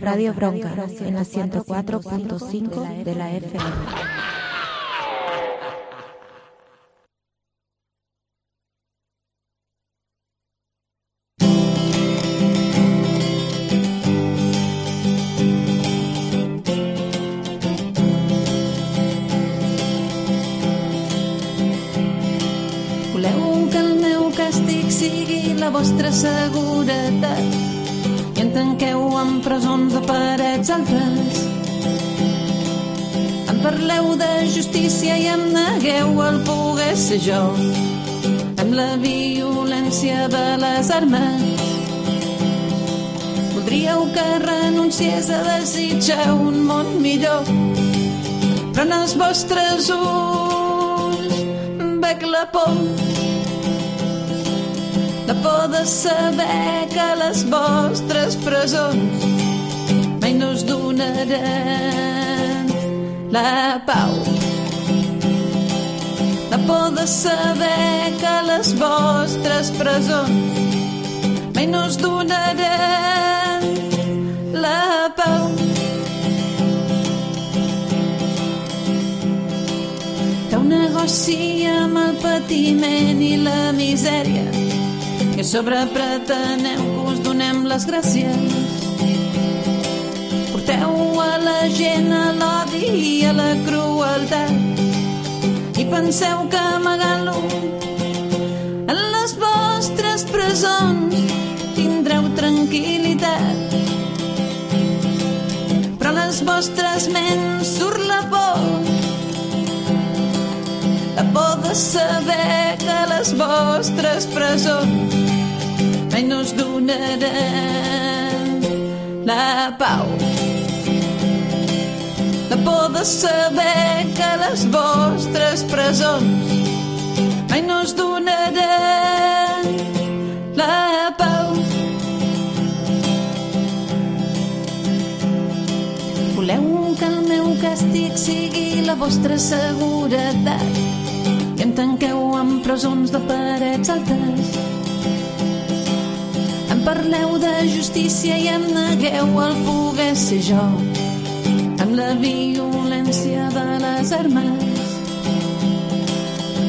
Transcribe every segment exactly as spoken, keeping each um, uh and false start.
Radio Bronca, en la ciento cuatro punto cinco de la F M. Voleu que el meu càstig sigui la vostra seguretat i en tanqueu en presons de parets altes. Em parleu de justícia i em negueu el poder ser jo amb la violència de les armes. Voldríeu que renunciés a desitjar un món millor, però en els vostres ulls veig la por. La por de saber que les vostres presons mai no us donaran la pau. La por de saber que les vostres presons mai no us donaran la pau. Feu negoci amb el patiment i la misèria i a sobre preteneu que us donem les gràcies. Porteu a la gent a l'odi i a la crueltat i penseu que amagant-lo en les vostres presons tindreu tranquil·litat. Però a les vostres ments surt la por, la por de saber que les vostres presons mai no us donaran la pau. La por de saber que les vostres presons mai no us donaran la pau. Voleu que el meu càstig sigui la vostra seguretat i em tanqueu en presons de parets altes. Em parleu de justícia i em negueu el poder ser jo amb la violència de les armes.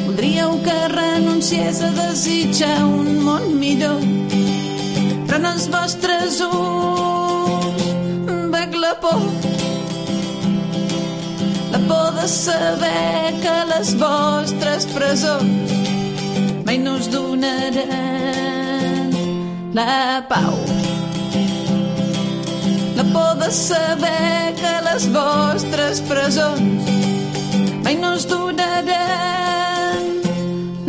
Voldríeu que renunciés a desitjar un món millor, però en els vostres ulls veig la por. La por de saber que les vostres presons mai no us donaran la pau. La por de saber que les vostres presons mai no us donaran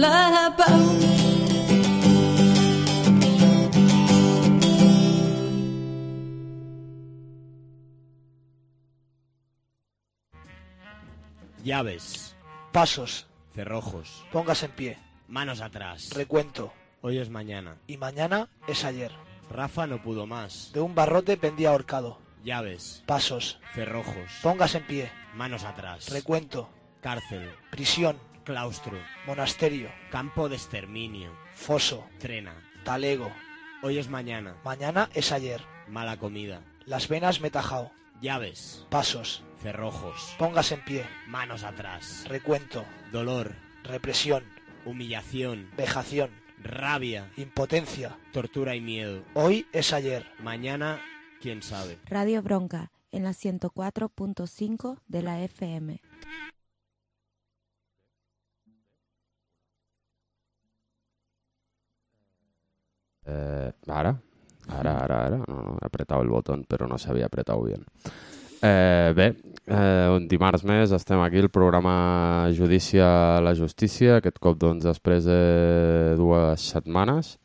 la pau. Llaves. Pasos. Cerrojos. Póngase en pie. Manos atrás. Recuento. Hoy es mañana. Y mañana es ayer. Rafa no pudo más. De un barrote pendía ahorcado. Llaves. Pasos. Cerrojos. Póngase en pie. Manos atrás. Recuento. Cárcel. Prisión. Claustro. Monasterio. Campo de exterminio. Foso. Trena. Talego. Hoy es mañana. Mañana es ayer. Mala comida. Las venas me tajao. Llaves. Pasos. Cerrojos. Póngase en pie. Manos atrás. Recuento. Dolor. Represión. Humillación. Vejación. Rabia. Impotencia. Tortura y miedo. Hoy es ayer. Mañana, quién sabe. Radio Bronca, en la ciento cuatro punto cinco de la F M. Eh, ara, ara, ara, ara, no, no, he apretado el botón, però no s'havia apretat bien. Eh, bé, eh, un dimarts més estem aquí, el programa Judici a la Justícia, aquest cop doncs després de dues setmanes,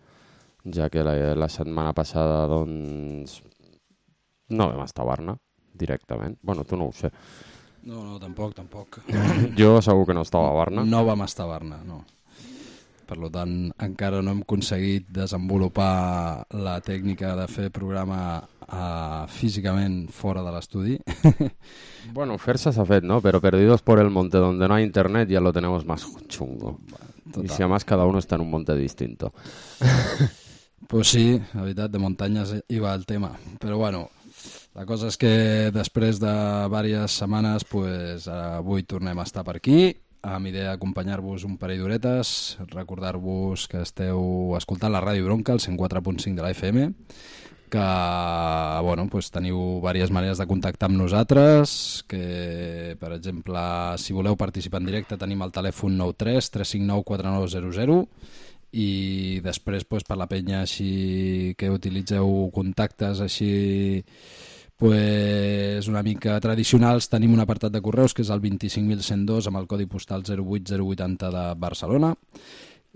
ja que la, la setmana passada doncs no vam estar a Barna directament. Bueno, tu no ho sé. No, no, tampoc, tampoc. Jo segur que no estava a Barna. No vam estar a Barna, no. Per tant, encara no hem aconseguit desenvolupar la tècnica de fer programa uh, físicament fora de l'estudi. Bueno, fer-se s'ha fet, ¿no? Pero perdidos por el monte donde no hay internet ya lo tenemos más chungo. Total. Y si además cada uno está en un monte distinto. Pues sí, la veritat, de muntanyes hi va el tema. Però bueno, La cosa és que després de diverses setmanes, pues, avui tornem a estar per aquí, amb idea d'acompanyar-vos un parell d'horetes, recordar-vos que esteu escoltant la Ràdio Bronca, el cent quatre punt cinc de la F M, que bueno, pues, teniu diverses maneres de contactar amb nosaltres, que per exemple, si voleu participar en directe tenim el telèfon nou tres tres cinc nou quatre nou zero zero, i després pues, per la penya així que utilitzeu contactes així pues, una mica tradicionals, tenim un apartat de correus que és el vint-i-cinc mil cent dos amb el codi postal zero vuit zero vuitanta de Barcelona,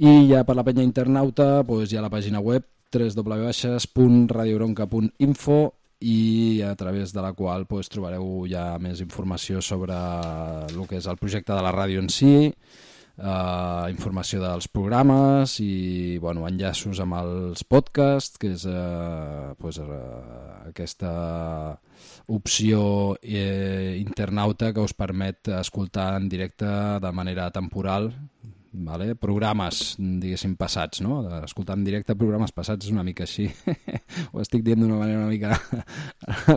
i ja per la penya internauta pues, hi ha la pàgina web w w w punt radiobronca punt info, i a través de la qual pues, trobareu ja més informació sobre el que és el projecte de la ràdio en si, Uh, informació dels programes i bueno, enllaços amb els podcasts, que és uh, pues, uh, aquesta opció eh, internauta que us permet escoltar en directe de manera temporal, vale? Programes, diguéssim, passats, no? Escoltar en directe programes passats és una mica així. Ho estic dient d'una manera una mica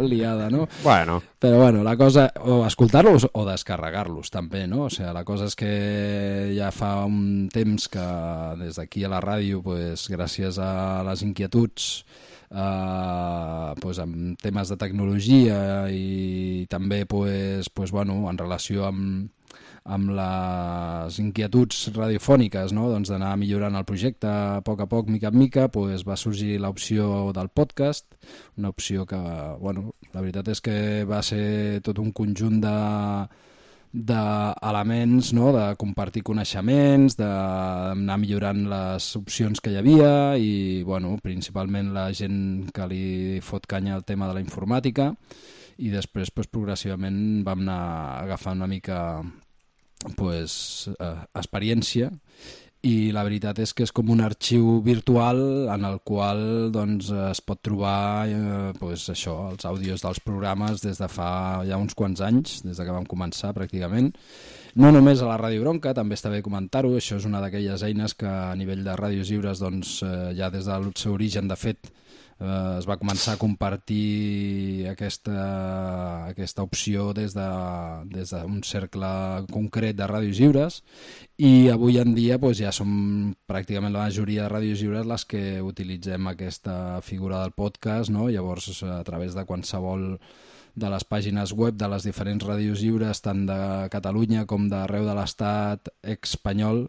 liada, no? Bueno. Però bueno, la cosa, o escoltar-los o descarregar-los també, no? O sigui, la cosa és que ja fa un temps que des d'aquí a la ràdio, pues, gràcies a les inquietuds Uh, pues, amb temes de tecnologia i també pues, pues, bueno, en relació amb, amb les inquietuds radiofòniques, no? Doncs d'anar millorant el projecte a poc a poc, mica en mica, pues, va sorgir l'opció del podcast, una opció que, bueno, la veritat és que va ser tot un conjunt de d'elements, no? De compartir coneixements, d'anar millorant les opcions que hi havia i, bueno, principalment la gent que li fot canya al tema de la informàtica, i després, pues, progressivament vam anar agafant una mica pues, eh, experiència, i la veritat és que és com un arxiu virtual en el qual doncs, es pot trobar eh, pues, això, els àudios dels programes des de fa ja uns quants anys, des de que vam començar pràcticament. No només a la Ràdio Bronca, també està bé comentar-ho, això és una d'aquelles eines que a nivell de ràdios lliures doncs, eh, ja des del seu origen, de fet, eh, es va començar a compartir aquesta, aquesta opció des de, des d'un cercle concret de ràdios lliures, i avui en dia doncs, ja som pràcticament la majoria de ràdios lliures les que utilitzem aquesta figura del podcast, no? Llavors a través de qualsevol de les pàgines web de les diferents ràdios lliures, tant de Catalunya com d'arreu de l'estat espanyol,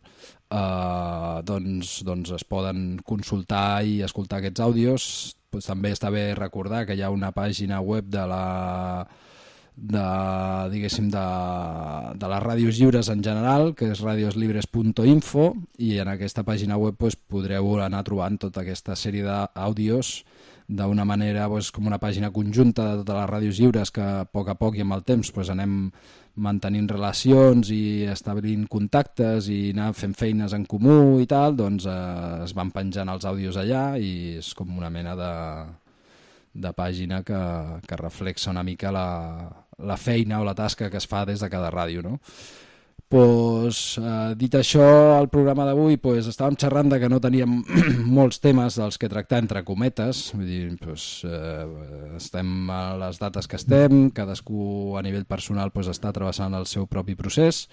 eh, doncs, doncs es poden consultar i escoltar aquests àudios. Pues també està bé recordar que hi ha una pàgina web de la de, diguéssim, de, de les ràdios lliures en general, que és radioslibres punt info, i en aquesta pàgina web pues, podreu anar trobant tota aquesta sèrie d'àudios d'una manera pues, com una pàgina conjunta de totes les ràdios lliures que a poc a poc i amb el temps pues, anem mantenint relacions i establint contactes i anar fent feines en comú i tal, doncs eh, es van penjant els àudios allà i és com una mena de, de pàgina que, que reflexa una mica la, la feina o la tasca que es fa des de cada ràdio, no? Pues, eh, dit això, el programa d'avui pues, estàvem xerrant de que no teníem molts temes dels que tractar entre cometes, vull dir, pues, eh, estem a les dates que estem, cadascú a nivell personal pues, està travessant el seu propi procés,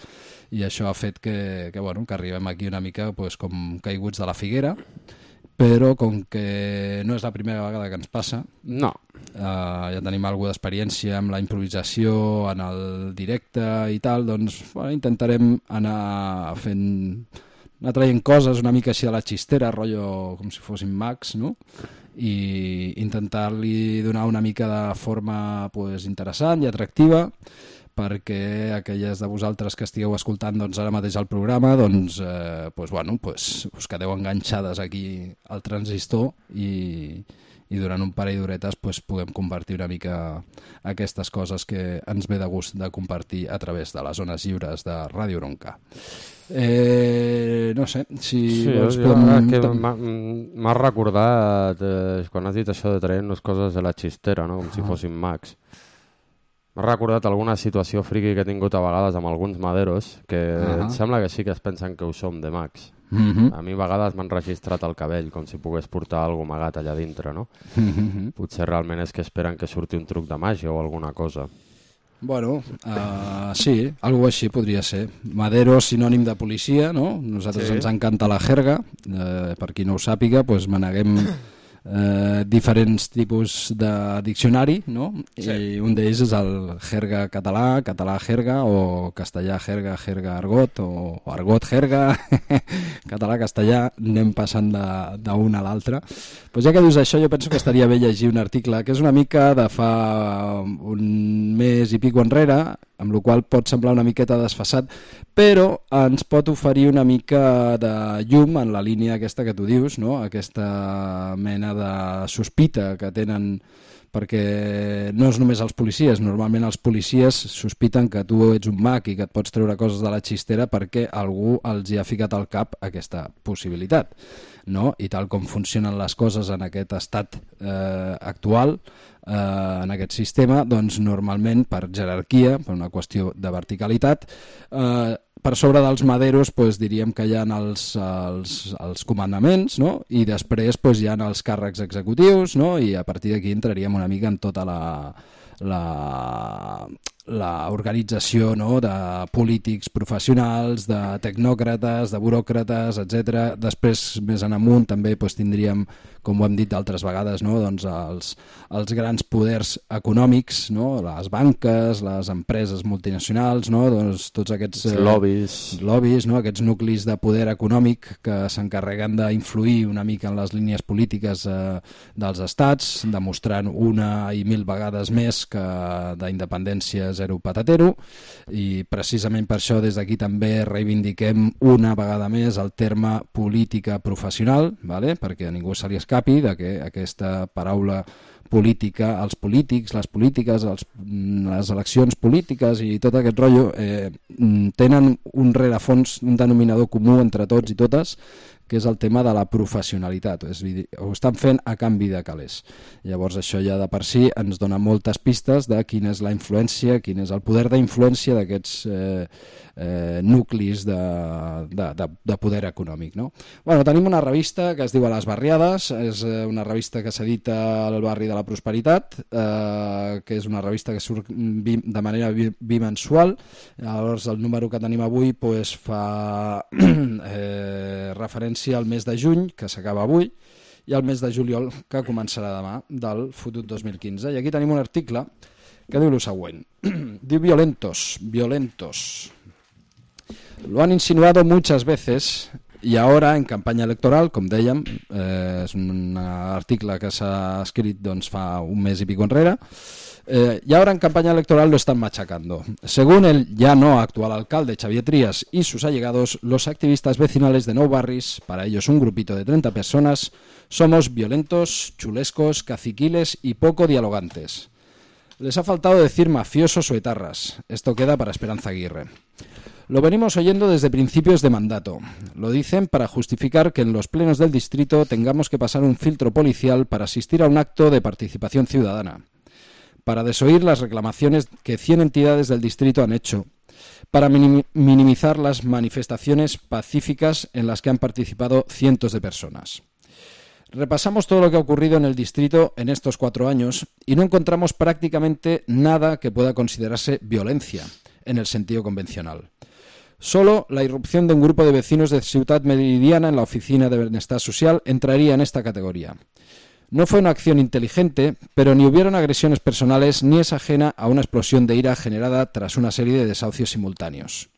i això ha fet que, que, bueno, que arribem aquí una mica pues, com caiguts de la figuera, però com que no és la primera vegada que ens passa, no. Uh, ja tenim alguna d'experiència amb la improvisació en el directe i tal, doncs bueno, intentarem anar fent, anar traient coses una mica així de la xistera, rotllo com si fossin mags, no? I intentar-li donar una mica de forma pues, interessant i atractiva, perquè aquelles de vosaltres que estigueu escoltant doncs, ara mateix el programa doncs, eh, pues, bueno, pues, us quedeu enganxades aquí al transistor i, i durant un parell d'horetes pues, puguem compartir una mica aquestes coses que ens ve de gust de compartir a través de les zones lliures de Ràdio Bronca. Eh, no sé, si sí, vols... Jo, podem... que m'ha recordat eh, quan has dit això de traient les coses de la xistera, no? Com si fossin mags. M'ha recordat alguna situació friqui que he tingut a vegades amb alguns maderos que Uh-huh. em sembla que sí que es pensen que ho som de mags. Uh-huh. A mi a vegades m'han registrat el cabell com si pogués portar alguna amagat allà dintre, no? Uh-huh. Potser realment és que esperen que surti un truc de màgia o alguna cosa. Bueno, uh, sí, algo així podria ser. Madero, sinònim de policia, no? Nosaltres Sí. ens encanta la jerga. Uh, per qui no ho sàpiga, pues maneguem uh, diferents tipus de diccionari, no? Sí. I un d'ells és el jerga català, català jerga, o castellà jerga, jerga argot, o, o argot jerga, català, castellà, anem passant d'un a l'altre. Pues ja que dius això, jo penso que estaria bé llegir un article que és una mica de fa un mes i pico enrere, amb la qual pot semblar una miqueta desfasat, però ens pot oferir una mica de llum en la línia aquesta que tu dius, no? Aquesta mena de sospita que tenen, perquè no és només els policies, normalment els policies sospiten que tu ets un mag i que et pots treure coses de la xistera perquè algú els hi ha ficat al cap aquesta possibilitat, no? I tal com funcionen les coses en aquest estat eh, actual, eh, en aquest sistema, doncs normalment per jerarquia, per una qüestió de verticalitat, eh, per sobre dels maderos doncs, diríem que hi ha els, els, els comandaments, no? I després doncs, hi ha els càrrecs executius, no? I a partir d'aquí entraríem una mica en tota la, la, la organització, no? De polítics professionals, de tecnòcrates, de buròcrates, etcètera. Després, més en amunt, també doncs, tindríem, com ho hem dit altres vegades, no? Doncs els, els grans poders econòmics, no? Les banques, les empreses multinacionals, no? Doncs tots aquests Els lobbies. lobbies, no? Aquests nuclis de poder econòmic que s'encarreguen d'influir una mica en les línies polítiques eh, dels estats, demostrant una i mil vegades més que d'independència zero patatero, i precisament per això des d'aquí també reivindiquem una vegada més el terme política professional, vale? Perquè a ningú se li escapi de que aquesta paraula política, els polítics, les polítiques, els, les eleccions polítiques i tot aquest rotllo eh, tenen un rerefons, un denominador comú entre tots i totes, que és el tema de la professionalitat, és a dir, ho estan fent a canvi de calés. Llavors això ja de per si ens dona moltes pistes de quina és la influència, quin és el poder d'influència d'aquests eh, eh, nuclis de, de, de, de poder econòmic, no? Bueno, tenim una revista que es diu A les Barriades, és una revista que s'edita al barri de la Prosperitat, eh, que és una revista que surt de manera bimensual. Llavors el número que tenim avui pues, fa eh, referència al mes de juny, que s'acaba avui, i al mes de juliol, que començarà demà, del fotut dos mil quinze. I aquí tenim un article que diu el següent. Diu violentos, violentos. Lo han insinuado muchas veces y ahora en campaña electoral, com dèiem, eh, és un article que s'ha escrit doncs, fa un mes i pico enrere, Eh, y ahora en campaña electoral lo están machacando. Según el ya no actual alcalde Xavier Trías y sus allegados, los activistas vecinales de Nou Barris, para ellos un grupito de treinta personas, somos violentos, chulescos, caciquiles y poco dialogantes. Les ha faltado decir mafiosos o etarras. Esto queda para Esperanza Aguirre. Lo venimos oyendo desde principios de mandato. Lo dicen para justificar que en los plenos del distrito tengamos que pasar un filtro policial para asistir a un acto de participación ciudadana, para desoír las reclamaciones que cien entidades del distrito han hecho, para minim- minimizar las manifestaciones pacíficas en las que han participado cientos de personas. Repasamos todo lo que ha ocurrido en el distrito en estos cuatro años y no encontramos prácticamente nada que pueda considerarse violencia en el sentido convencional. Solo la irrupción de un grupo de vecinos de Ciutat Meridiana en la oficina de Bienestar Social entraría en esta categoría. No fue una acción inteligente, pero ni hubieron agresiones personales ni es ajena a una explosión de ira generada tras una serie de desahucios simultáneos.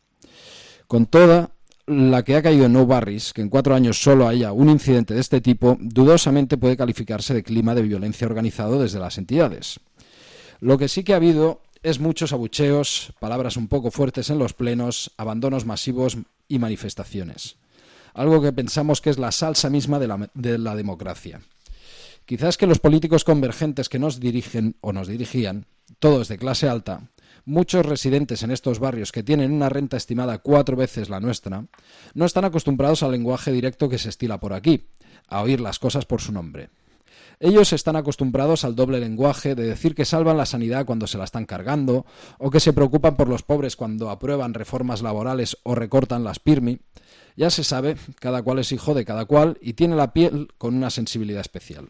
Con toda la que ha caído en Nou Barris, que en cuatro años solo haya un incidente de este tipo, dudosamente puede calificarse de clima de violencia organizado desde las entidades. Lo que sí que ha habido es muchos abucheos, palabras un poco fuertes en los plenos, abandonos masivos y manifestaciones. Algo que pensamos que es la salsa misma de la, de la democracia. Quizás que los políticos convergentes que nos dirigen o nos dirigían, todos de clase alta, muchos residentes en estos barrios que tienen una renta estimada cuatro veces la nuestra, no están acostumbrados al lenguaje directo que se estila por aquí, a oír las cosas por su nombre. Ellos están acostumbrados al doble lenguaje de decir que salvan la sanidad cuando se la están cargando, o que se preocupan por los pobres cuando aprueban reformas laborales o recortan las PIRMI. Ya se sabe, cada cual es hijo de cada cual y tiene la piel con una sensibilidad especial.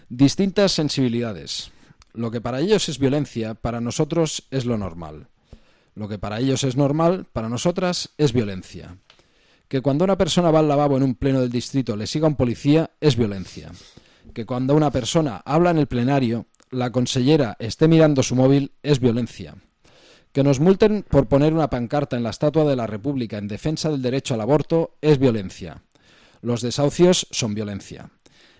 Distintas sensibilidades. Lo que para ellos es violencia, para nosotros es lo normal. Lo que para ellos es normal, para nosotras es violencia. Que cuando una persona va al lavabo en un pleno del distrito le siga un policía es violencia. Que cuando una persona habla en el plenario, la consellera esté mirando su móvil es violencia. Que nos multen por poner una pancarta en la Estatua de la República en defensa del derecho al aborto es violencia. Los desahucios son violencia.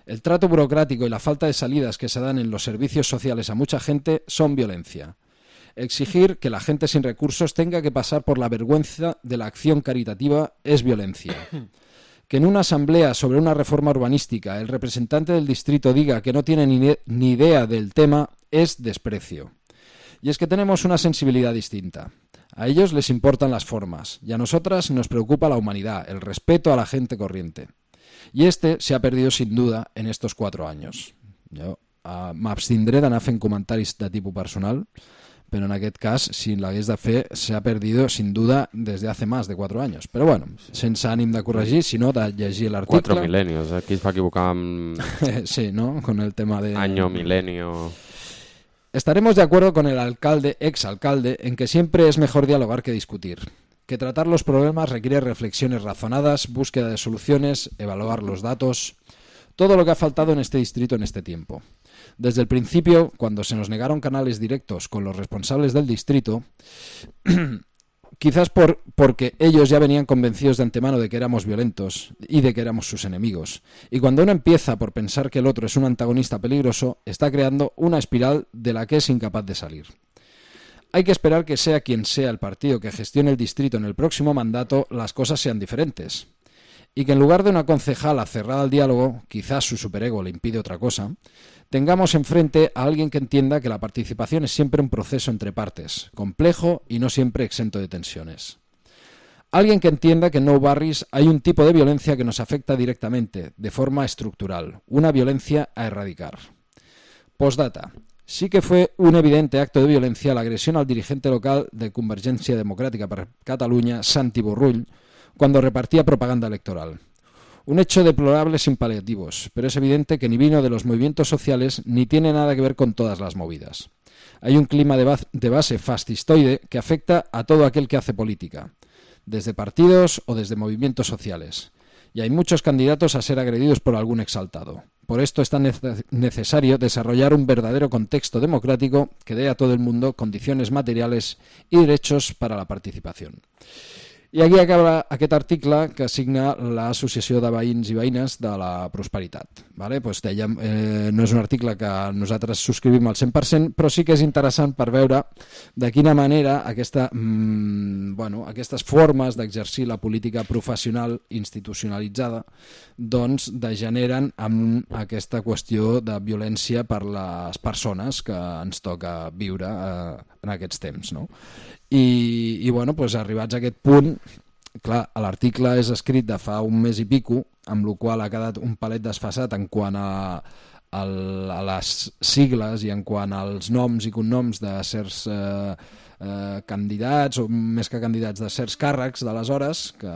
El trato burocrático y la falta de salidas que se dan en los servicios sociales a mucha gente son violencia. Exigir que la gente sin recursos tenga que pasar por la vergüenza de la acción caritativa es violencia. Que en una asamblea sobre una reforma urbanística el representante del distrito diga que no tiene ni, ni idea del tema es desprecio. Y es que tenemos una sensibilidad distinta. A ellos les importan las formas y a nosotras nos preocupa la humanidad, el respeto a la gente corriente. I este se ha perdido sin duda en estos cuatro años. Jo uh, m'abstindré d'anar fent comentaris de tipus personal, pero en aquest cas, si l'hagués de fer, se ha perdido sin duda desde hace más de cuatro años. Pero bueno, sense ànim de corregir, sinó de llegir l'article. Cuatro milenios, aquí es va equivocar amb... sí, ¿no? Con el tema de... Año, milenio... Estaremos de acuerdo con el alcalde, exalcalde, en que siempre es mejor dialogar que discutir. Que tratar los problemas requiere reflexiones razonadas, búsqueda de soluciones, evaluar los datos... Todo lo que ha faltado en este distrito en este tiempo. Desde el principio, cuando se nos negaron canales directos con los responsables del distrito, quizás por, porque ellos ya venían convencidos de antemano de que éramos violentos y de que éramos sus enemigos. Y cuando uno empieza por pensar que el otro es un antagonista peligroso, está creando una espiral de la que es incapaz de salir. Hay que esperar que sea quien sea el partido que gestione el distrito en el próximo mandato, las cosas sean diferentes. Y que en lugar de una concejala cerrada al diálogo, quizás su superego le impide otra cosa, tengamos enfrente a alguien que entienda que la participación es siempre un proceso entre partes, complejo y no siempre exento de tensiones. Alguien que entienda que en Nou Barris hay un tipo de violencia que nos afecta directamente, de forma estructural, una violencia a erradicar. Postdata. Sí que fue un evidente acto de violencia la agresión al dirigente local de Convergència Democràtica per Catalunya, Santi Borrull, cuando repartía propaganda electoral. Un hecho deplorable sin paliativos, pero es evidente que ni vino de los movimientos sociales ni tiene nada que ver con todas las movidas. Hay un clima de, base, de base fascistoide que afecta a todo aquel que hace política, desde partidos o desde movimientos sociales. Y hay muchos candidatos a ser agredidos por algún exaltado. Por esto es tan necesario desarrollar un verdadero contexto democrático que dé a todo el mundo condiciones materiales y derechos para la participación. I aquí acaba aquest article que signa l'Associació de Veïns i Veïnes de la Prosperitat. Vale? Pues dèiem, eh, no és un article que nosaltres subscrivim al cent per cent, però sí que és interessant per veure de quina manera aquesta, mmm, bueno, aquestes formes d'exercir la política professional institucionalitzada doncs degeneren amb aquesta qüestió de violència per les persones que ens toca viure eh, en aquests temps, no? I, i bueno, doncs arribats a aquest punt, clar, l'article és escrit de fa un mes i pico, amb la qual ha quedat un palet desfasat en quant a, a, a les sigles i en quant als noms i cognoms de certs eh, eh, candidats, o més que candidats, de certs càrrecs d'aleshores, que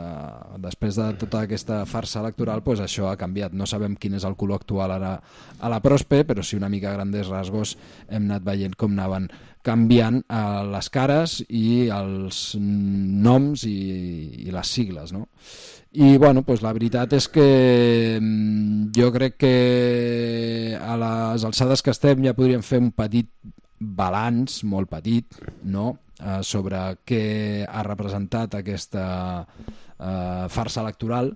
després de tota aquesta farsa electoral, doncs això ha canviat. No sabem quin és el color actual ara a la Prospe, però sí una mica a grandes rasgos hem anat veient com anaven canviant eh, les cares i els noms i, i les sigles, no? I bueno, doncs la veritat és que jo crec que a les alçades que estem ja podríem fer un petit balanç, molt petit, no? eh, sobre què ha representat aquesta eh, farsa electoral,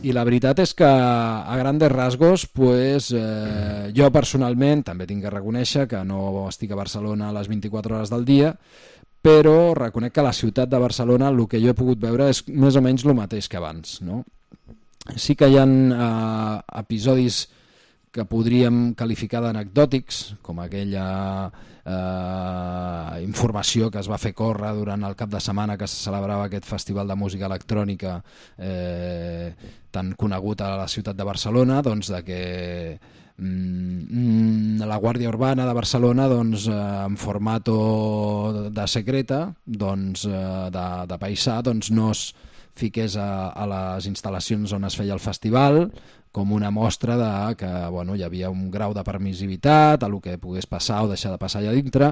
i la veritat és que a grandes rasgos pues, eh, jo personalment també tinc que reconèixer que no estic a Barcelona a les vint-i-quatre hores del dia, però reconec que a la ciutat de Barcelona el que jo he pogut veure és més o menys el mateix que abans, no? Sí que hi ha eh, episodis que podríem qualificar d'anecdòtics, com aquella eh, informació que es va fer córrer durant el cap de setmana que se celebrava aquest festival de música electrònica eh, tan conegut a la ciutat de Barcelona, doncs de que mm, la Guàrdia Urbana de Barcelona doncs, eh, en formato de secreta, doncs, eh, de, de paisà, doncs no es fiqués a, a les instal·lacions on es feia el festival com una mostra de que bueno, hi havia un grau de permissivitat a el que pogués passar o deixar de passar allà dintre.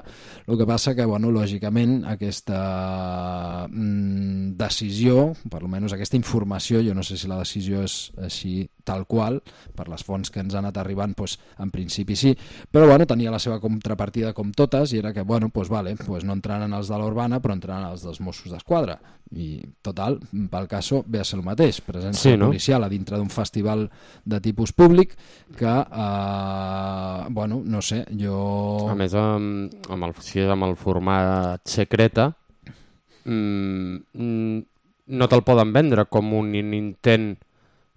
El que passa que, bueno, lògicament, aquesta mm, decisió, per almenys aquesta informació, jo no sé si la decisió és així tal qual, per les fonts que ens han anat arribant, doncs, en principi sí, però bueno, tenia la seva contrapartida com totes, i era que, bueno, doncs, vale, doncs no entraran els de l'Urbana, però entraran els dels Mossos d'Esquadra. I, total, pel cas ve a ser el mateix, presència sí, no? policial a dintre d'un festival de tipus públic que, eh, bueno, no sé, jo... A més, amb, amb, el, si és amb el format secreta, mmm, no te'l poden vendre com un intent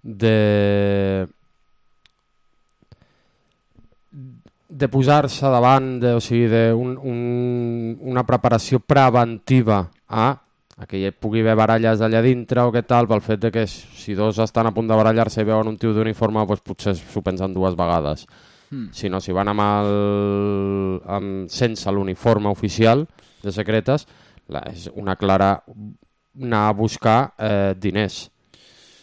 de... de posar-se davant, de, o sigui, de un, un, una preparació preventiva a a que hi pugui haver baralles allà dintre o què tal, pel fet de que si dos estan a punt de barallar-se i veuen un tio d'uniforme, doncs potser s'ho pensen dues vegades. Mm. Si no, si van amb el, amb, sense l'uniforme oficial de secretes, la, és una clara anar a buscar eh, diners,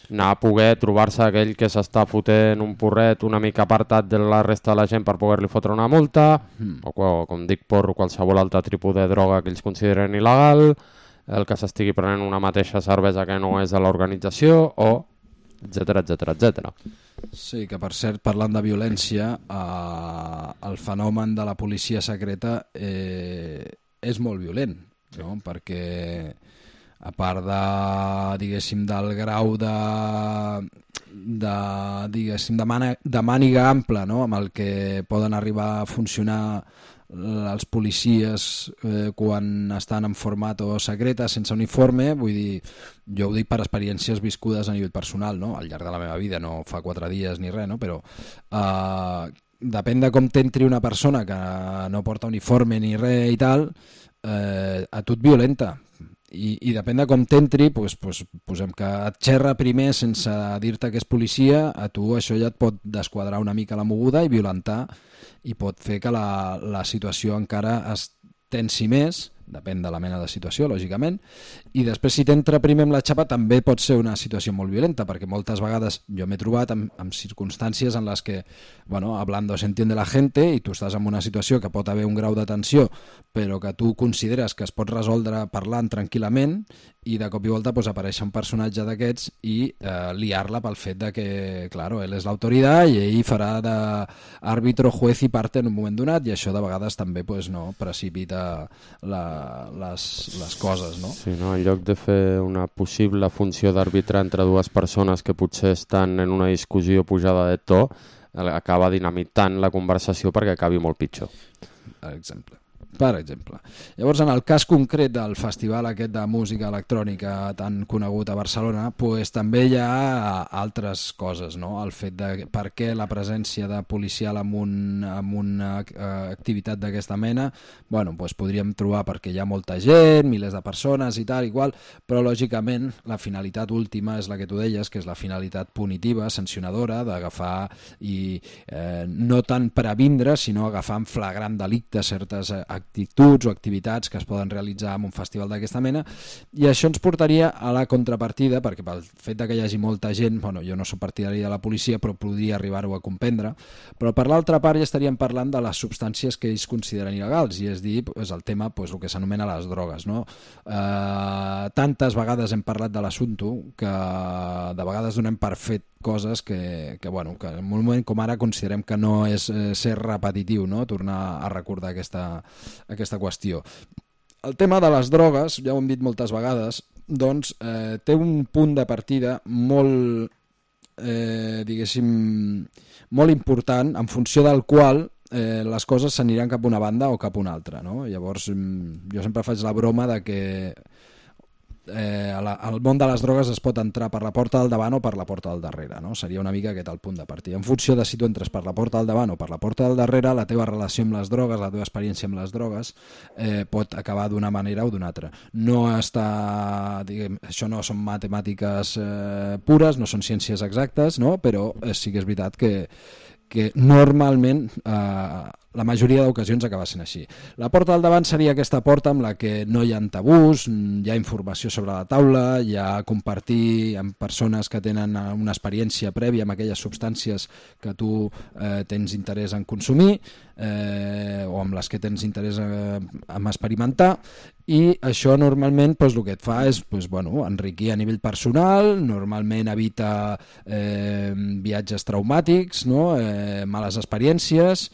anar a poder trobar-se aquell que s'està fotent un porret una mica apartat de la resta de la gent per poder-li fotre una multa, mm. o, o com dic, porro, qualsevol altre tipus de droga que ells consideren il·legal, el que s'estigui prenent una mateixa cervesa que no és de l'organització, o etcètera, etcètera, etcètera. Sí, que per cert, parlant de violència, eh, el fenomen de la policia secreta eh, és molt violent, no? Perquè a part de, diguéssim, del grau de, de, diguéssim, de, màniga, de màniga ampla, no? Amb el que poden arribar a funcionar els policies eh, quan estan en format o secreta sense uniforme, vull dir, jo ho dic per experiències viscudes a nivell personal, no? Al llarg de la meva vida, no fa quatre dies ni res, no? Però eh, depèn de com t'entri una persona que no porta uniforme ni res i tal, eh, a tu et violenta. I, i depèn de com t'entri, pues, pues, posem que et xerra primer sense dir-te que és policia, a tu això ja et pot desquadrar una mica la moguda i violentar, i pot fer que la, la situació encara es tensi més, depèn de la mena de situació, lògicament, i després si t'entra primer amb la xapa també pot ser una situació molt violenta, perquè moltes vegades jo m'he trobat en, en circumstàncies en les que, bueno, hablando se entiende la gente, i tu estàs en una situació que pot haver un grau de tensió, però que tu consideres que es pot resoldre parlant tranquil·lament, i de cop i volta pues, apareix un personatge d'aquests i eh, liar-la pel fet de que, claro, ell és l'autoritat i ell farà d'àrbitro, juez i parte en un moment donat, i això de vegades també pues, no, precipita la, les, les coses, no? Sí, no? En lloc de fer una possible funció d'arbitrar entre dues persones que potser estan en una discussió pujada de to, acaba dinamitant la conversació perquè acabi molt pitjor. Per exemple. Per exemple. Llavors, en el cas concret del festival aquest de música electrònica tan conegut a Barcelona, pues, també hi ha altres coses, no? El fet de per què la presència de policial en, un, en una activitat d'aquesta mena, bueno, pues, podríem trobar perquè hi ha molta gent, milers de persones i tal, igual, però lògicament la finalitat última és la que tu deies, que és la finalitat punitiva, sancionadora, d'agafar i eh, no tant previndre, sinó agafar en flagrant delicte certes activitats actituds o activitats que es poden realitzar en un festival d'aquesta mena, i això ens portaria a la contrapartida, perquè pel fet de que hi hagi molta gent, bueno, jo no soc partidari de la policia, però podria arribar-ho a comprendre, però per l'altra part ja estaríem parlant de les substàncies que ells consideren il·legals, i és dir, és el tema, pues, el que s'anomena les drogues, no? Eh, tantes vegades hem parlat de l'assumpte que de vegades donem per fet coses que, que, bueno, que en un moment com ara considerem que no és eh, ser repetitiu, no? Tornar a recordar aquesta, aquesta qüestió. El tema de les drogues, ja ho hem dit moltes vegades, doncs eh, té un punt de partida molt, eh, diguéssim, molt important, en funció del qual eh, les coses s'aniran cap a una banda o cap a una altra, no? Llavors, jo sempre faig la broma de que eh, al món de les drogues es pot entrar per la porta del davant o per la porta del darrere, no? Seria una mica aquest el punt de partida. En funció de si tu entres per la porta del davant o per la porta del darrere, la teva relació amb les drogues, la teva experiència amb les drogues eh, pot acabar d'una manera o d'una altra. No està, diguem, això no són matemàtiques eh, pures, no són ciències exactes, no? Però eh, sí que és veritat que, que normalment eh, la majoria d'ocasions acaba sent així. La porta del davant seria aquesta porta amb la que no hi ha tabús, hi ha informació sobre la taula, hi ha compartir amb persones que tenen una experiència prèvia amb aquelles substàncies que tu eh, tens interès en consumir eh, o amb les que tens interès eh, en experimentar, i això normalment doncs, el que et fa és doncs, bueno, enriquir a nivell personal, normalment evita eh, viatges traumàtics, no? eh, males experiències,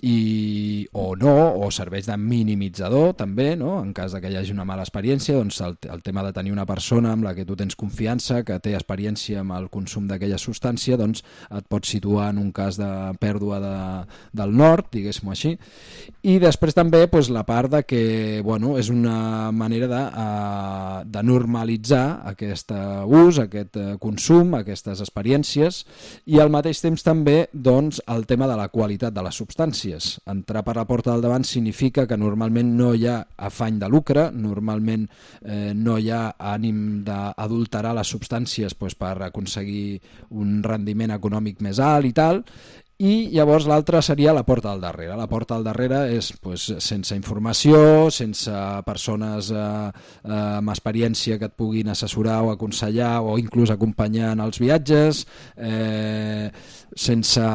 i, o no, o serveix de minimitzador també, no? En cas de que hi hagi una mala experiència, doncs el, el tema de tenir una persona amb la que tu tens confiança, que té experiència amb el consum d'aquella substància, doncs et pot situar en un cas de pèrdua de, del nord, diguéssim així. I després també doncs, la part de que bueno, és una manera de, uh, de normalitzar aquest ús, aquest consum, aquestes experiències, i al mateix temps també doncs, el tema de la qualitat de les substàncies. Entrar per la porta del davant significa que normalment no hi ha afany de lucre, normalment eh, no hi ha ànim d'adulterar les substàncies doncs, per aconseguir un rendiment econòmic més alt i tal, i llavors l'altra seria la porta del darrere. La porta del darrere és pues, sense informació, sense persones eh, eh, amb experiència que et puguin assessorar o aconsellar o inclús acompanyar en els viatges, eh, sense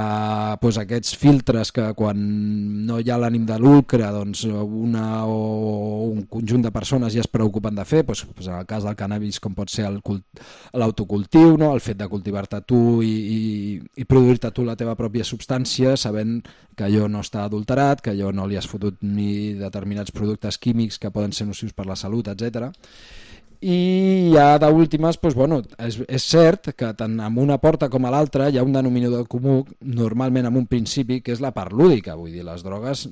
pues, aquests filtres que quan no hi ha l'ànim de lucre doncs una o un conjunt de persones ja es preocupen de fer, pues, pues, en el cas del cannabis com pot ser l'autocultiu, no? El fet de cultivar-te tu i, i, i produir-te tu la teva pròpia substància, substància, sabent que allò no està adulterat, que allò no li has fotut ni determinats productes químics que poden ser nocius per la salut, etcètera. I ja d'últimes, doncs, bueno, és, és cert que tant amb una porta com a l'altra hi ha un denominador comú, normalment amb un principi, que és la part lúdica. Vull dir, les drogues,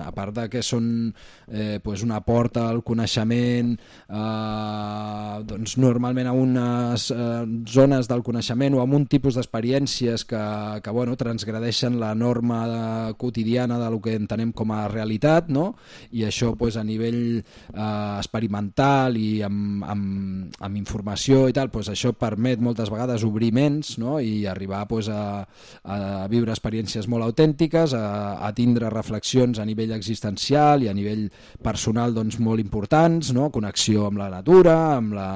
a part de que són eh, doncs una porta al coneixement, eh, doncs normalment a unes eh, zones del coneixement o amb un tipus d'experiències que, que bueno, transgredeixen la norma de, quotidiana del que entenem com a realitat, no? I això doncs, a nivell eh, experimental i amb, amb Amb, amb informació i tal, doncs això permet moltes vegades obrir ments, no? I arribar doncs, a, a viure experiències molt autèntiques, a, a tindre reflexions a nivell existencial i a nivell personal doncs, molt importants, no? Connexió amb la natura, amb la,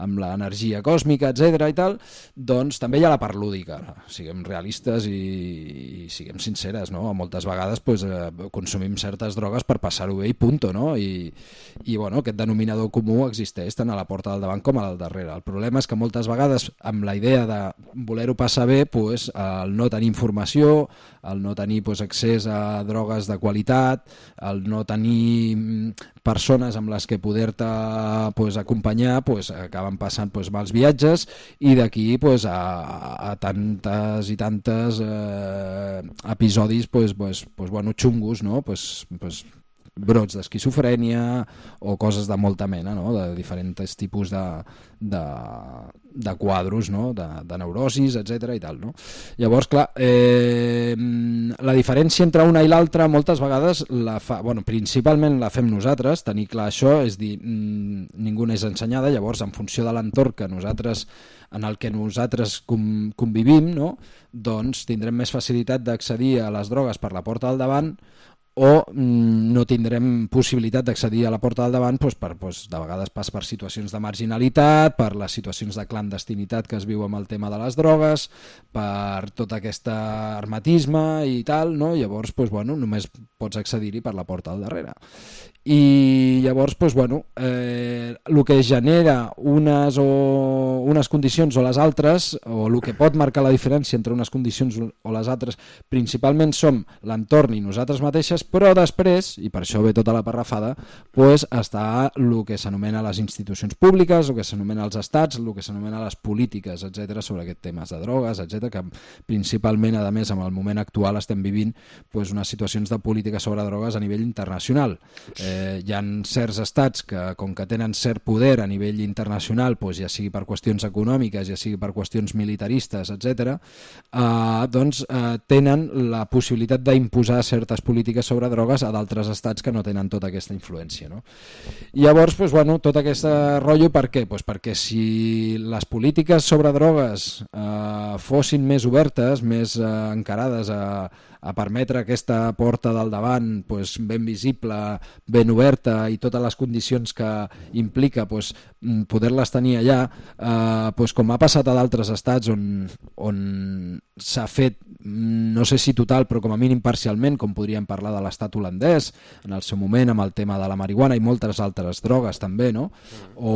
amb l'energia còsmica, etcètera i tal. Doncs també hi ha la part lúdica, siguem realistes i, i siguem sinceres, no? Moltes vegades doncs, eh, consumim certes drogues per passar-ho bé i punto, no? I, i bueno, aquest denominador comú existeix tant a la porta del davant com al darrere. El problema és que moltes vegades amb la idea de voler-ho passar bé, pues, el no tenir informació, el no tenir pues, accés a drogues de qualitat, el no tenir persones amb les que poder-te pues, acompanyar, pues, acaben passant pues, mals viatges i d'aquí pues, a, a tantes i tantes eh, episodis pues, pues, pues, bueno, xungos, no? Pues, pues, brots d'esquizofrènia o coses de molta mena, no? De diferents tipus de, de, de quadros, no? de, de neurosis, etcètera i tal. No? Llavors, clar, eh, la diferència entre una i l'altra moltes vegades, la fa, bueno, principalment la fem nosaltres, tenir clar això, és dir, ningú n'és ensenyada, llavors en funció de l'entorn que nosaltres en el que nosaltres convivim, no? Doncs tindrem més facilitat d'accedir a les drogues per la porta del davant o no tindrem possibilitat d'accedir a la porta del davant doncs per, doncs, de vegades pas per situacions de marginalitat, per les situacions de clandestinitat que es viu amb el tema de les drogues, per tot aquest hermetisme i tal, no? Llavors doncs, bueno, només pots accedir-hi per la porta del darrere. I llavors doncs, bueno, eh, el que genera unes, o, unes condicions o les altres, o el que pot marcar la diferència entre unes condicions o les altres, principalment som l'entorn i nosaltres mateixes, però després, i per això ve tota la parrafada, pues, està el que s'anomena les institucions públiques, el que s'anomena els estats, el que s'anomena les polítiques, etcètera, sobre aquests temes de drogues, etcètera, que principalment, a més, en el moment actual estem vivint pues, unes situacions de política sobre drogues a nivell internacional. Eh, hi ha certs estats que, com que tenen cert poder a nivell internacional, pues, ja sigui per qüestions econòmiques, ja sigui per qüestions militaristes, etcètera, eh, doncs eh, tenen la possibilitat d'imposar certes polítiques sobre drogues a d'altres estats que no tenen tota aquesta influència, no? I llavors, pues, bueno, tot aquest rotllo, per què? Pues perquè si les polítiques sobre drogues eh, fossin més obertes, més eh, encarades a, a permetre aquesta porta del davant pues, ben visible, ben oberta i totes les condicions que implica pues, poder-les tenir allà, eh, pues, com ha passat a d'altres estats on, on s'ha fet, no sé si total, però com a mínim parcialment, com podríem parlar de l'estat holandès en el seu moment amb el tema de la marihuana i moltes altres drogues també, no? O,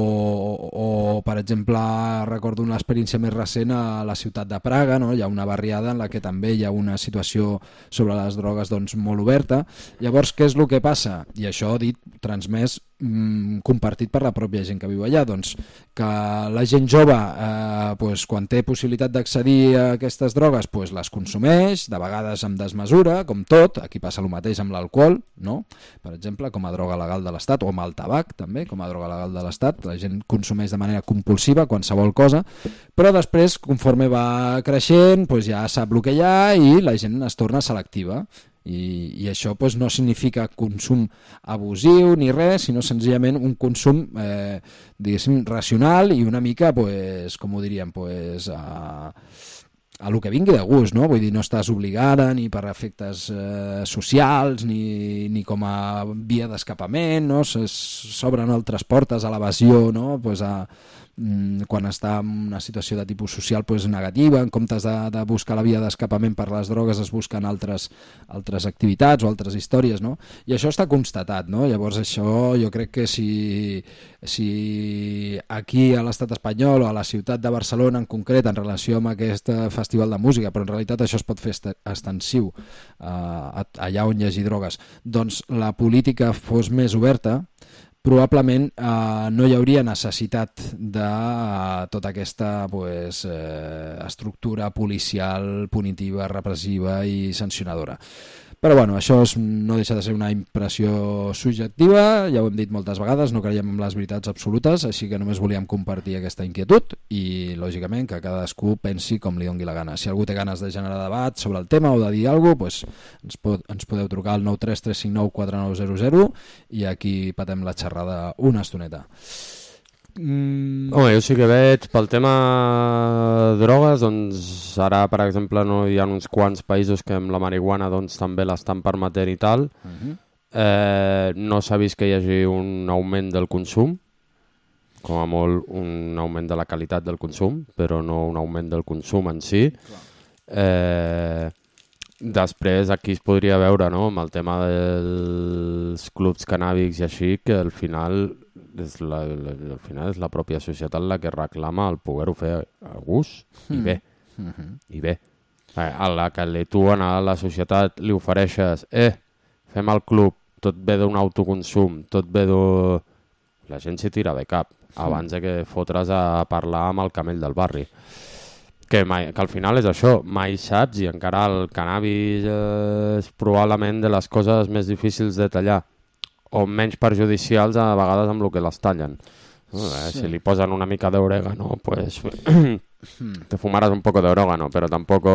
o per exemple, recordo una experiència més recent a la ciutat de Praga, no? Hi ha una barriada en la que també hi ha una situació sobre les drogues doncs, molt oberta. Llavors, què és el que passa? I això dit, transmès, mmm, compartit per la pròpia gent que viu allà, doncs que la gent jove eh, pues, quan té possibilitat d'accedir a aquestes drogues pues, les consumeix, de vegades amb desmesura, com tot, aquí passa el mateix amb l'alcohol, no? Per exemple, com a droga legal de l'Estat, o amb el tabac també, com a droga legal de l'Estat, la gent consumeix de manera compulsiva qualsevol cosa, però després, conforme va creixent, pues, ja sap el que hi ha i la gent es torna selectiva. I, i això pues, no significa consum abusiu ni res, sinó senzillament un consum eh, diguéssim racional i una mica, pues, com ho diríem, pues, a, a lo que vingui de gust, no? Vull dir, no estàs obligada ni per efectes eh, socials ni, ni com a via d'escapament, no? S'obren altres portes a l'evasió, no? Pues a quan està en una situació de tipus social pues, negativa, en comptes de, de buscar la via d'escapament per les drogues es busquen altres, altres activitats o altres històries, no? I això està constatat, no? Llavors això jo crec que si, si aquí a l'estat espanyol o a la ciutat de Barcelona en concret en relació amb aquest festival de música, però en realitat això es pot fer extensiu eh, allà on hi hagi drogues, doncs la política fos més oberta, probablement eh, no hi hauria necessitat de eh, tota aquesta pues, eh, estructura policial, punitiva, repressiva i sancionadora. Però bueno, això és, no deixa de ser una impressió subjectiva, ja ho hem dit moltes vegades, no creiem en les veritats absolutes, així que només volíem compartir aquesta inquietud i, lògicament, que cadascú pensi com li doni la gana. Si algú té ganes de generar debat sobre el tema o de dir alguna cosa, pues, ens, pot, ens podeu trucar al nou tres tres cinc nou quatre nou zero zero i aquí patem la xerrada una estoneta. Mm. Home, jo sí que veig pel tema drogues, doncs ara per exemple no hi ha uns quants països que amb la marihuana doncs també l'estan permetent i tal. Uh-huh. eh, no s'ha vist que hi hagi un augment del consum, com a molt un augment de la qualitat del consum, però no un augment del consum en si. Eh, després aquí es podria veure, no, amb el tema dels clubs cannàbics i així, que al final és la, la, al final és la pròpia societat la que reclama el poder-ho fer a gust i bé, mm-hmm. i bé. A la que li, tu a la societat li ofereixes eh, fem el club, tot ve d'un autoconsum, tot ve d'un... La gent s'hi tira de cap abans de que fotres a parlar amb el camell del barri. Que, mai, que al final és això, mai saps, i encara el cannabis és probablement de les coses més difícils de tallar o menys perjudicials a vegades amb el que les tallen. Sí. Si li posen una mica d'orégano, pues te fumaràs un poco d'orégano, però tampoc...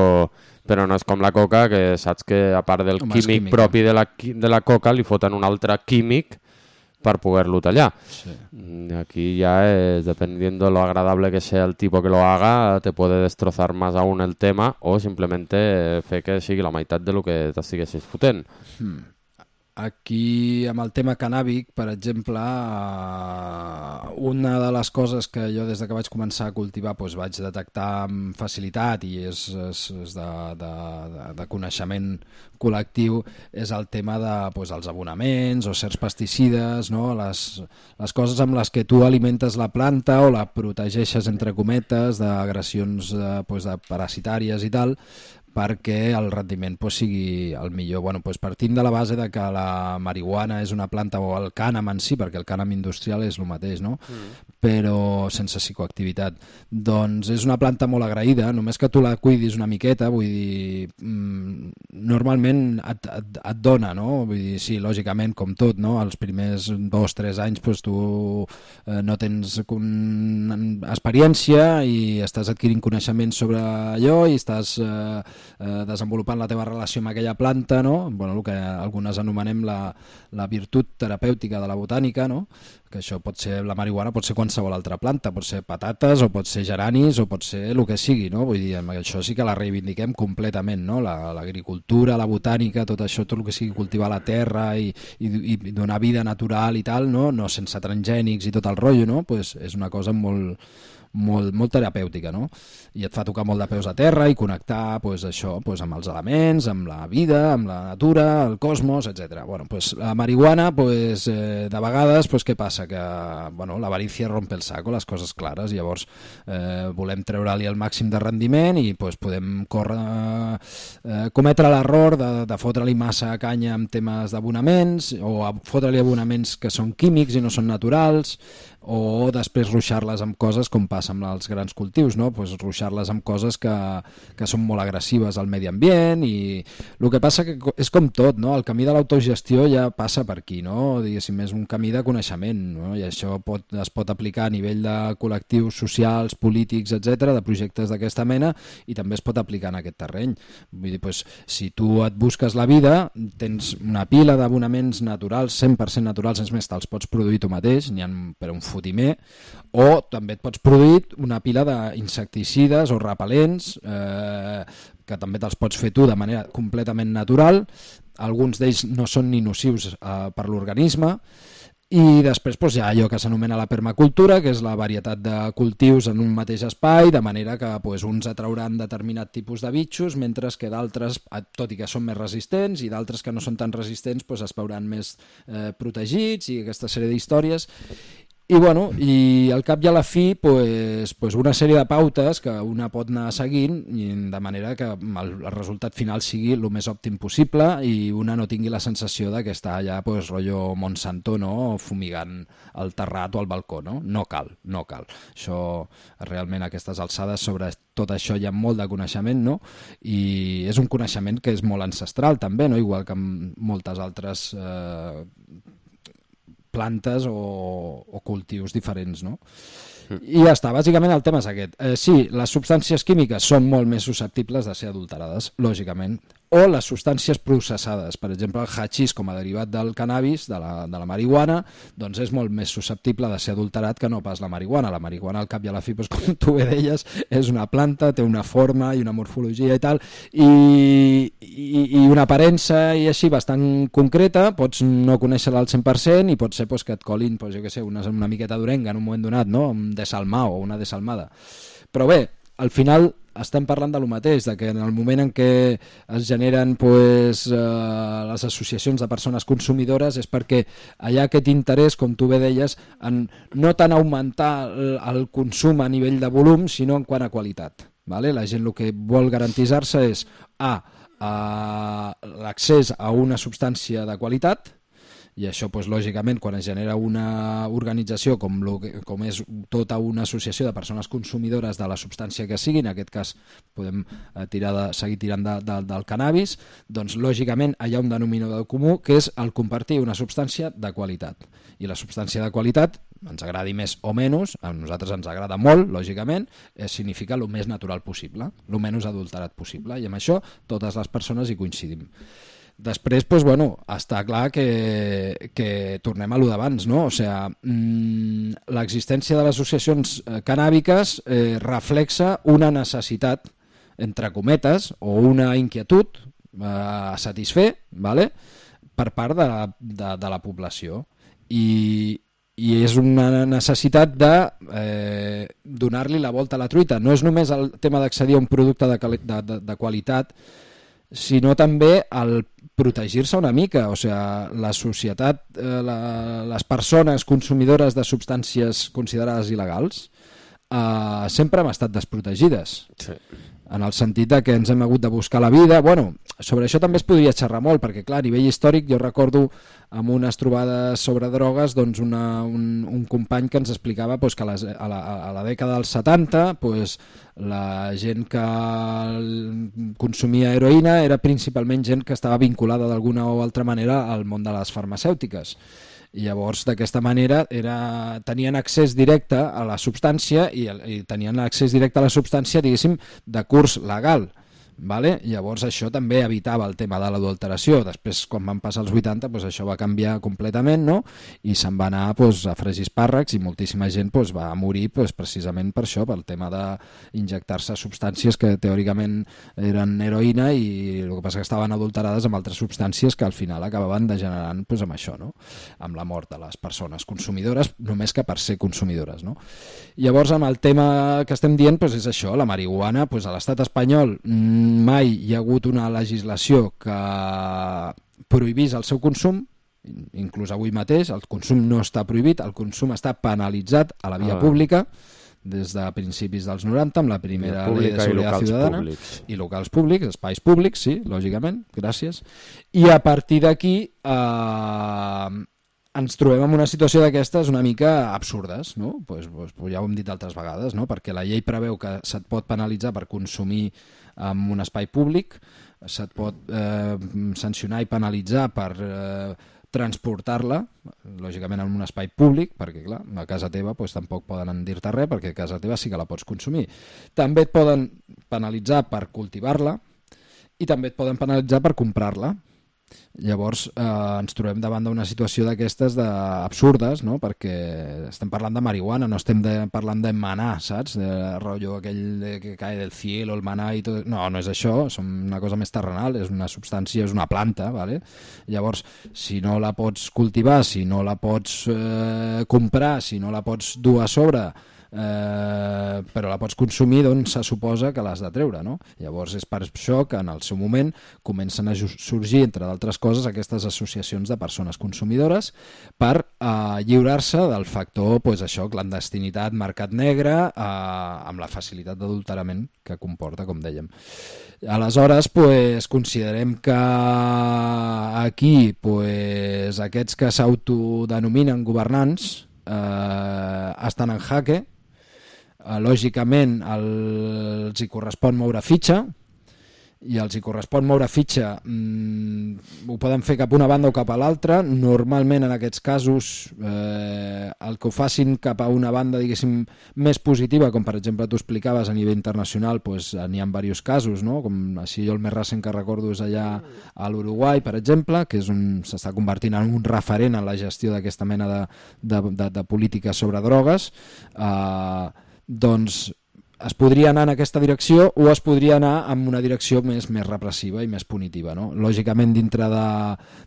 Però no és com la coca, que saps que a part del Home, químic propi de la, de la coca li foten un altre químic per poder-lo tallar. Sí. Aquí ja es, dependiendo lo agradable que sea el tipo que lo haga, te puede destrozar más aún el tema o simplemente fer que sigui la meitat de lo que t'estiguessis fotent. Hmm. Aquí, amb el tema cannàbic, per exemple, una de les coses que jo des que vaig començar a cultivar doncs, vaig detectar amb facilitat i és, és, és de, de, de, de coneixement col·lectiu és el tema de, doncs, els abonaments o certs pesticides, no? les, les coses amb les que tu alimentes la planta o la protegeixes, entre cometes, d'agressions de, doncs, de parasitàries i tal, perquè el rendiment pues, sigui el millor. Bueno, pues, partim de la base de que la marihuana és una planta, o el cànem en si, perquè el cànem industrial és el mateix, no? Mm. Però sense psicoactivitat. Doncs és una planta molt agraïda, només que tu la cuidis una miqueta, vull dir, mmm, normalment et, et, et dona, no? Vull dir, sí, lògicament, com tot, no? Els primers dos o tres anys pues, tu eh, no tens un... experiència i estàs adquirint coneixements sobre allò i estàs eh, eh, desenvolupant la teva relació amb aquella planta, no? Bueno, el que algunes anomenem la, la virtut terapèutica de la botànica, no? Que això pot ser la marihuana, pot ser qualsevol altra planta, pot ser patates o pot ser geranis o pot ser el que sigui, no? Vull dir, això sí que la reivindiquem completament, no? L'agricultura, la, la botànica, tot això, tot el que sigui cultivar la terra i, i, i donar vida natural i tal, no? No sense transgènics i tot el rotllo, no? Pues és una cosa molt... Molt, molt terapèutica, no? I et fa tocar molt de peus a terra i connectar pues, això, pues, amb els elements, amb la vida, amb la natura, el cosmos, etcètera. Bueno, pues, la marihuana, pues, eh, de vegades, pues, què passa? Que bueno, l'avarícia rompe el saco, les coses clares, llavors eh, volem treure-li el màxim de rendiment i pues, podem córrer, eh, cometre l'error de, de fotre-li massa canya amb temes d'abonaments o fotre-li abonaments que són químics i no són naturals, o després ruixar-les amb coses com passa amb els grans cultius, no? Pues ruixar-les amb coses que, que són molt agressives al medi ambient i el que passa que és com tot, no? El camí de l'autogestió ja passa per aquí, no? Diguéssim, és un camí de coneixement, no? I això pot, es pot aplicar a nivell de col·lectius socials, polítics, etcètera, de projectes d'aquesta mena i també es pot aplicar en aquest terreny. Vull dir, pues, si tu et busques la vida, tens una pila d'abonaments naturals, cent per cent naturals, és més, te'ls pots produir tu mateix, n'hi ha per un fotimer, o també et pots produir una pila d'insecticides o repel·lents eh, que també te'ls pots fer tu de manera completament natural, alguns d'ells no són ni nocius eh, per l'organisme, i després doncs, hi ha allò que s'anomena la permacultura, que és la varietat de cultius en un mateix espai, de manera que doncs, uns atrauran determinat tipus de bitxos, mentre que d'altres, tot i que són més resistents, i d'altres que no són tan resistents doncs, es veuran més eh, protegits i aquesta sèrie d'històries. I, bueno, i al cap i a la fi pues, pues una sèrie de pautes que una pot anar seguint i de manera que el, el resultat final sigui el més òptim possible i una no tingui la sensació de que està allà pues, rotllo Monsanto, no? Fumigant el terrat o el balcó, no? No cal, no cal. Això realment a aquestes alçades sobre tot això hi ha molt de coneixement, no? I és un coneixement que és molt ancestral també, no? Igual que amb moltes altres eh, plantes o, o cultius diferents, no? I ja està, bàsicament el tema és aquest. Eh, sí, les substàncies químiques són molt més susceptibles de ser adulterades, lògicament, o les substàncies processades. Per exemple, el hachís com a derivat del cannabis, de la, de la marihuana, doncs és molt més susceptible de ser adulterat que no pas la marihuana. La marihuana, al cap i a la fi, doncs, com tu bé deies, és una planta, té una forma i una morfologia i tal, i, i, i una aparença i així bastant concreta, pots no conèixer-la al cent per cent i pot ser doncs, que et colin, doncs, jo què sé, una, una miqueta d'orenga en un moment donat, no? Un desalmà o una desalmada. Però bé, al final estem parlant de lo mateix, de que en el moment en què es generen pues, eh, les associacions de persones consumidores és perquè hi ha aquest interès, com tu bé deies, en no tant augmentar el, el consum a nivell de volum, sinó en quant a qualitat. Vale? La gent el que vol garantir-se és a, a l'accés a una substància de qualitat, i això, doncs, lògicament, quan es genera una organització com, lo, com és tota una associació de persones consumidores de la substància que sigui, en aquest cas podem eh, tirar de, seguir tirant de, de, del cannabis, doncs lògicament hi ha un denominador comú que és el compartir una substància de qualitat. I la substància de qualitat, ens agradi més o menys, a nosaltres ens agrada molt, lògicament, eh, significa el més natural possible, el menys adulterat possible, i amb això totes les persones hi coincidim. Després, doncs, bueno, està clar que, que tornem a lo d'abans, no? O sigui, mmm, l'existència de les associacions eh, cannàbiques eh, reflexa una necessitat, entre cometes, o una inquietud eh, a satisfer, ¿vale? Per part de, de, de la població. I, i és una necessitat de eh, donar-li la volta a la truita. No és només el tema d'accedir a un producte de, de, de, de qualitat, sinó també el protegir-se una mica. O sigui, la societat, eh, la, les persones consumidores de substàncies considerades il·legals eh, sempre hem estat desprotegides. Sí. en el sentit de que ens hem hagut de buscar la vida. Bueno, sobre això també es podria xerrar molt, perquè clar, a nivell històric jo recordo amb unes trobades sobre drogues doncs una, un, un company que ens explicava doncs, que a, les, a, la, a la dècada dels setanta doncs, la gent que consumia heroïna era principalment gent que estava vinculada d'alguna o altra manera al món de les farmacèutiques. I llavors d'aquesta manera era, tenien accés directe a la substància i, i tenien accés directe a la substància, diguéssim, de curs legal. Vale? Llavors això també evitava el tema de l'adulteració. Després, quan van passar els vuitanta, doncs això va canviar completament, no? I se'n va anar doncs, a fregir espàrrecs i moltíssima gent doncs, va morir doncs, precisament per això, pel tema d'injectar-se substàncies que teòricament eren heroïna i el que passa que estaven adulterades amb altres substàncies que al final acabaven degenerant doncs, amb això, no? Amb la mort de les persones consumidores, només que per ser consumidores, no? Llavors, amb el tema que estem dient doncs, és això, la marihuana, doncs, a l'estat espanyol mai hi ha hagut una legislació que prohibís el seu consum, inclús avui mateix el consum no està prohibit, el consum està penalitzat a la via ah. pública des de principis dels noranta amb la primera llei de seguretat ciutadana públics. I locals públics, espais públics, sí, lògicament, gràcies. I a partir d'aquí eh, ens trobem en una situació d'aquestes una mica absurdes, no? Pues, pues, ja ho hem dit altres vegades, no? Perquè la llei preveu que se't pot penalitzar per consumir en un espai públic, se't pot eh, sancionar i penalitzar per eh, transportar-la, lògicament en un espai públic, perquè clar, a casa teva pues, tampoc poden dir-te res, perquè a casa teva sí que la pots consumir. També et poden penalitzar per cultivar-la i també et poden penalitzar per comprar-la. Llavors eh, ens trobem davant d'una situació d'aquestes absurdes, no? Perquè estem parlant de marihuana, no estem de, parlant de manar, saps? De rotllo aquell de, que cae del cielo, el manar i tot. No, no és això, és una cosa més terrenal, és una substància, és una planta, ¿vale? Llavors, si no la pots cultivar, si no la pots eh, comprar, si no la pots dur a sobre, Eh, però la pots consumir, doncs se suposa que l'has de treure, no? Llavors és per això que en el seu moment comencen a sorgir, entre d'altres coses, aquestes associacions de persones consumidores per eh, lliurar-se del factor, pues, això, clandestinitat, mercat negre, eh, amb la facilitat d'adulterament que comporta, com dèiem. Aleshores, pues, considerem que aquí pues, aquests que s'autodenominen governants eh, estan en jaque. Lògicament els hi correspon moure fitxa i els hi correspon moure fitxa mmm, ho poden fer cap a una banda o cap a l'altra. Normalment en aquests casos eh, el que ho facin cap a una banda diguéssim més positiva, com per exemple tu explicaves a nivell internacional, pues, n'hi ha diversos casos, no? Com així jo el més recent que recordo és allà a l'Uruguai, per exemple, que és un, s'està convertint en un referent en la gestió d'aquesta mena de, de, de, de polítiques sobre drogues. eh, doncs es podria anar en aquesta direcció o es podria anar en una direcció més, més repressiva i més punitiva, no? Lògicament dintre de,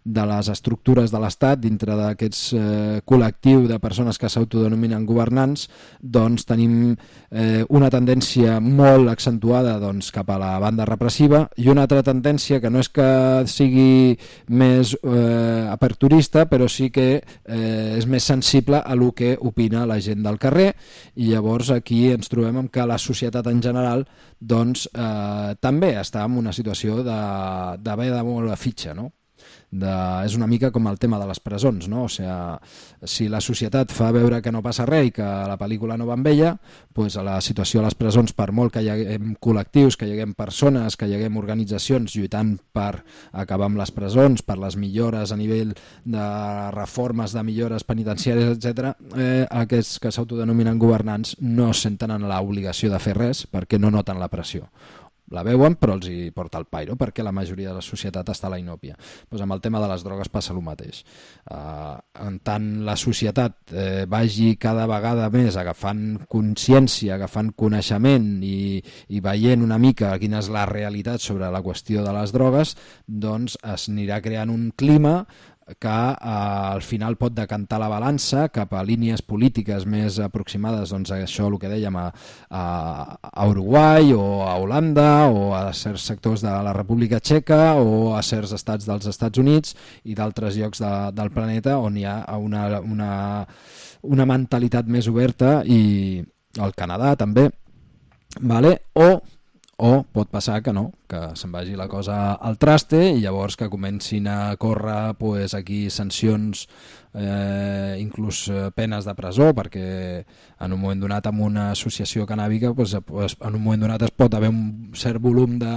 de les estructures de l'Estat, dintre d'aquests eh, col·lectiu de persones que s'autodenominen governants, doncs tenim eh, una tendència molt accentuada doncs, cap a la banda repressiva i una altra tendència que no és que sigui més eh, aperturista, però sí que eh, és més sensible a lo que opina la gent del carrer, i llavors aquí ens trobem amb que la societat en general doncs, eh, també està en una situació d'haver de moure la fitxa, no? De, és una mica com el tema de les presons, no? O sigui, si la societat fa veure que no passa res i que la pel·lícula no va amb ella, doncs a la situació a les presons, per molt que hi haguem col·lectius, que hi haguem persones, que hi haguem organitzacions lluitant per acabar amb les presons, per les millores a nivell de reformes, de millores penitenciàries, etcètera, eh, aquests que s'autodenominen governants no senten en l'obligació de fer res perquè no noten la pressió. La veuen però els hi porta el pairo perquè la majoria de la societat està a la inòpia. Pues amb el tema de les drogues passa el mateix. Uh, en tant la societat eh, vagi cada vegada més agafant consciència, agafant coneixement i, i veient una mica quina és la realitat sobre la qüestió de les drogues, doncs es anirà creant un clima que eh, al final pot decantar la balança cap a línies polítiques més aproximades, doncs, a això el que dèiem a, a, a Uruguai o a Holanda o a certs sectors de la República Txeca o a certs estats dels Estats Units i d'altres llocs de, del planeta on hi ha una, una, una mentalitat més oberta, i al Canadà també, vale? o o pot passar que no, que se'n vagi la cosa al traste i llavors que comencin a córrer pues, aquí sancions, eh, inclús penes de presó, perquè en un moment donat amb una associació canàbica pues, pues, en un moment donat es pot haver un cert volum de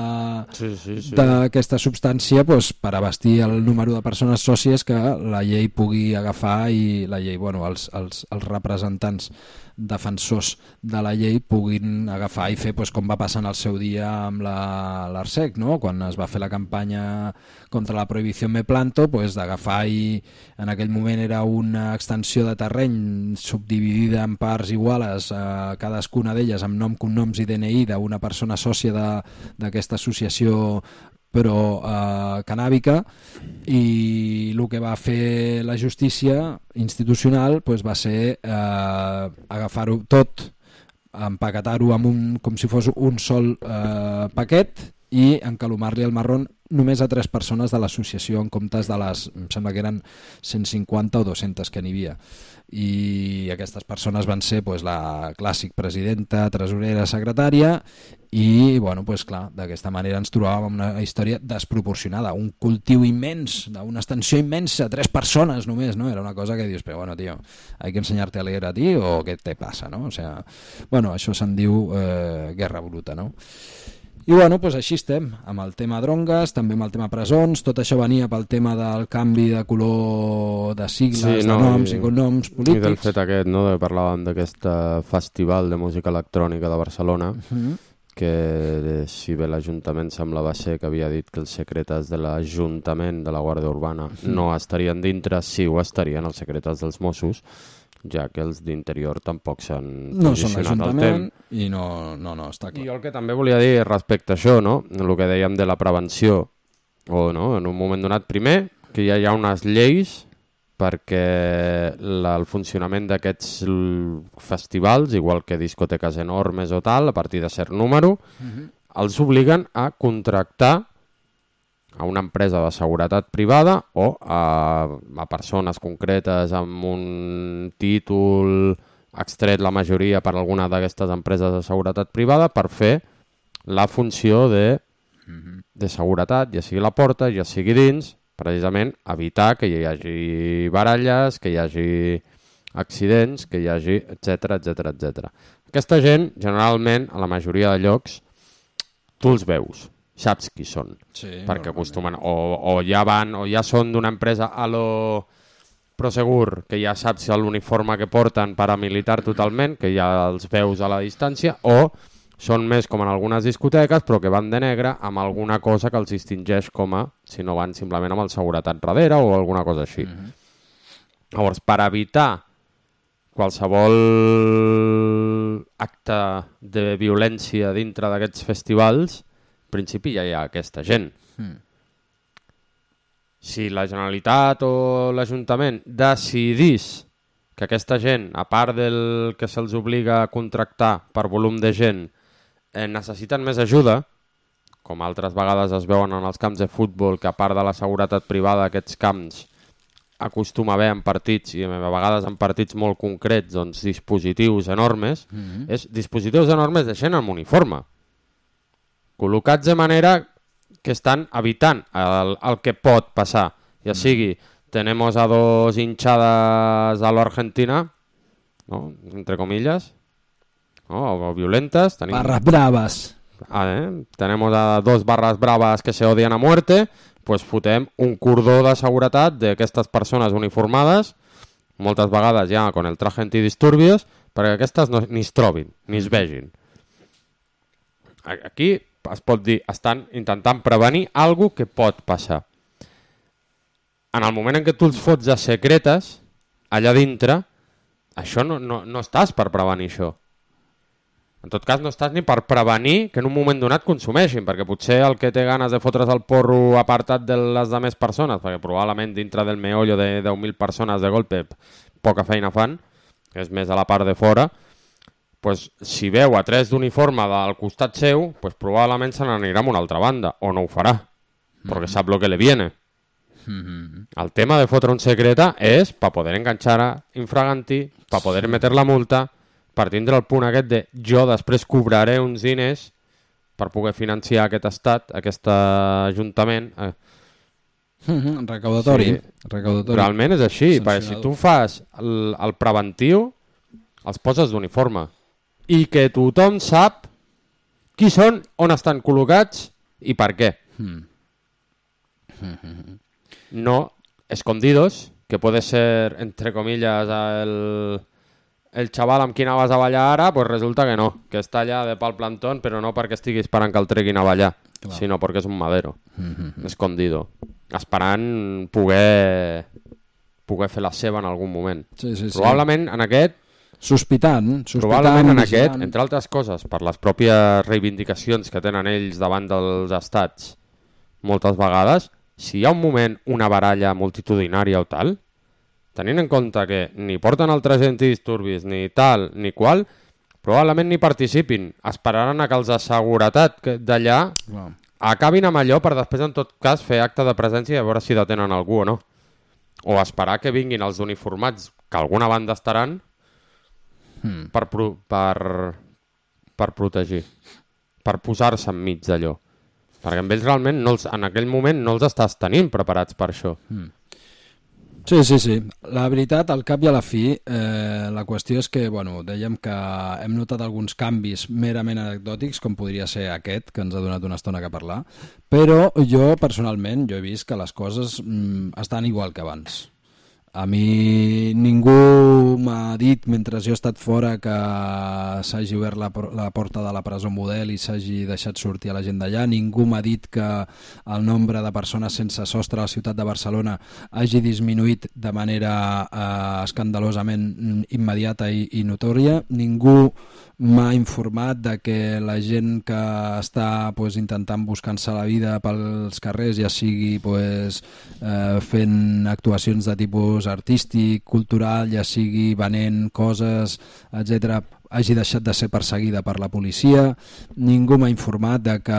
sí, sí, sí. d'aquesta substància pues, per abastir el número de persones sòcies que la llei pugui agafar i la llei, bueno, els, els, els representants defensors de la llei puguin agafar i fer pues, com va passar en el seu dia amb l'Arsec, no? Quan es va fer la campanya contra la prohibició Me Planto, pues, d'agafar i en aquell moment era una extensió de terreny subdividida en parts iguales, eh, cadascuna d'elles amb nom, cognoms i D N I d'una persona sòcia d'aquesta associació però eh, canàbica, i el que va fer la justícia institucional pues, va ser eh, agafar-ho tot, empaquetar-ho amb un, com si fos un sol eh, paquet i encalomar-li el marrón només a tres persones de l'associació en comptes de les, em sembla que eren cent cinquanta o dues-centes que n'hi havia, i aquestes persones van ser pues, la clàssic presidenta, tresorera, secretària, i bueno, pues, clar, d'aquesta manera ens trobàvem amb una història desproporcionada, un cultiu immens, d'una extensió immensa, tres persones només, no? Era una cosa que dius, però bueno, tio, hay que enseñarte a leer a ti o què te passa, no? O sea, bueno, això se'n diu eh, guerra bruta, no? I bueno, pues així estem, amb el tema drongues, també amb el tema presons, tot això venia pel tema del canvi de color de sigles, sí, no, de noms i, i cognoms polítics. I del fet aquest, no?, de parlàvem d'aquest festival de música electrònica de Barcelona, uh-huh. que si bé l'Ajuntament semblava ser que havia dit que els secretes de l'Ajuntament de la Guàrdia Urbana uh-huh. no estarien dintre, sí ho estarien els secretes dels Mossos, ja que els d'interior tampoc s'han no posicionat al temps. I no, no, no, està clar. I jo el que també volia dir respecte a això, no? El que dèiem de la prevenció, o no, en un moment donat, primer, que ja hi ha unes lleis perquè la, el funcionament d'aquests festivals, igual que discoteques enormes o tal, a partir de cert número, uh-huh. els obliguen a contractar a una empresa de seguretat privada o a, a persones concretes amb un títol extret la majoria per alguna d'aquestes empreses de seguretat privada per fer la funció de, de seguretat, ja sigui la porta, ja sigui dins, precisament evitar que hi hagi baralles, que hi hagi accidents, que hi hagi, etcètera, etcètera, etcètera. Aquesta gent, generalment, a la majoria de llocs, tu els veus. Saps qui són, sí, perquè acostumen o, o ja van o ja són d'una empresa a lo Prosegur, que ja saps l'uniforme que porten paramilitar totalment, que ja els veus a la distància, o són més com en algunes discoteques però que van de negre amb alguna cosa que els distingeix com a, si no van simplement amb el seguretat darrere o alguna cosa així. Mm-hmm. Llavors, per evitar qualsevol acte de violència dintre d'aquests festivals, en principi ja hi ha aquesta gent. Mm. Si la Generalitat o l'Ajuntament decidís que aquesta gent, a part del que se'ls obliga a contractar per volum de gent, eh, necessiten més ajuda, com altres vegades es veuen en els camps de futbol, que a part de la seguretat privada aquests camps acostuma a haver en partits, i a vegades en partits molt concrets, doncs dispositius enormes, mm-hmm. és dispositius enormes de gent amb uniforme, col·locats de manera que estan evitant el, el que pot passar. Ja sigui, tenemos a dos hinchadas a lo Argentina, ¿no? Entre comillas, ¿no? O violentas. Tenim... Barras bravas. Ah, ¿eh? Tenemos a dos barras bravas que se odian a muerte, pues fotem un cordó de seguretat d'aquestes persones uniformades, moltes vegades ja con el traje antidisturbios, perquè aquestes no, ni es trobin, ni es vegin. Aquí es pot dir, estan intentant prevenir alguna que pot passar. En el moment en què tu els fots a secretes, allà dintre, això no, no, no estàs per prevenir això. En tot cas, no estàs ni per prevenir que en un moment donat consumeixin, perquè potser el que té ganes de fotre's el porro apartat de les demés persones, perquè probablement dintre del meollo de deu mil persones de golpe poca feina fan, que és més a la part de fora, pues, si veu a tres d'uniforme del costat seu, pues, probablement se n'anirà a una altra banda, o no ho farà, mm-hmm. perquè sap lo que le viene. Mm-hmm. El tema de fotre un secreta és per poder enganxar a infraganti, per poder sí. meter la multa, per tindre el punt aquest de jo després cobraré uns diners per poder financiar aquest estat, aquest ajuntament. Eh, Mm-hmm, recaudatori. Sí. recaudatori. Realment és així, perquè si tu fas el, el preventiu, els poses d'uniforme. I que tothom sap qui són, on estan col·locats i per què. Mm. No escondidos, que puede ser, entre comillas, el, el xaval amb qui anaves a ballar ara, pues resulta que no, que està allà de pal plantón, però no perquè estigui esperant que el treguin a ballar, Clar. sinó perquè és un madero, mm-hmm. escondido. Esperant poder poder fer la seva en algun moment. Sí, sí, sí. Probablement en aquest... Sospitant. sospitant probablement en vigilant. aquest, entre altres coses, per les pròpies reivindicacions que tenen ells davant dels estats, moltes vegades, si hi ha un moment, una baralla multitudinària o tal, tenint en compte que ni porten altres antidisturbis, ni tal, ni qual, probablement ni participin. Esperaran a que els de seguretat d'allà... Wow. acabin amb allò per després, en tot cas, fer acte de presència i a veure si detenen algú o no. O esperar que vinguin els uniformats, que alguna banda estaran, hmm. per, pro per, per protegir, per posar-se enmig d'allò. Perquè amb ells realment, no els, en aquell moment, no els estàs tenint preparats per això. Hmm. Sí, sí, sí. La veritat, al cap i a la fi, eh, la qüestió és que, bueno, dèiem que hem notat alguns canvis merament anecdòtics, com podria ser aquest, que ens ha donat una estona que parlar, però jo, personalment, jo he vist que les coses mm, estan igual que abans. A mi ningú m'ha dit, mentre jo he estat fora, que s'hagi obert la, la porta de la presó model i s'hagi deixat sortir a la gent d'allà. Ningú m'ha dit que el nombre de persones sense sostre a la ciutat de Barcelona hagi disminuït de manera eh, escandalosament immediata i, i notòria. Ningú m'ha informat de que la gent que està pues, intentant buscar-se la vida pels carrers, ja sigui pues, eh, fent actuacions de tipus artístic, cultural, ja sigui venent coses, etcètera, hagi deixat de ser perseguida per la policia. Ningú m'ha informat de que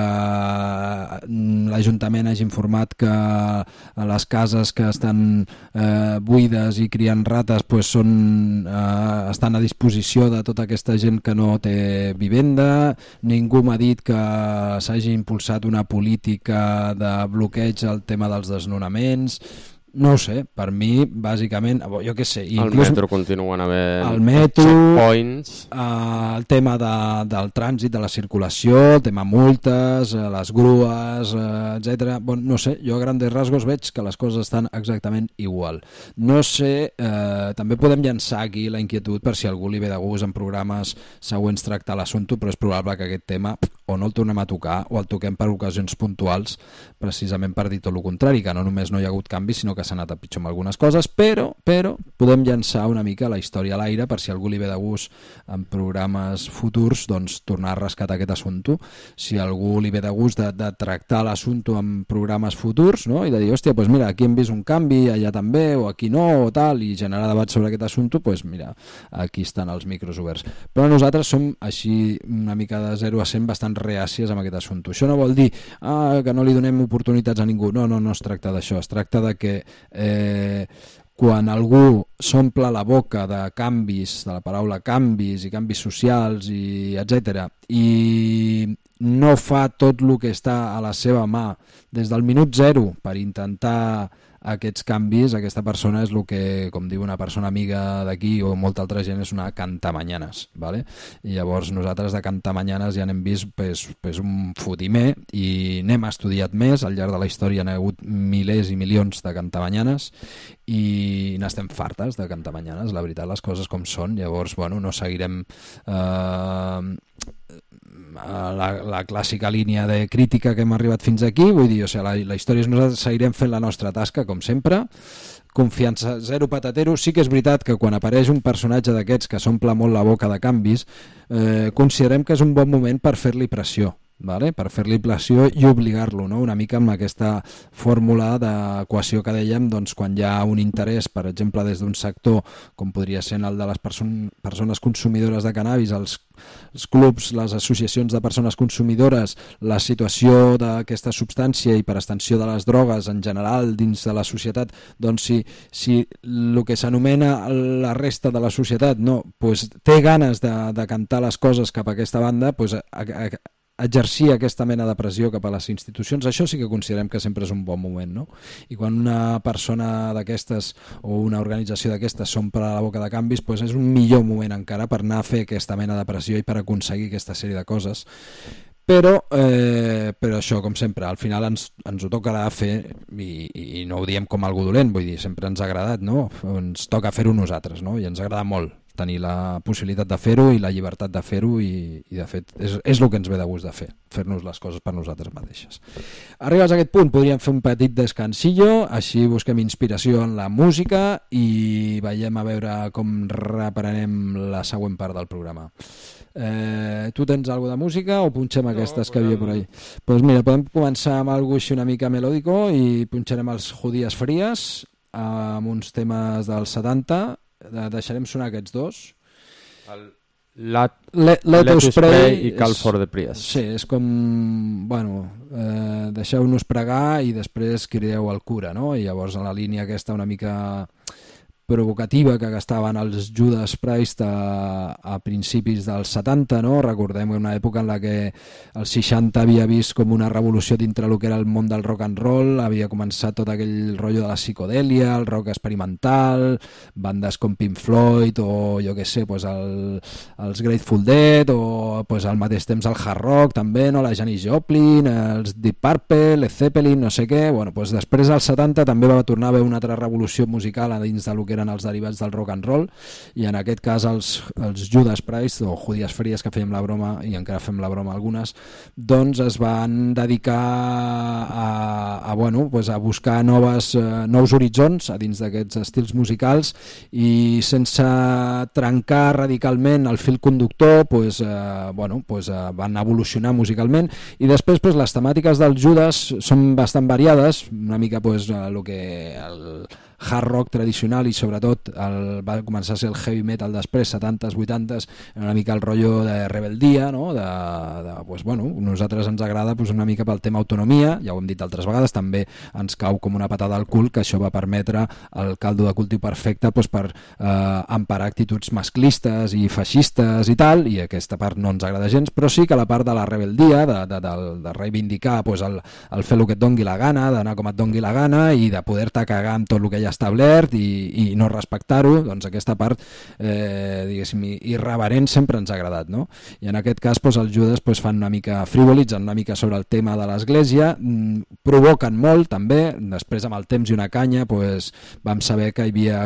l'Ajuntament hagi informat que les cases que estan eh, buides i criant rates pues, són, eh, estan a disposició de tota aquesta gent que no té vivenda. Ningú m'ha dit que s'hagi impulsat una política de bloqueig al tema dels desnonaments. No ho sé, per mi, bàsicament, jo què sé... El metro continuen havent el metro, checkpoints... Eh, el tema de, del trànsit, de la circulació, el tema multes, eh, les grues, eh, etcètera. Bon, no sé, jo a grandes rasgos veig que les coses estan exactament igual. No sé, eh, també podem llançar aquí la inquietud per si algú li ve de gust en programes següents tractar l'assumpte, però és probable que aquest tema o no el tornem a tocar o el toquem per ocasions puntuals, precisament per dir tot el contrari, que no només no hi ha hagut canvi, sinó que s'ha anat a pitjor amb algunes coses, però, però podem llançar una mica la història a l'aire per si algú li ve de gust en programes futurs, doncs tornar a rescatar aquest assumpte. Si algú li ve de gust de, de tractar l'assumpte en programes futurs, no? I de dir, hòstia, doncs mira, aquí hem vist un canvi, allà també, o aquí no, o tal, i generar debat sobre aquest assumpte, doncs mira, aquí estan els micros oberts. Però nosaltres som així una mica de zero a cent bastant reàcies amb aquest assumpte. Això no vol dir ah, que no li donem oportunitats a ningú. No, no, no es tracta d'això. Es tracta de que Eh, quan algú s'omple la boca de canvis, de la paraula canvis i canvis socials i etcètera, i no fa tot el que està a la seva mà des del minut zero per intentar aquests canvis, aquesta persona és el que, com diu una persona amiga d'aquí o molta altra gent, és una cantamanyanes, ¿vale? I llavors nosaltres de cantamanyanes ja n'hem vist pues, pues un fotimer i n'hem estudiat més, al llarg de la història n'ha hagut milers i milions de cantamanyanes i n'estem fartes de cantamanyanes, la veritat, les coses com són. Llavors, bueno, no seguirem eh, la, la clàssica línia de crítica que hem arribat fins aquí, vull dir, o sigui, la, la història és nosaltres seguirem fent la nostra tasca com sempre, confiança zero patatero. Sí que és veritat que quan apareix un personatge d'aquests que s'omple molt la boca de canvis, eh, considerem que és un bon moment per fer-li pressió, vale? Per fer-li pressió i obligar-lo, no? Una mica amb aquesta fórmula d'equació que dèiem, doncs, quan hi ha un interès, per exemple, des d'un sector com podria ser el de les perso persones consumidores de cannabis, els, els clubs, les associacions de persones consumidores, la situació d'aquesta substància i per extensió de les drogues en general dins de la societat, doncs si, si el que s'anomena la resta de la societat no, pues, té ganes de, de cantar les coses cap a aquesta banda, pues, a, a, exercir aquesta mena de pressió cap a les institucions, això sí que considerem que sempre és un bon moment, no? I quan una persona d'aquestes o una organització d'aquestes s'omple la boca de canvis, doncs és un millor moment encara per anar a fer aquesta mena de pressió i per aconseguir aquesta sèrie de coses. Però, eh, però això, com sempre, al final ens, ens ho tocarà fer i, i no ho diem com algú dolent, vull dir, sempre ens ha agradat, no? Ens toca fer-ho nosaltres, no? I ens agrada molt tenir la possibilitat de fer-ho i la llibertat de fer-ho i, i de fet és, és el que ens ve de gust de fer, fer-nos les coses per nosaltres mateixes. Arribats a aquest punt podríem fer un petit descansillo, així busquem inspiració en la música i veiem a veure com reprenem la següent part del programa. Eh, tu tens alguna de música o punxem no, aquestes que havia por ahí? Doncs pues mira, podem començar amb alguna així una mica melòdico i punxarem els Judías Frías amb uns temes dels setanta. Deixarem sonar aquests dos. El Let, let, let, let us pray, pray i Call és, for the Priest. Sí, és com, bueno, eh, deixeu-nos pregar i després crideu al cura, no? I llavors a la línia aquesta una mica provocativa que gastaven els Judas Priest a, a principis dels setanta, no? Recordem una època en la que el seixanta havia vist com una revolució dintre el que era el món del rock and roll, havia començat tot aquell rotllo de la psicodèlia, el rock experimental, bandes com Pink Floyd o jo què sé, pues el, els Grateful Dead o pues al mateix temps el hard rock també, no? La Janis Joplin, els Deep Purple, Led Zeppelin, no sé què. Bueno, pues després als setanta també va tornar a haver una altra revolució musical a dins del que eren els derivats del rock and roll i en aquest cas els, els Judas Priest o Judías Frías, que fèiem la broma i encara fem la broma algunes, doncs es van dedicar a, a, bueno, pues a buscar noves, uh, nous horitzons a dins d'aquests estils musicals i sense trencar radicalment el fil conductor pues, uh, bueno, pues, uh, van evolucionar musicalment i després pues, les temàtiques dels Judas són bastant variades, una mica pues, uh, el que el hard rock tradicional i sobretot el, va començar a ser el heavy metal després, setantes, vuitantes, una mica el rotllo de rebeldia, no? de, de, pues, bueno, nosaltres ens agrada pues, una mica pel tema autonomia, ja ho hem dit altres vegades, també ens cau com una patada al cul que això va permetre el caldo de cultiu perfecte pues, per eh, emparar actituds masclistes i feixistes i tal, i aquesta part no ens agrada gens, però sí que la part de la rebeldia, de, de, de, de reivindicar pues, el, el fer el que et dongui la gana, d'anar com et dongui la gana i de poder-te cagar amb tot el que ja establert i, i no respectar-ho, doncs aquesta part eh, diguéssim irreverent sempre ens ha agradat, no? I en aquest cas doncs, els Judas doncs, fan una mica frivolitzen una mica sobre el tema de l'església, mmm, provoquen molt també, després amb el temps i una canya doncs, vam saber que hi havia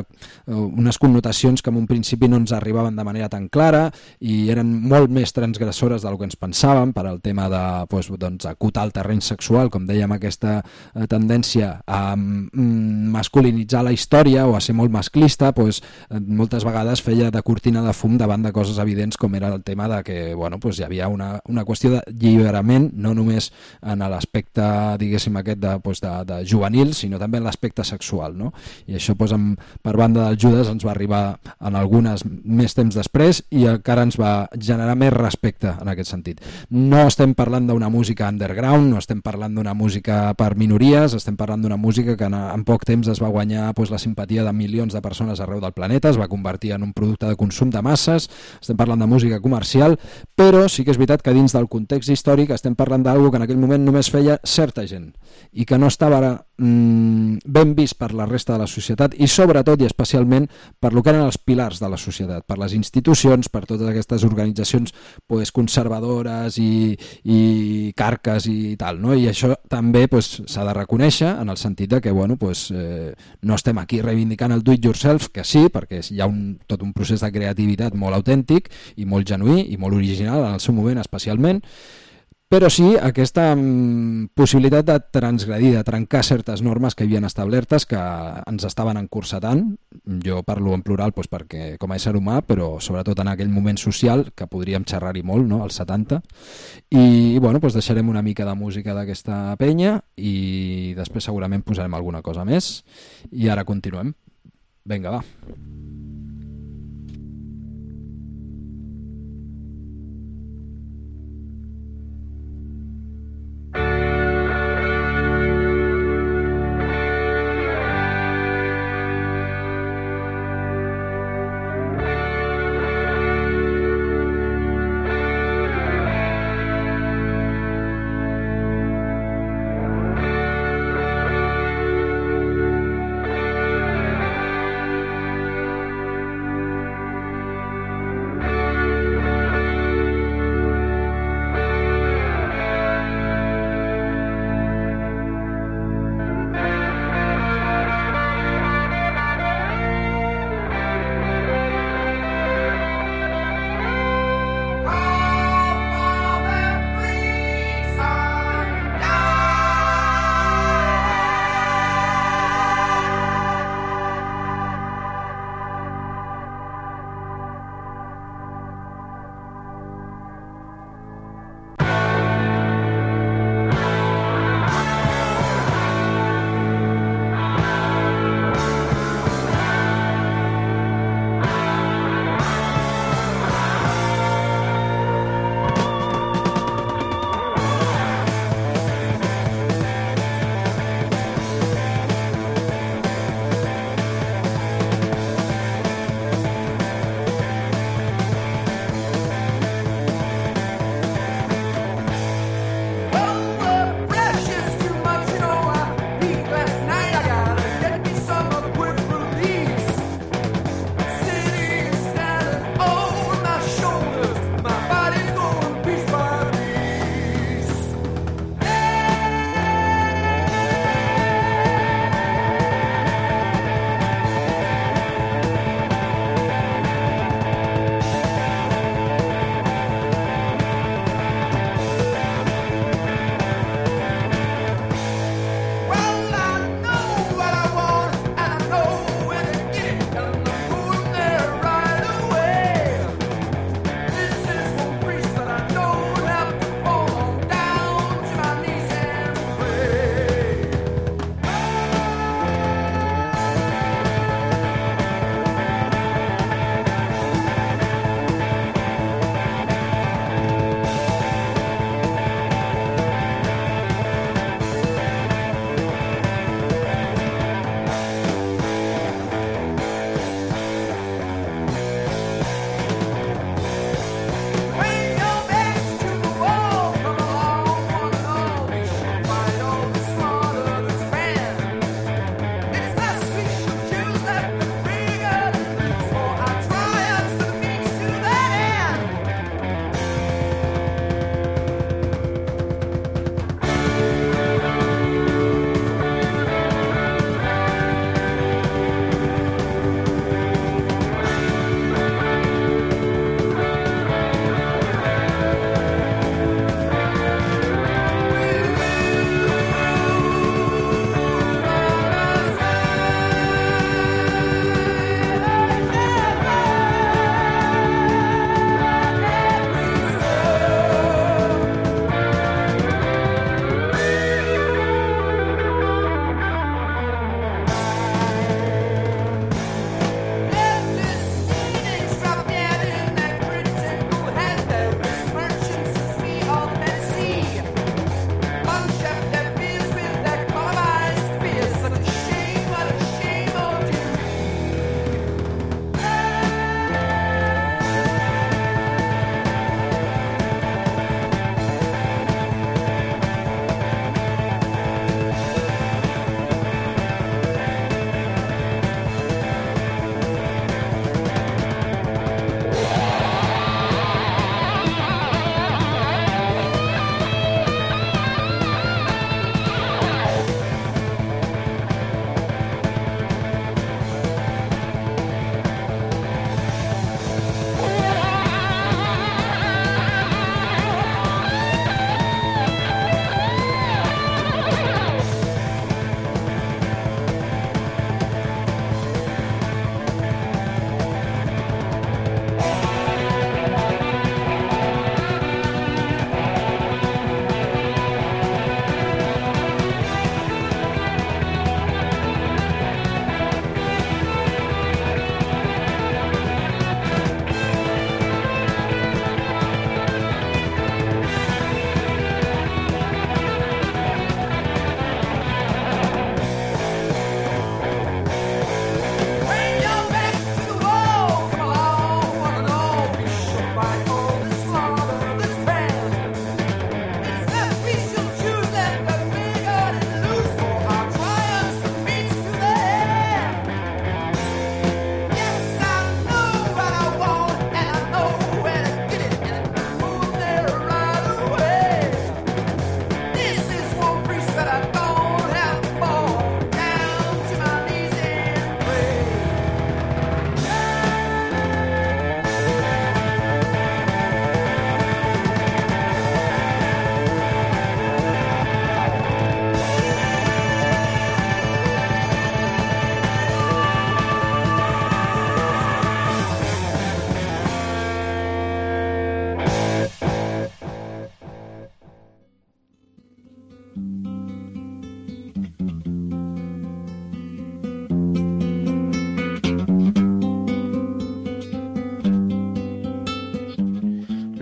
unes connotacions que en un principi no ens arribaven de manera tan clara i eren molt més transgressores del que ens pensàvem per al tema de doncs, doncs, acotar el terreny sexual, com dèiem, aquesta eh, tendència a mm, masculinitzar la història o a ser molt masclista, doncs, moltes vegades feia de cortina de fum davant de coses evidents com era el tema de que bueno, doncs hi havia una, una qüestió de lliberament, no només en l'aspecte diguéssim aquest de, doncs de, de juvenil, sinó també en l'aspecte sexual, no? I això doncs, amb, per banda del Judas ens va arribar en algunes més temps després i encara ens va generar més respecte en aquest sentit. No estem parlant d'una música underground, no estem parlant d'una música per minories, estem parlant d'una música que en, en poc temps es va guanyar pues, la simpatia de milions de persones arreu del planeta, es va convertir en un producte de consum de masses, estem parlant de música comercial, però sí que és veritat que dins del context històric estem parlant d'alguna que en aquell moment només feia certa gent i que no estava mm, ben vist per la resta de la societat i sobretot i especialment per lo que eren els pilars de la societat, per les institucions, per totes aquestes organitzacions pues, conservadores i, i carques i tal, no? I això també s'ha pues, de reconèixer en el sentit de que bueno, pues, eh, no estem aquí reivindicant el do it yourself, que sí, perquè hi ha un, tot un procés de creativitat molt autèntic i molt genuí i molt original en el seu moment especialment, però sí aquesta mm, possibilitat de transgredir, de trencar certes normes que hi havien establertes que ens estaven encursetant, jo parlo en plural doncs, perquè com a ésser humà, però sobretot en aquell moment social que podríem xerrar-hi molt, no? Als setanta, i bueno, doncs deixarem una mica de música d'aquesta penya i després segurament posarem alguna cosa més i ara continuem. Vinga, va.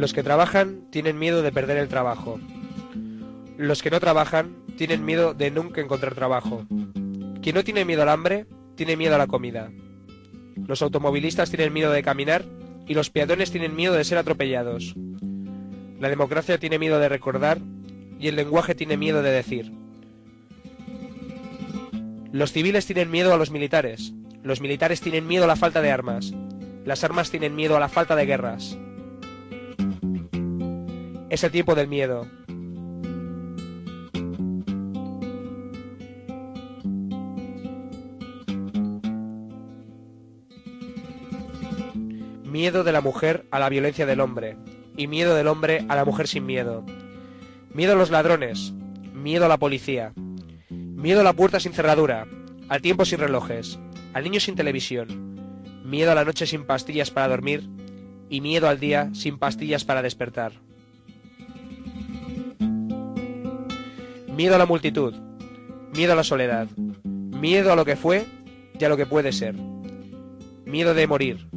Los que trabajan tienen miedo de perder el trabajo. Los que no trabajan tienen miedo de nunca encontrar trabajo. Quien no tiene miedo al hambre, tiene miedo a la comida. Los automovilistas tienen miedo de caminar y los peatones tienen miedo de ser atropellados. La democracia tiene miedo de recordar y el lenguaje tiene miedo de decir. Los civiles tienen miedo a los militares. Los militares tienen miedo a la falta de armas. Las armas tienen miedo a la falta de guerras. Es el tiempo del miedo. Miedo de la mujer a la violencia del hombre, y miedo del hombre a la mujer sin miedo. Miedo a los ladrones, miedo a la policía, miedo a la puerta sin cerradura, al tiempo sin relojes, al niño sin televisión, miedo a la noche sin pastillas para dormir, y miedo al día sin pastillas para despertar. Miedo a la multitud, miedo a la soledad, miedo a lo que fue y a lo que puede ser, miedo de morir,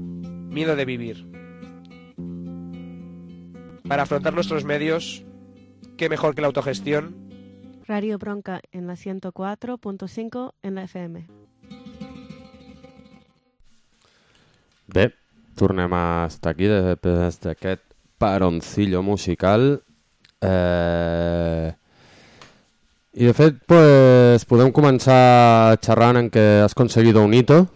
miedo de vivir. Para afrontar nuestros medios, qué mejor que la autogestión. Radio Bronca en la ciento cuatro punto cinco en la F M. Bé, tornem a estar aquí després d'aquest paroncillo musical. Eh... I de fet, pues, podem començar xerrant en què has conseguido un hito.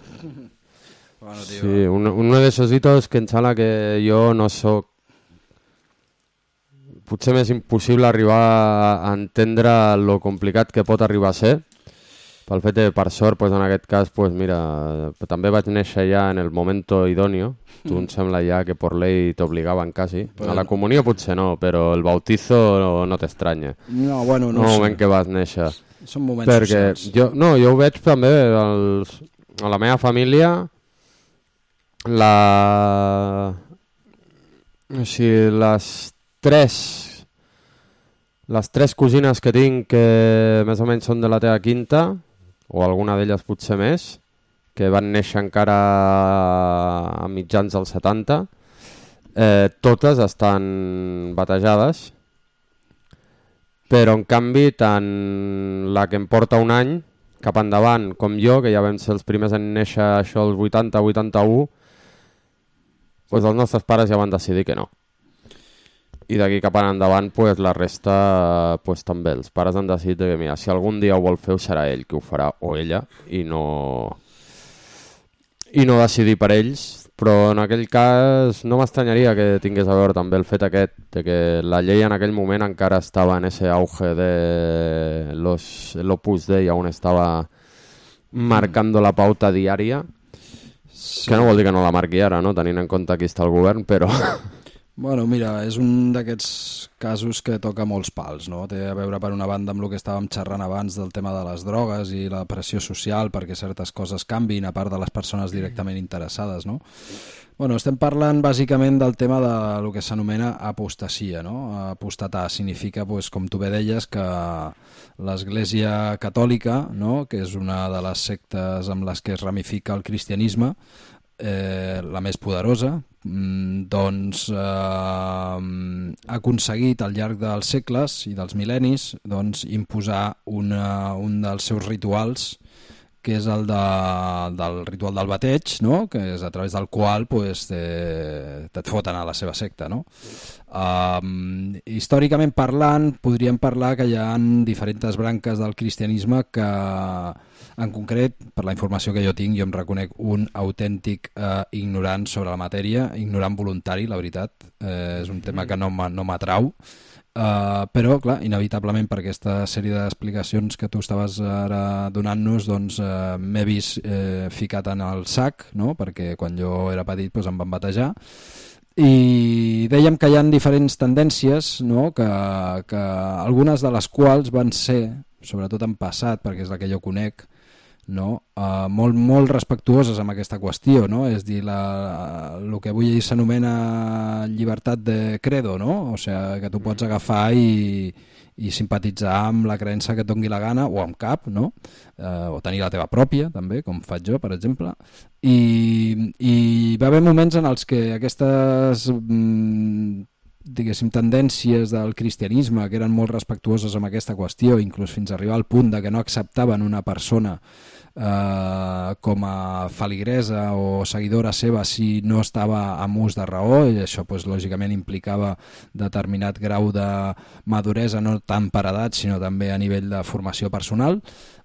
Bueno, tío. Sí, un, uno de esos hitos que em sembla que jo no soc... Potser m'és impossible arribar a entendre lo complicat que pot arribar a ser. Pel fet de, per sort, pues, en aquest cas, pues, mira, també vaig néixer ja en el momento idóneo. Tu em sembla ja que por ley t'obligaven quasi. A la comunió potser no, però el bautizo no, no t'estranya. No, bueno, no no sé. El moment que vas néixer. Són moments Perquè socials. jo, no, jo ho veig també als, a la meva família. La... O sigui, les tres... Les tres cosines que tinc que més o menys són de la teva quinta, o alguna d'elles potser més, que van néixer encara a mitjans dels setanta, eh, totes estan batejades, però en canvi tant la que em porta un any cap endavant com jo, que ja vam ser els primers en néixer això els vuitanta vuitanta-u, doncs els nostres pares ja van decidir que no. I d'aquí cap endavant pues, la resta pues, també. Els pares han decidit que mira, si algun dia ho vol fer, serà ell qui ho farà, o ella, i no, i no decidir per ells. Però en aquell cas no m'estranyaria que tingués a veure també el fet aquest de que la llei en aquell moment encara estava en ese auge de los, l'Opus Dei, on estava marcando la pauta diària, sí. Que no vol dir que no la marqui ara, no? Tenint en compte qui està al govern, però... Bueno, mira, és un d'aquests casos que toca molts pals, no? Té a veure per una banda amb el que estàvem xerrant abans del tema de les drogues i la pressió social perquè certes coses canvin a part de les persones directament interessades, no? Bueno, estem parlant bàsicament del tema de lo que s'anomena apostasia, no? Apostatar significa, pues, com tu bé deies, que l'Església Catòlica, no? Que és una de les sectes amb les que es ramifica el cristianisme, Eh, la més poderosa, doncs eh, ha aconseguit al llarg dels segles i dels mil·lennis doncs, imposar una, un dels seus rituals, que és el de, del ritual del bateig, no? Que és a través del qual pues, te, et foten a la seva secta. No? Um, històricament parlant, podríem parlar que hi ha diferents branques del cristianisme que, en concret, per la informació que jo tinc, jo em reconec un autèntic eh, ignorant sobre la matèria, ignorant voluntari, la veritat. Eh, és un tema que no m'atrau. Uh, però, clar, inevitablement per aquesta sèrie d'explicacions que tu estaves ara donant-nos, doncs uh, m'he vist eh, ficat en el sac, no? Perquè quan jo era petit doncs, em van batejar, i dèiem que hi ha diferents tendències, no? que, que algunes de les quals van ser, sobretot en passat, perquè és la que jo conec, no? uh, molt, molt respectuoses amb aquesta qüestió, no? És dir, la, el que avui s'anomena llibertat de credo, no? O sigui, que tu pots agafar i, i simpatitzar amb la creença que et doni la gana, o amb cap, no? Uh, o tenir la teva pròpia, també, com faig jo, per exemple. I, i va haver moments en els que aquestes mm, diguéssim, tendències del cristianisme que eren molt respectuoses amb aquesta qüestió, inclús fins a arribar al punt de que no acceptaven una persona eh, com a feligresa o seguidora seva si no estava amb ús de raó, i això pues, lògicament implicava determinat grau de maduresa, no tant per edat sinó també a nivell de formació personal.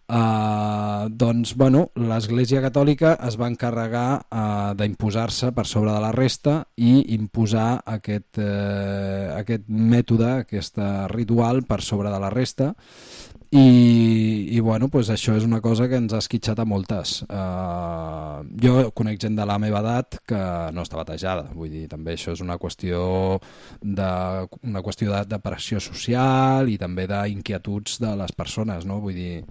Uh, doncs bueno, l'Església Catòlica es va encarregar uh, d'imposar-se per sobre de la resta i imposar aquest, uh, aquest mètode, aquest ritual per sobre de la resta, i, i bueno, pues això és una cosa que ens ha esquitxat a moltes. Uh, jo conec gent de la meva edat que no està batejada, vull dir, també això és una qüestió de, una qüestió de, de pressió social i també d'inquietuds de les persones, no? Vull dir,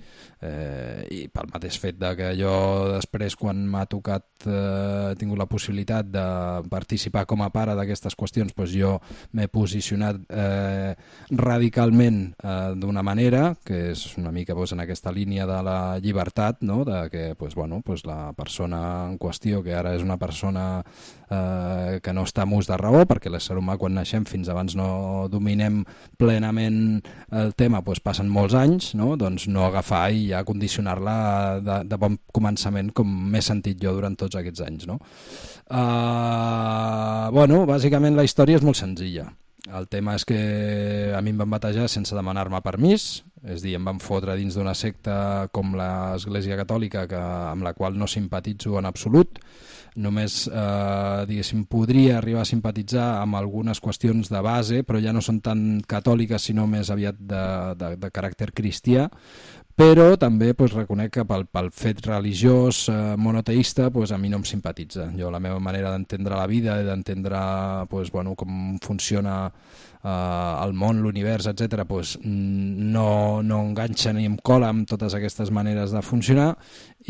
eh, i pel mateix fet de que jo després, quan m'ha tocat, eh, he tingut la possibilitat de participar com a pare d'aquestes qüestions, doncs jo m'he posicionat eh, radicalment eh, d'una manera que és una mica doncs, en aquesta línia de la llibertat, no? De que doncs, bueno, doncs la persona en qüestió, que ara és una persona eh, que no està amb ús de raó, perquè l'ésser humà quan naixem fins abans no dominem plenament el tema, doncs passen molts anys, no? Doncs no agafar i ja condicionar-la de, de bon començament, com m'he sentit jo durant tots aquests anys, no? Uh, bueno, bàsicament la història és molt senzilla. El tema és que a mi em van batejar sense demanar-me permís, és a dir, em van fotre dins d'una secta com l'Església Catòlica, que, amb la qual no simpatitzo en absolut. Només, eh, diguéssim, podria arribar a simpatitzar amb algunes qüestions de base, però ja no són tan catòliques, sinó més aviat de, de, de caràcter cristià. Però també pues, reconec que pel, pel fet religiós eh, monoteista pues, a mi no em simpatitza. Jo la meva manera d'entendre la vida i d'entendre pues, bueno, com funciona eh, el món, l'univers, etcètera, pues, no, no enganxa ni em cola amb totes aquestes maneres de funcionar,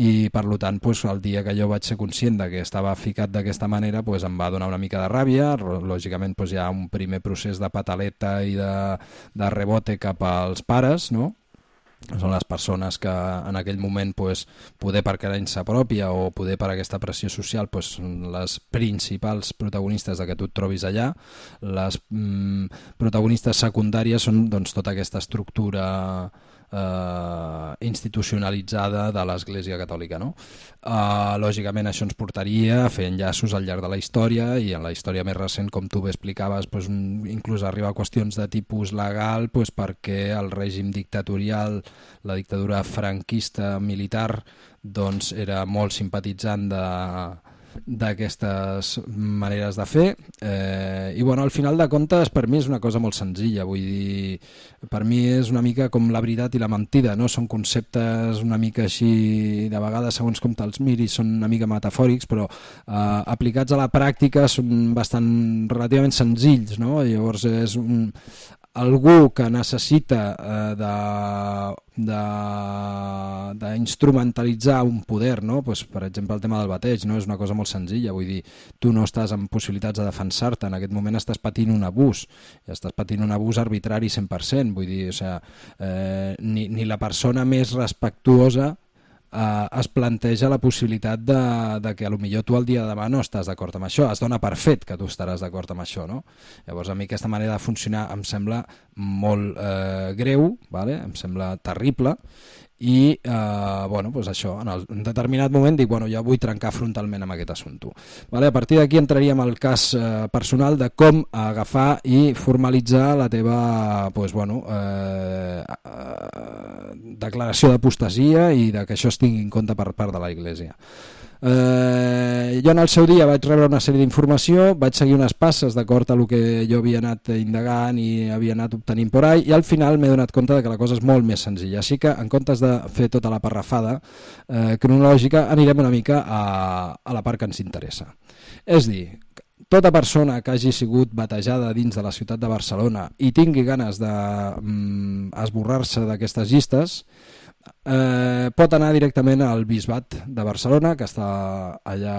i per tant pues, el dia que jo vaig ser conscient de que estava ficat d'aquesta manera pues, em va donar una mica de ràbia. Lògicament pues, hi ha un primer procés de pataleta i de, de rebote cap als pares, no? Són les persones que en aquell moment pues, poder per creença pròpia o poder per aquesta pressió social pues, són les principals protagonistes de que tu et trobis allà. Les mm, protagonistes secundàries són doncs, tota aquesta estructura eh, institucionalitzada de l'Església Catòlica, no? Eh, lògicament això ens portaria a fer enllaços al llarg de la història, i en la història més recent, com tu bé explicaves, pues, un, inclús arribar a qüestions de tipus legal, pues, perquè el règim dictatorial, la dictadura franquista militar, doncs era molt simpatitzant de d'aquestes maneres de fer, eh, i bueno, al final de comptes per mi és una cosa molt senzilla, vull dir, per mi és una mica com la veritat i la mentida, no? Són conceptes una mica així, de vegades segons com te'ls miris són una mica metafòrics, però eh, aplicats a la pràctica són bastant relativament senzills, no? Llavors és un, algú que necessita eh, de d'instrumentalitzar un poder, no? Pues, per exemple el tema del bateig, no? És una cosa molt senzilla, vull dir, tu no estàs en possibilitats de defensar-te, en aquest moment estàs patint un abús, i estàs patint un abús arbitrari cent per cent, vull dir, o sigui, eh, ni, ni la persona més respectuosa Uh, es planteja la possibilitat de, de que potser tu el dia de demà no estàs d'acord amb això, es dona per fet que tu estaràs d'acord amb això, no? Llavors a mi aquesta manera de funcionar em sembla molt eh, greu, vale? Em sembla terrible, i eh, bueno, pues això, en, el, en determinat moment dic, bueno, ja vull trencar frontalment amb aquest assumpte. Vale? A partir d'aquí entraríem al cas eh, personal de com agafar i formalitzar la teva pues, bueno, eh, eh, declaració d'apostasia i de que això es tingui en compte per part de la Iglésia. Eh, jo en el seu dia vaig rebre una sèrie d'informació, vaig seguir unes passes d'acord a el que jo havia anat indagant i havia anat obtenint por ahí, i al final m'he donat compte de que la cosa és molt més senzilla, així que en comptes de fer tota la parrafada eh, cronològica anirem una mica a, a la part que ens interessa. És dir, tota persona que hagi sigut batejada dins de la ciutat de Barcelona i tingui ganes d'esborrar-se mm, d'aquestes llistes, eh, pot anar directament al Bisbat de Barcelona, que està allà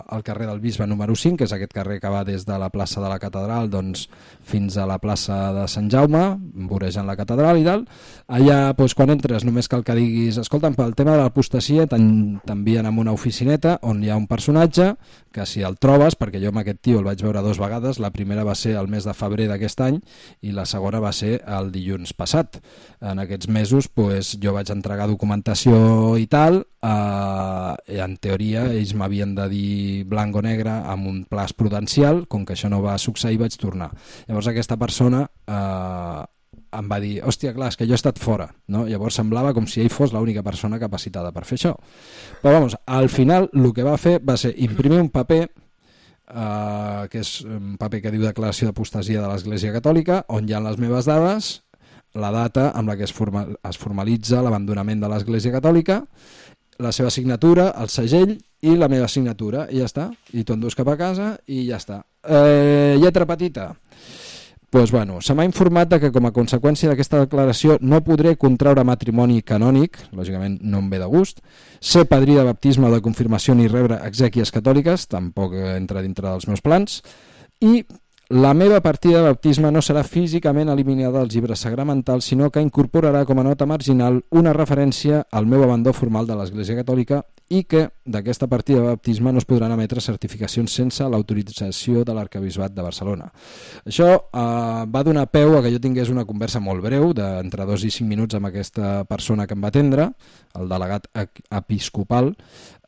al carrer del Bisbe número cinc, que és aquest carrer que va des de la plaça de la Catedral doncs, fins a la plaça de Sant Jaume, vorejant la Catedral i tal. Allà, doncs, quan entres, només cal que diguis escolta'm, pel tema de l'apostasia t'envien a una oficineta on hi ha un personatge que si el trobes, perquè jo amb aquest tio el vaig veure dues vegades, la primera va ser el mes de febrer d'aquest any i la segona va ser el dilluns passat. En aquests mesos doncs, jo vaig entregar documentació i tal, eh, en teoria ells m'havien de dir blanc o negre amb un plaç prudencial, com que això no va succeir vaig tornar. Llavors aquesta persona eh, em va dir, hòstia, clar, és que jo he estat fora, no? Llavors semblava com si ell fos l'única persona capacitada per fer això. Però vamos, al final el que va fer va ser imprimir un paper, eh, que és un paper que diu Declaració d'Apostasia de l'Església Catòlica, on hi ha les meves dades, la data amb la que es, formal, es formalitza l'abandonament de l'Església Catòlica, la seva signatura, el segell i la meva signatura, i ja està. I tu endús cap a casa i ja està. Eh, lletra petita. Pues bueno, se m'ha informat que com a conseqüència d'aquesta declaració no podré contraure matrimoni canònic, lògicament no em ve de gust, ser padrí de baptisme o de confirmació ni rebre exèquies catòliques, tampoc entra dintre dels meus plans, i la meva partida de baptisme no serà físicament eliminada dels llibres sagramentals, sinó que incorporarà com a nota marginal una referència al meu abandó formal de l'Església Catòlica i que d'aquesta partida de baptisme no es podran emetre certificacions sense l'autorització de l'Arquebisbat de Barcelona. Això eh, va donar peu a que jo tingués una conversa molt breu, d'entre dos i cinc minuts amb aquesta persona que em va atendre, el delegat episcopal,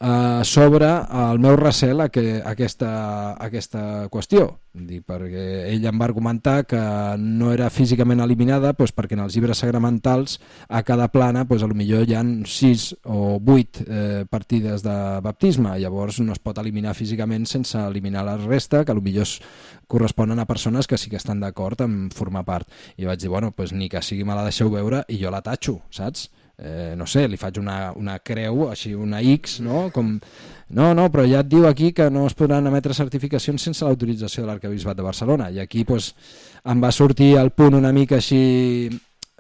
eh, sobre el meu recel a, que, a, aquesta, a aquesta qüestió. Dic, perquè ell em va argumentar que no era físicament eliminada doncs perquè en els llibres sagramentals a cada plana doncs, a lo millor hi ha sis o vuit eh, partides de baptisme, llavors no es pot eliminar físicament sense eliminar la resta, que a lo millor corresponen a persones que sí que estan d'acord en formar part. I vaig dir, bueno, doncs ni que sigui me la deixeu veure i jo la tatxo, saps? Eh, no sé, li faig una, una creu, així una X, no? Com... No, no, però ja et diu aquí que no es podran emetre certificacions sense l'autorització de l'Arquebisbat de Barcelona. I aquí pues, em va sortir el punt una mica així,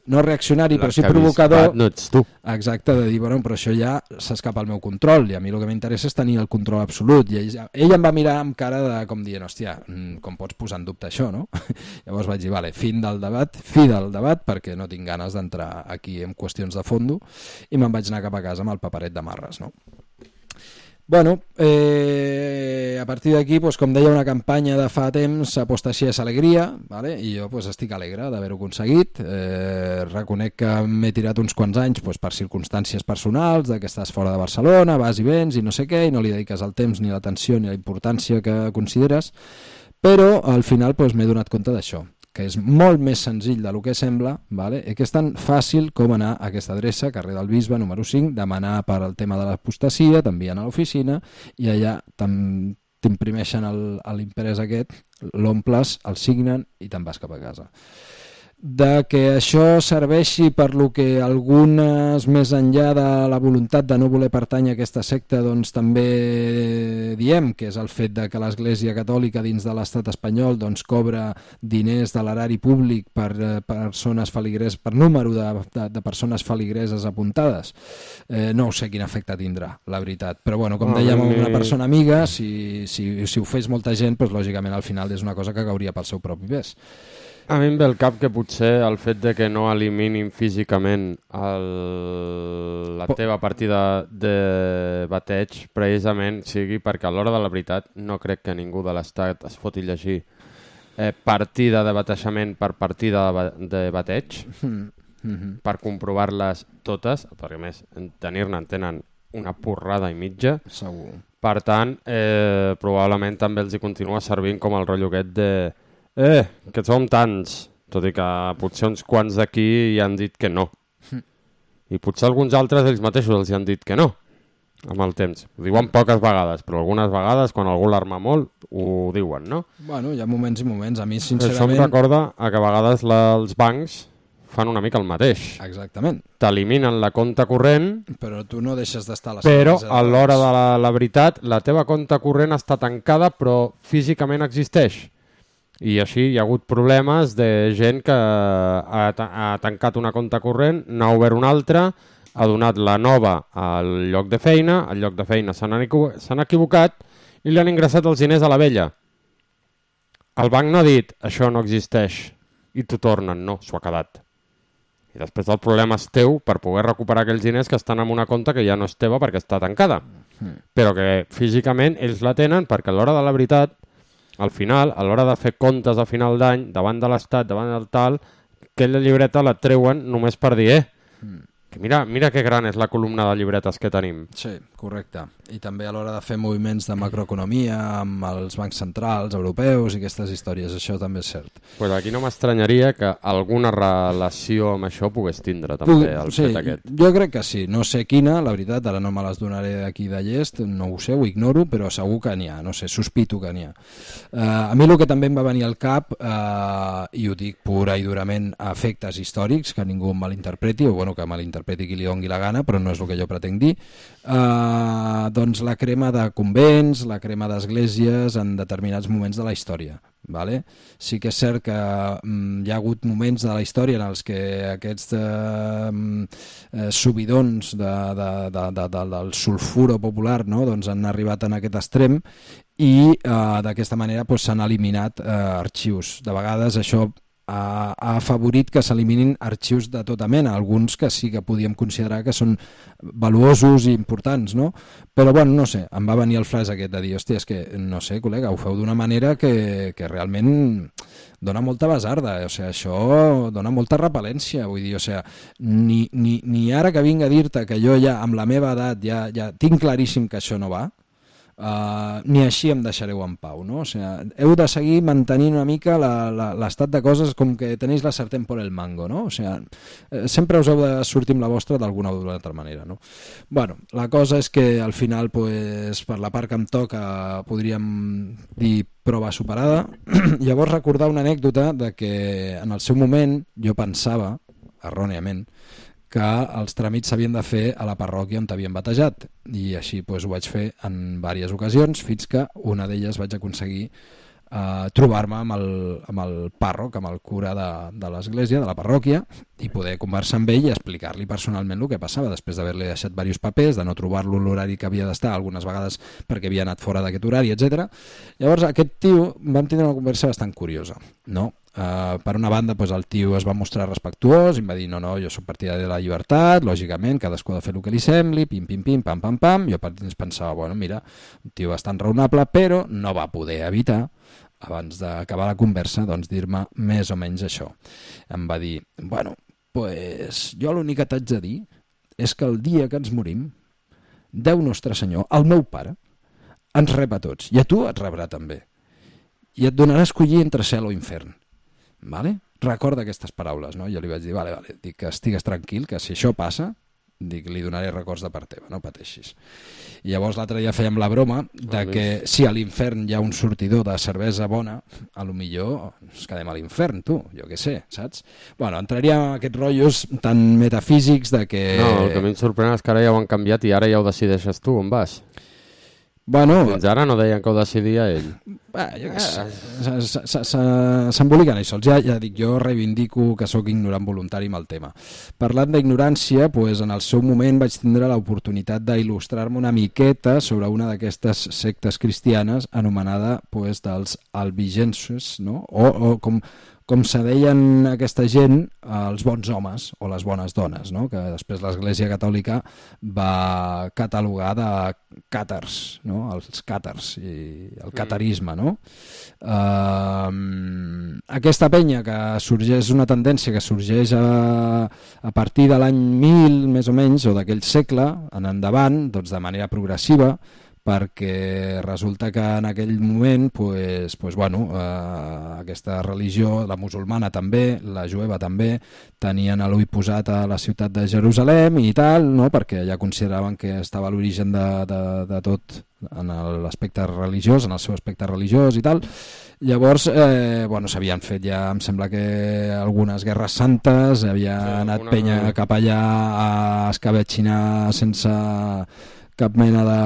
no reaccionari, però sí provocador. No ets tu. Exacte, de dir, bueno, però això ja s'escapa al meu control, i a mi el que m'interessa és tenir el control absolut. I ell, ell em va mirar amb cara de, com dient, hòstia, com pots posar en dubte això, no? Llavors vaig dir, vale, fin del debat, fi del debat, perquè no tinc ganes d'entrar aquí en qüestions de fondo, i me'n vaig anar cap a casa amb el paperet de marres, no? Bueno, eh, a partir d'aquí, pues, com deia, una campanya de fa temps, apostasia és alegria, vale? I jo pues, estic alegre d'haver-ho aconseguit. Eh, reconec que m'he tirat uns quants anys pues, per circumstàncies personals, de que estàs fora de Barcelona, vas i vens i no sé què, i no li dediques el temps ni l'atenció ni la importància que consideres, però al final pues, m'he donat compte d'això, que és molt més senzill del que sembla, vale? I que és tan fàcil com anar a aquesta adreça, carrer del Bisbe, número cinc, demanar per al tema de l'apostasia, t'envien a l'oficina i allà t'imprimeixen l'imprès aquest, l'omples, el signen i te'n vas cap a casa. De que això serveixi per lo que algunes més enllà de la voluntat de no voler pertànyer a aquesta secta doncs també diem, que és el fet de que l'Església Catòlica dins de l'estat espanyol doncs cobra diners de l'erari públic per eh, persones feligreses, per número de, de, de persones feligreses apuntades. Eh, no sé quin efecte tindrà, la veritat, però bueno, com dèiem a una persona amiga, si, si, si ho fes molta gent, doncs lògicament al final és una cosa que cauria pel seu propi pes. A mi em ve el cap que potser el fet de que no eliminin físicament el, la teva partida de bateig precisament sigui perquè a l'hora de la veritat no crec que ningú de l'Estat es foti llegir eh, partida de batejament per partida de, de bateig mm-hmm. per comprovar-les totes, perquè a més tenir-ne en tenen una porrada i mitja. Segur. Per tant, eh, probablement també els hi continua servint com el rotllo aquest de Eh, que som tants, tot i que potser uns quants d'aquí hi han dit que no. I potser alguns altres ells mateixos els hi han dit que no, amb el temps. Ho diuen poques vegades, però algunes vegades, quan algú l'arma molt, ho diuen, no? Bueno, hi ha moments i moments. A mi, sincerament... Això em recorda a que a vegades la, els bancs fan una mica el mateix. Exactament. T'eliminen la compta corrent, però tu no deixes d'estar a la però a l'hora de la, la veritat, la teva compta corrent està tancada, però físicament existeix. I així hi ha hagut problemes de gent que ha, ha tancat una compta corrent, n'ha obert una altra, ha donat la nova al lloc de feina, al lloc de feina s'han equivo- s'han equivocat i li han ingressat els diners a la vella. El banc no ha dit, això no existeix, i t'ho tornen, no, s'ho ha quedat. I després el problema és teu per poder recuperar aquells diners que estan en una compta que ja no és teva perquè està tancada. Però que físicament ells la tenen perquè a l'hora de la veritat, al final, a l'hora de fer comptes a final d'any, davant de l'Estat, davant del tal, aquella llibreta la treuen només per dir, eh, que mira, mira que gran és la columna de llibretes que tenim. Sí, correcte. I també a l'hora de fer moviments de macroeconomia amb els bancs centrals europeus i aquestes històries, això també és cert. Pues aquí no m'estranyaria que alguna relació amb això pogués tindre també Pugui, el sí, fet aquest. Jo crec que sí, no sé quina, la veritat, ara no me les donaré d'aquí de llest, no ho sé, ho ignoro, però segur que n'hi ha, no sé, sospito que n'hi ha. Uh, a mi el que també em va venir al cap, uh, i ho dic pura i durament a efectes històrics, que ningú em malinterpreti, o bueno, que malinterpreti qui li doni la gana, però no és el que jo pretenc dir, uh, doncs la crema de convents, la crema d'esglésies en determinats moments de la història. Vale? Sí que és cert que mm, hi ha hagut moments de la història en els que aquests eh, eh, subidons de, de, de, de, de, del sulfuro popular, no? Doncs han arribat en aquest extrem i eh, d'aquesta manera pues, s'han eliminat eh, arxius. De vegades això ha, ha afavorit que s'eliminin arxius de tota mena, alguns que sí que podíem considerar que són valuosos i importants, no? Però bueno, no sé, em va venir el flash aquest de dir, hòstia, és que, no sé, col·lega, ho feu d'una manera que, que realment dona molta basarda, o sigui, això dona molta repel·lència, vull dir, o sigui, ni, ni, ni ara que vinc a dir-te que jo ja, amb la meva edat, ja, ja tinc claríssim que això no va, Uh, ni així em deixareu en pau, no? O sigui, heu de seguir mantenint una mica l'estat de coses com que tenéis la sartén por el mango, no? O sigui, sempre us heu de sortir amb la vostra d'alguna o d'una altra manera, no? Bueno, la cosa és que al final, pues, per la part que em toca, podríem dir prova superada. Llavors recordar una anècdota de que en el seu moment jo pensava, erròniament, que els tràmits s'havien de fer a la parròquia on t'havien batejat, i així pues, ho vaig fer en diverses ocasions fins que una d'elles vaig aconseguir eh, trobar-me amb, el, amb el pàrroc, amb el cura de, de l'església, de la parròquia, i poder conversar amb ell i explicar-li personalment el que passava després d'haver-li deixat diversos papers, de no trobar-lo l'horari que havia d'estar, algunes vegades perquè havia anat fora d'aquest horari, etcètera. Llavors aquest tio vam tindre una conversa bastant curiosa, no? Uh, per una banda pues, el tio es va mostrar respectuós i em va dir no, no, jo soc partidari de la llibertat, lògicament cadascú ha de fer el que li sembli, pim, pim, pim, pam, pam, pam. Jo per dins pensava, bueno, mira, un tio bastant raonable, però no va poder evitar, abans d'acabar la conversa, doncs dir-me més o menys això. Em va dir, bueno, pues jo l'únic que t'haig de dir és que el dia que ens morim, Déu Nostre Senyor, el meu pare, ens rep a tots, i a tu et rebrà també, i et donarà a escollir entre cel o infern. Vale? Recorda aquestes paraules, no? Jo li vaig dir, vale, vale, dic que estigues tranquil, que si això passa, dic, li donaré records de part teva, no pateixis. I llavors l'altre dia fèiem la broma de que si a l'infern hi ha un sortidor de cervesa bona, a lo millor ens quedem a l'infern, tu, jo què sé, saps? Bueno, entraríem en aquests rotllos tan metafísics de que... No, el que a mi em sorprèn és que ara ja ho han canviat i ara ja ho decideixes tu, on vas? Bueno, fins ara no deien que ho decidia ell. Bé, jo què sé, s'emboliquen ells sols. Ja, ja dic, jo reivindico que sóc ignorant voluntari amb el tema. Parlant d'ignorància, pues, en el seu moment vaig tindre l'oportunitat d'il·lustrar-me una miqueta sobre una d'aquestes sectes cristianes anomenada pues, dels albigenses, no? o, o com... com se deien aquesta gent, els bons homes o les bones dones, no? Que després l'Església Catòlica va catalogar de càtars, no? Els càtars i el catarisme, no? Uh, aquesta penya que sorgeix, una tendència que sorgeix a, a partir de l'any mil, més o menys, o d'aquell segle en endavant, doncs de manera progressiva, perquè resulta que en aquell moment pues, pues, bueno, eh, aquesta religió, la musulmana també, la jueva també, tenien l'ull posat a la ciutat de Jerusalem i tal, no? Perquè ja consideraven que estava l'origen de, de, de tot en l'aspecte religiós, en el seu aspecte religiós i tal. Llavors, eh, bueno, s'havien fet ja, em sembla que algunes guerres santes, havia sí, anat alguna... penya cap allà a escabetxinar sense... cap mena de,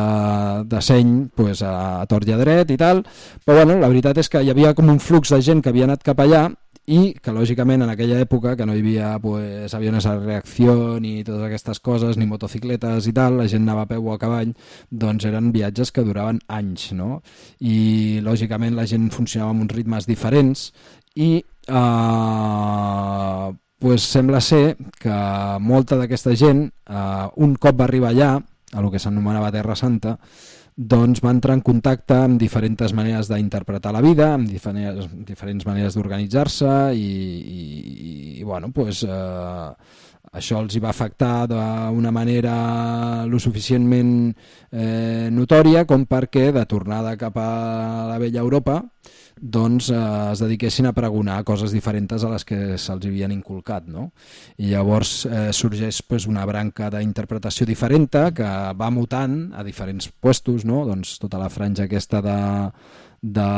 de seny pues, a, a tort i a dret i tal, però bueno, la veritat és que hi havia com un flux de gent que havia anat cap allà i que lògicament en aquella època que no hi havia pues, aviones a reacció ni totes aquestes coses, ni motocicletes i tal, la gent anava a peu o a cavall, doncs eren viatges que duraven anys, no? I lògicament la gent funcionava amb uns ritmes diferents i eh, pues, sembla ser que molta d'aquesta gent eh, un cop va arribar allà, a lo que s'anomenava Terra Santa, doncs va entrar en contacte amb diferents maneres d'interpretar la vida, amb diferents, diferents maneres d'organitzar-se i, i, i bueno, pues, eh, això els hi va afectar d'una manera lo suficientment eh, notòria com perquè de tornada cap a la vella Europa doncs eh, es dediquessin a pregonar coses diferents a les que se'ls havien inculcat, no? I llavors eh, sorgeix pues, una branca d'interpretació diferent que va mutant a diferents puestos, no? Doncs tota la franja aquesta de, de,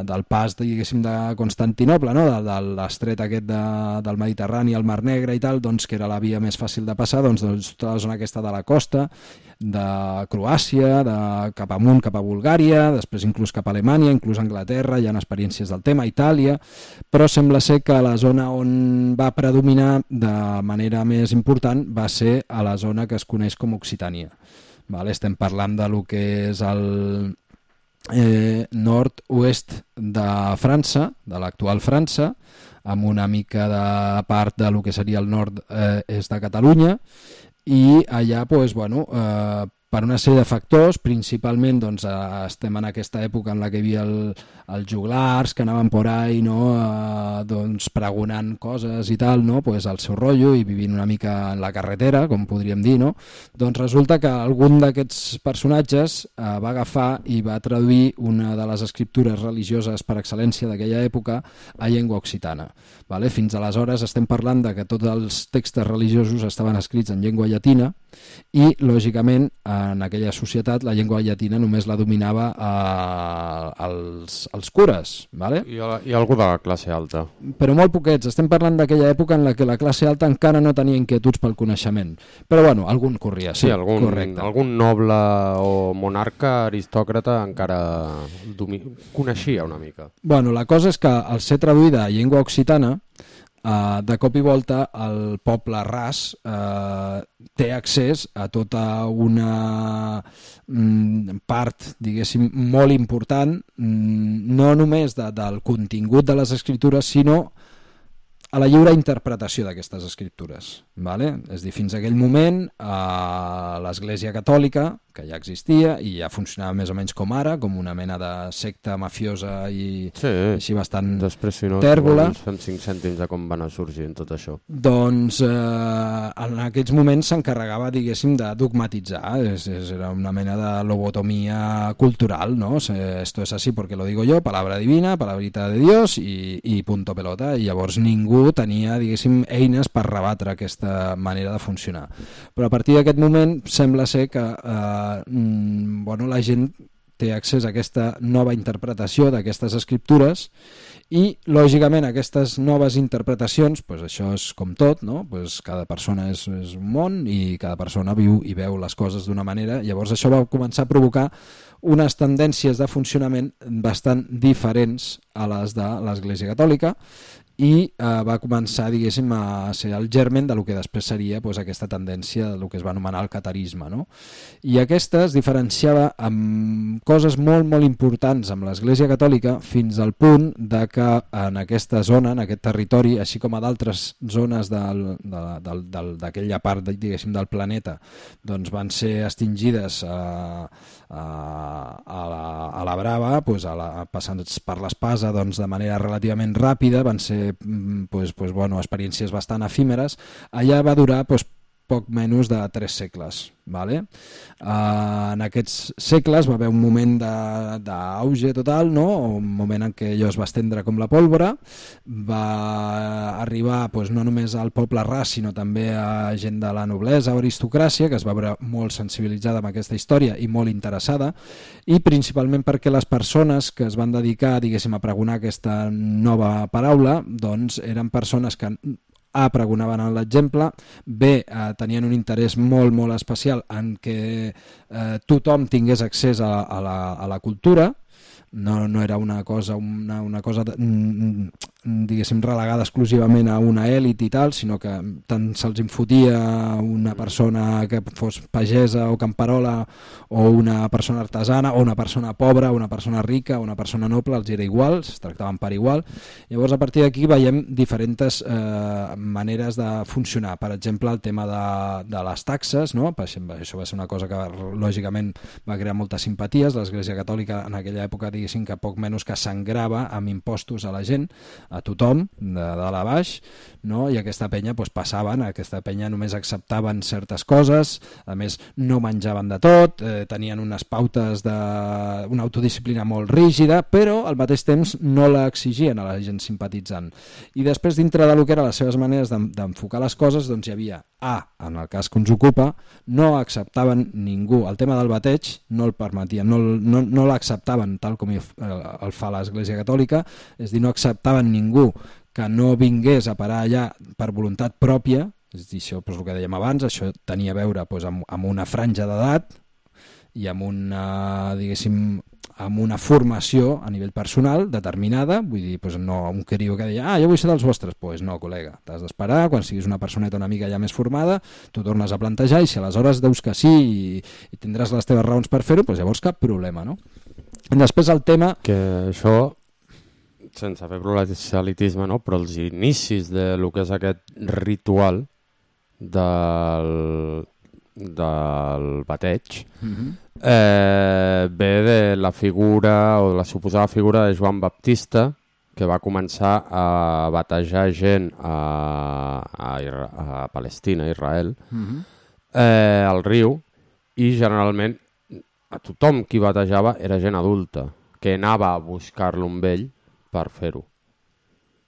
del pas diguéssim de Constantinoble, no? de, de l'estret aquest de, del Mediterrani al Mar Negre i tal, doncs que era la via més fàcil de passar, doncs, doncs tota la zona aquesta de la costa de Croàcia, de cap amunt cap a Bulgària, després inclús cap a Alemanya, inclús a Anglaterra, hi ha experiències del tema, Itàlia, però sembla ser que la zona on va predominar de manera més important va ser a la zona que es coneix com Occitània. Vale? Estem parlant de lo que és el eh, nord-oest de França, de l'actual França, amb una mica de part de lo que seria el nord-est de Catalunya, i allà pues, bueno, eh, per una sèrie de factors, principalment doncs, eh, estem en aquesta època en la que hi havia el, els joglars que anaven por ahí, no? eh, doncs, pregonant coses i tal, no? Pues, al seu rotllo i vivint una mica en la carretera, com podríem dir, no? Doncs resulta que algun d'aquests personatges eh, va agafar i va traduir una de les escriptures religioses per excel·lència d'aquella època a llengua occitana. Vale? Fins aleshores estem parlant de que tots els textos religiosos estaven escrits en llengua llatina i, lògicament, en aquella societat la llengua llatina només la dominava eh, els, els cures. Vale? I, I algú de la classe alta. Però molt poquets. Estem parlant d'aquella època en la que la classe alta encara no tenia inquietuds pel coneixement. Però, bueno, algun corria, sí, sí algun, correcte. Algun noble o monarca aristòcrata encara domi... coneixia una mica. Bueno, la cosa és que al ser traduïda a llengua occitana, Uh, de cop i volta el poble ras uh, té accés a tota una mm, part, diguéssim, molt important, mm, no només de, del contingut de les escriptures, sinó a la lliure interpretació d'aquestes escriptures. Vale? És a dir, fins a aquell moment uh, l'Església Catòlica, que ja existia i ja funcionava més o menys com ara, com una mena de secta mafiosa i sí, així bastant després, si no, tèrbola. Ens fem cinc cèntims de com van a sorgir en tot això. Doncs eh, en aquests moments s'encarregava, diguéssim, de dogmatitzar. És, és, era una mena de lobotomia cultural, ¿no? Esto es así porque lo digo yo, palabra divina, palabrita de Dios i, i punto pelota. I llavors ningú tenia, diguéssim, eines per rebatre aquesta manera de funcionar. Però a partir d'aquest moment sembla ser que eh, Mm, bueno, la gent té accés a aquesta nova interpretació d'aquestes escriptures i, lògicament, aquestes noves interpretacions, pues això és com tot, no? Pues cada persona és, és un món i cada persona viu i veu les coses d'una manera. Llavors això va començar a provocar unes tendències de funcionament bastant diferents a les de l'Església Catòlica i eh, va començar, diguéssim, a ser el germen de lo que després seria pues, aquesta tendència de lo que es va anomenar el catarisme, no? I aquesta es diferenciava amb coses molt, molt importants amb l'Església Catòlica fins al punt de que en aquesta zona, en aquest territori, així com a d'altres zones d'aquella part, diguéssim, del planeta, doncs van ser extingides a, a, a, la, a la brava, pues, a la, passant per l'espasa doncs, de manera relativament ràpida, van ser Pues, pues, bueno, experiències bastant efímeres. Allà va durar pues, poc menys de tres segles. Vale? Uh, en aquests segles va haver un moment d'auge total, no? Un moment en què allò es va estendre com la pólvora, va arribar pues, no només al poble ras, sinó també a gent de la noblesa o aristocràcia, que es va veure molt sensibilitzada amb aquesta història i molt interessada, i principalment perquè les persones que es van dedicar, diguéssim, a pregonar aquesta nova paraula, doncs eren persones que A, pregonaven en l'exemple, B, eh, tenien un interès molt, molt especial en què eh, tothom tingués accés a, a, la, a la cultura, no, no era una cosa, una, una cosa diguéssim, relegada exclusivament a una èlit i tal, sinó que tant se'ls infotia una persona que fos pagesa o camperola o una persona artesana o una persona pobra, una persona rica o una persona noble, els era igual, es tractaven per igual. Llavors a partir d'aquí veiem diferents eh, maneres de funcionar. Per exemple, el tema de, de les taxes, no? Per exemple, això va ser una cosa que lògicament va crear moltes simpaties. L'Església Catòlica en aquella època, diguéssim, que poc menys que sangrava amb impostos a la gent, a tothom, de dalt a baix, no? I aquesta penya doncs, passaven, aquesta penya només acceptaven certes coses, a més no menjaven de tot, eh, tenien unes pautes d'una autodisciplina molt rígida, però al mateix temps no la exigien a la gent simpatitzant. I després, dintre del que eren les seves maneres d'enfocar les coses, doncs hi havia A, en el cas que ens ocupa, no acceptaven ningú. El tema del bateig no el permetien, no, no, no l'acceptaven tal com el fa l'Església Catòlica, és a dir, no acceptaven ningú que no vingués a parar allà per voluntat pròpia, és a dir, això, doncs, el que dèiem abans, això tenia a veure doncs, amb, amb una franja d'edat i amb una, diguéssim, amb una formació a nivell personal determinada, vull dir, doncs no un criu que deia, ah, jo vull ser dels vostres, doncs pues no, col·lega, t'has d'esperar, quan siguis una personeta una mica ja més formada, tu tornes a plantejar i si aleshores deus que sí i, i tindràs les teves raons per fer-ho, doncs llavors cap problema, no? I després el tema... Que això, sense fer proselitisme, no? Però els inicis de lo que és aquest ritual del, del bateig Mm-hmm. eh, ve de la figura o de la suposada figura de Joan Baptista, que va començar a batejar gent a, a, a Palestina, a Israel, Mm-hmm. eh, al riu, i generalment a tothom qui batejava era gent adulta, que anava a buscar-lo amb ell per fer-ho,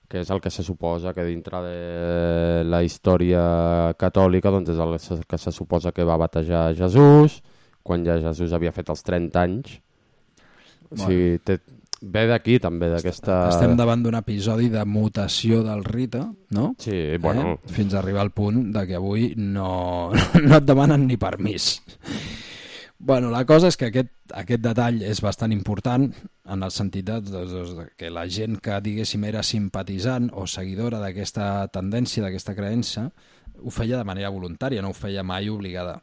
que és el que se suposa que dintre de la història catòlica doncs és el que se suposa que va batejar Jesús, quan ja Jesús havia fet els trenta anys. O sigui, té, ve d'aquí també, d'aquesta... Estem davant d'un episodi de mutació del rite, no? Sí, bueno... Eh? Fins a arribar al punt de que avui no, no et demanen ni permís. Bueno, la cosa és que aquest, aquest detall és bastant important en el sentit de, de, de que la gent que, diguéssim, era simpatitzant o seguidora d'aquesta tendència, d'aquesta creença, ho feia de manera voluntària, no ho feia mai obligada.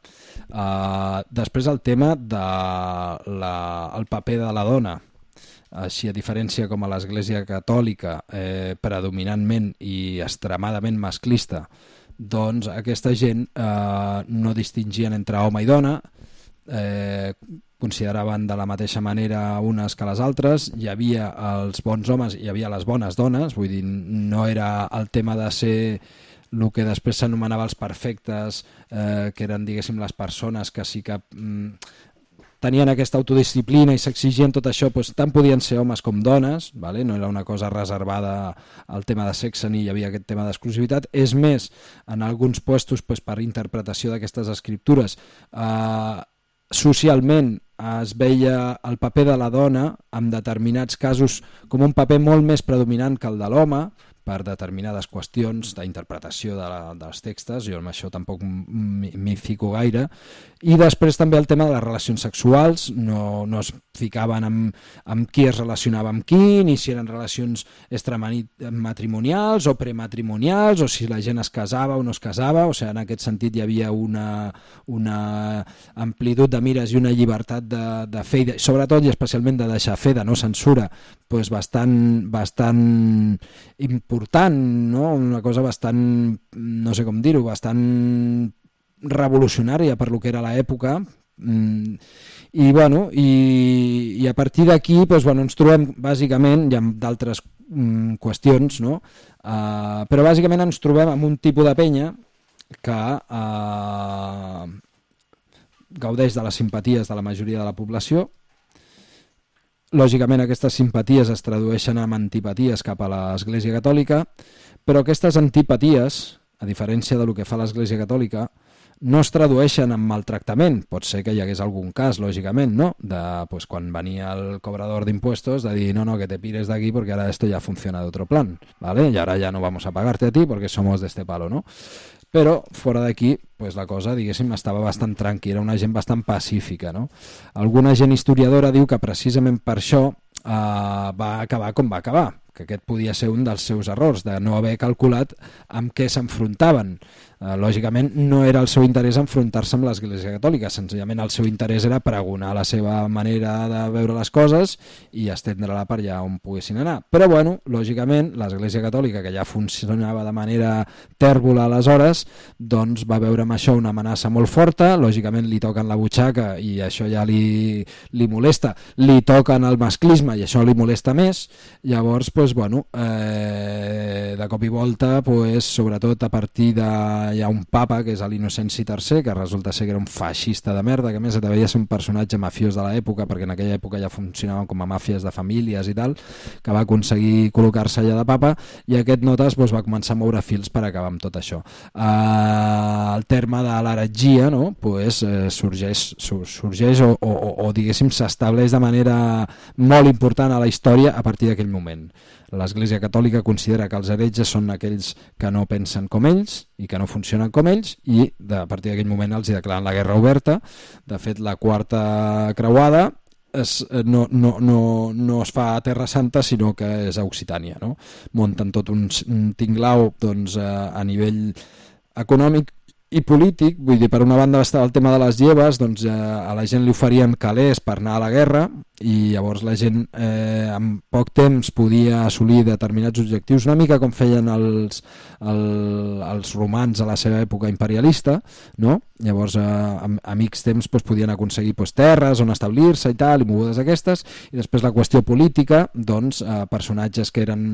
Uh, després el tema del de paper de la dona. Així, a diferència com a l'Església Catòlica, eh, predominantment i extremadament masclista, doncs aquesta gent eh, no distingien entre home i dona, eh, consideraven de la mateixa manera unes que les altres, hi havia els bons homes i hi havia les bones dones, vull dir, no era el tema de ser el que després s'anomenava els perfectes, eh, que eren, diguéssim, les persones que sí que mm, tenien aquesta autodisciplina i s'exigien tot això, doncs, tant podien ser homes com dones, vale? No era una cosa reservada al tema de sexe ni hi havia aquest tema d'exclusivitat. És més, en alguns puestos doncs, per interpretació d'aquestes escriptures, eh, socialment es veia el paper de la dona en determinats casos com un paper molt més predominant que el de l'home, per determinades qüestions d'interpretació de la, dels textos, jo amb això tampoc m'hi fico gaire, i després també el tema de les relacions sexuals, no, no es ficaven amb, amb qui es relacionava amb qui, ni si eren relacions extramatrimonials o prematrimonials, o si la gent es casava o no es casava, o sigui, en aquest sentit hi havia una, una amplitud de mires i una llibertat de, de fer, i de, sobretot i especialment de deixar fer, de no censura, doncs bastant, bastant important, no? Una cosa bastant, no sé com dir-ho, bastant revolucionària per lo que era l'època, i, bueno, i, i a partir d'aquí doncs, bueno, ens trobem bàsicament, hi ha d'altres mm, qüestions, no? Uh, però bàsicament ens trobem amb un tipus de penya que uh, gaudeix de les simpaties de la majoria de la població. Lògicament aquestes simpaties es tradueixen en antipaties cap a l'Església Catòlica, però aquestes antipaties, a diferència del que fa l'Església Catòlica, no es tradueixen en maltractament. Pot ser que hi hagués algun cas, lògicament, no? De, pues, quan venia el cobrador d'impuestos, de dir, no, no, que te pires de aquí porque ahora esto ya funciona de otro plan, ¿vale? Y ahora ya no vamos a pagarte a ti porque somos de este palo, ¿no? Però fora d'aquí pues, la cosa, diguéssim, estava bastant tranquil·la, una gent bastant pacífica, no? Alguna gent historiadora diu que precisament per això eh, va acabar com va acabar, que aquest podia ser un dels seus errors, de no haver calculat amb què s'enfrontaven. Uh, lògicament no era el seu interès enfrontar-se amb l'Església Catòlica, senzillament el seu interès era pregonar la seva manera de veure les coses i estendre-la per allà on poguessin anar. Però bueno, lògicament l'Església Catòlica, que ja funcionava de manera tèrbola aleshores, doncs va veure amb això una amenaça molt forta, lògicament li toquen la butxaca i això ja li, li molesta, li toquen el masclisme i això li molesta més, llavors pues, bueno, eh, de cop i volta pues, sobretot a partir de hi ha un papa que és l'Innocenci tercer, que resulta ser que era un feixista de merda, que a més devia ser un personatge mafiós de l'època, perquè en aquella època ja funcionaven com a màfies de famílies i tal, que va aconseguir col·locar-se allà de papa, i aquest notes doncs, va començar a moure fils per acabar amb tot això. Uh, el terme de l'heretgia no? pues, uh, sorgeix, sorgeix o, o, o diguéssim s'estableix de manera molt important a la història a partir d'aquell moment. L'Església Catòlica considera que els heretges són aquells que no pensen com ells i que no funcionen com ells, i de, a partir d'aquell moment els hi declaren la guerra oberta. De fet, la quarta creuada es, no, no, no, no es fa a Terra Santa, sinó que és a Occitània. No? Munten tot un, un tinglau doncs, a, a nivell econòmic i polític. Vull dir, per una banda estava el tema de les lleves, doncs eh, a la gent li oferien calés per anar a la guerra, i llavors la gent eh, en poc temps podia assolir determinats objectius, una mica com feien els, el, els romans a la seva època imperialista, no? Llavors eh, a, a mig temps doncs, podien aconseguir doncs, terres on establir-se i tal, i mogudes aquestes, i després la qüestió política, doncs eh, personatges que eren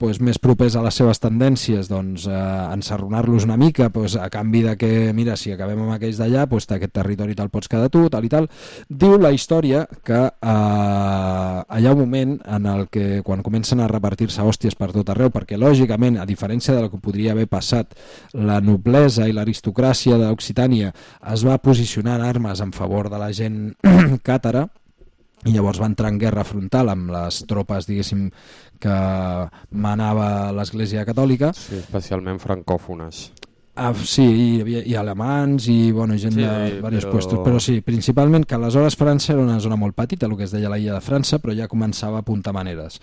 doncs, més propers a les seves tendències, doncs eh, ensarronar-los una mica doncs, a canvi de que, mira, si acabem amb aquells d'allà, doncs aquest territori te'l pots quedar tu, tal i tal. Diu la història que eh, Uh, hi ha un moment en el que quan comencen a repartir-se hòsties per tot arreu, perquè lògicament, a diferència del que podria haver passat, la noblesa i l'aristocràcia d'Occitània es va posicionar en armes en favor de la gent càtara, i llavors va entrar en guerra frontal amb les tropes, diguéssim, que manava l'Església Catòlica. Sí, especialment francòfones. Ah, sí, hi havia i alemans i bueno, gent sí, de diversos però... puestos, però sí, principalment que aleshores França era una zona molt petita, el que es deia la illa de França, però ja començava a apuntar maneres.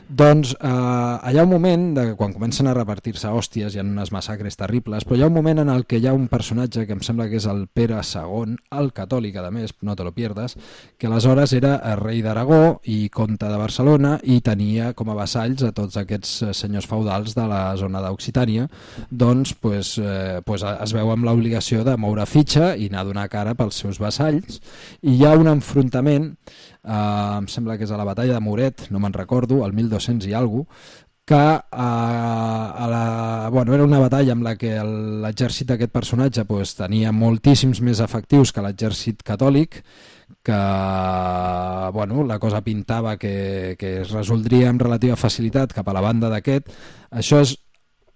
Doncs eh, hi ha un moment, de, quan comencen a repartir-se hòsties, hi ha unes massacres terribles, però hi ha un moment en el que hi ha un personatge que em sembla que és el Pere segon, el catòlic, a més, no te lo pierdes, que aleshores era rei d'Aragó i comte de Barcelona i tenia com a vassalls a tots aquests senyors feudals de la zona d'Occitània. Doncs, pues, eh, pues es veu amb l'obligació de moure fitxa i anar a donar cara pels seus vassalls, i hi ha un enfrontament, eh, em sembla que és a la batalla de Moret, no me'n recordo, el mil dos-cents i alguna cosa, que eh, a la, bueno, era una batalla amb la que l'exèrcit d'aquest personatge pues, tenia moltíssims més efectius que l'exèrcit catòlic, que bueno, la cosa pintava que, que es resoldria amb relativa facilitat cap a la banda d'aquest. Això és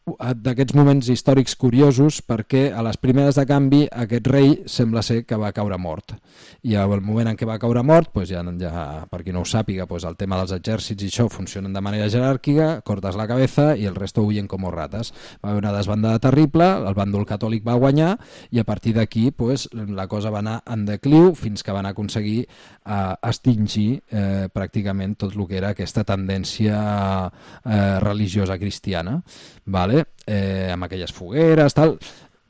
d'aquests moments històrics curiosos, perquè a les primeres de canvi aquest rei sembla ser que va caure mort, i al moment en què va caure mort, doncs ja, ja, per qui no ho sàpiga, doncs el tema dels exèrcits i això funcionen de manera jeràrquica, cortes la cabeza i el resto huyen com rates. Va haver una desbandada terrible, el bàndol catòlic va guanyar, i a partir d'aquí doncs, la cosa va anar en decliu fins que van aconseguir eh, extingir eh, pràcticament tot el que era aquesta tendència eh, religiosa cristiana, vale? Eh, amb aquelles fogueres, tal.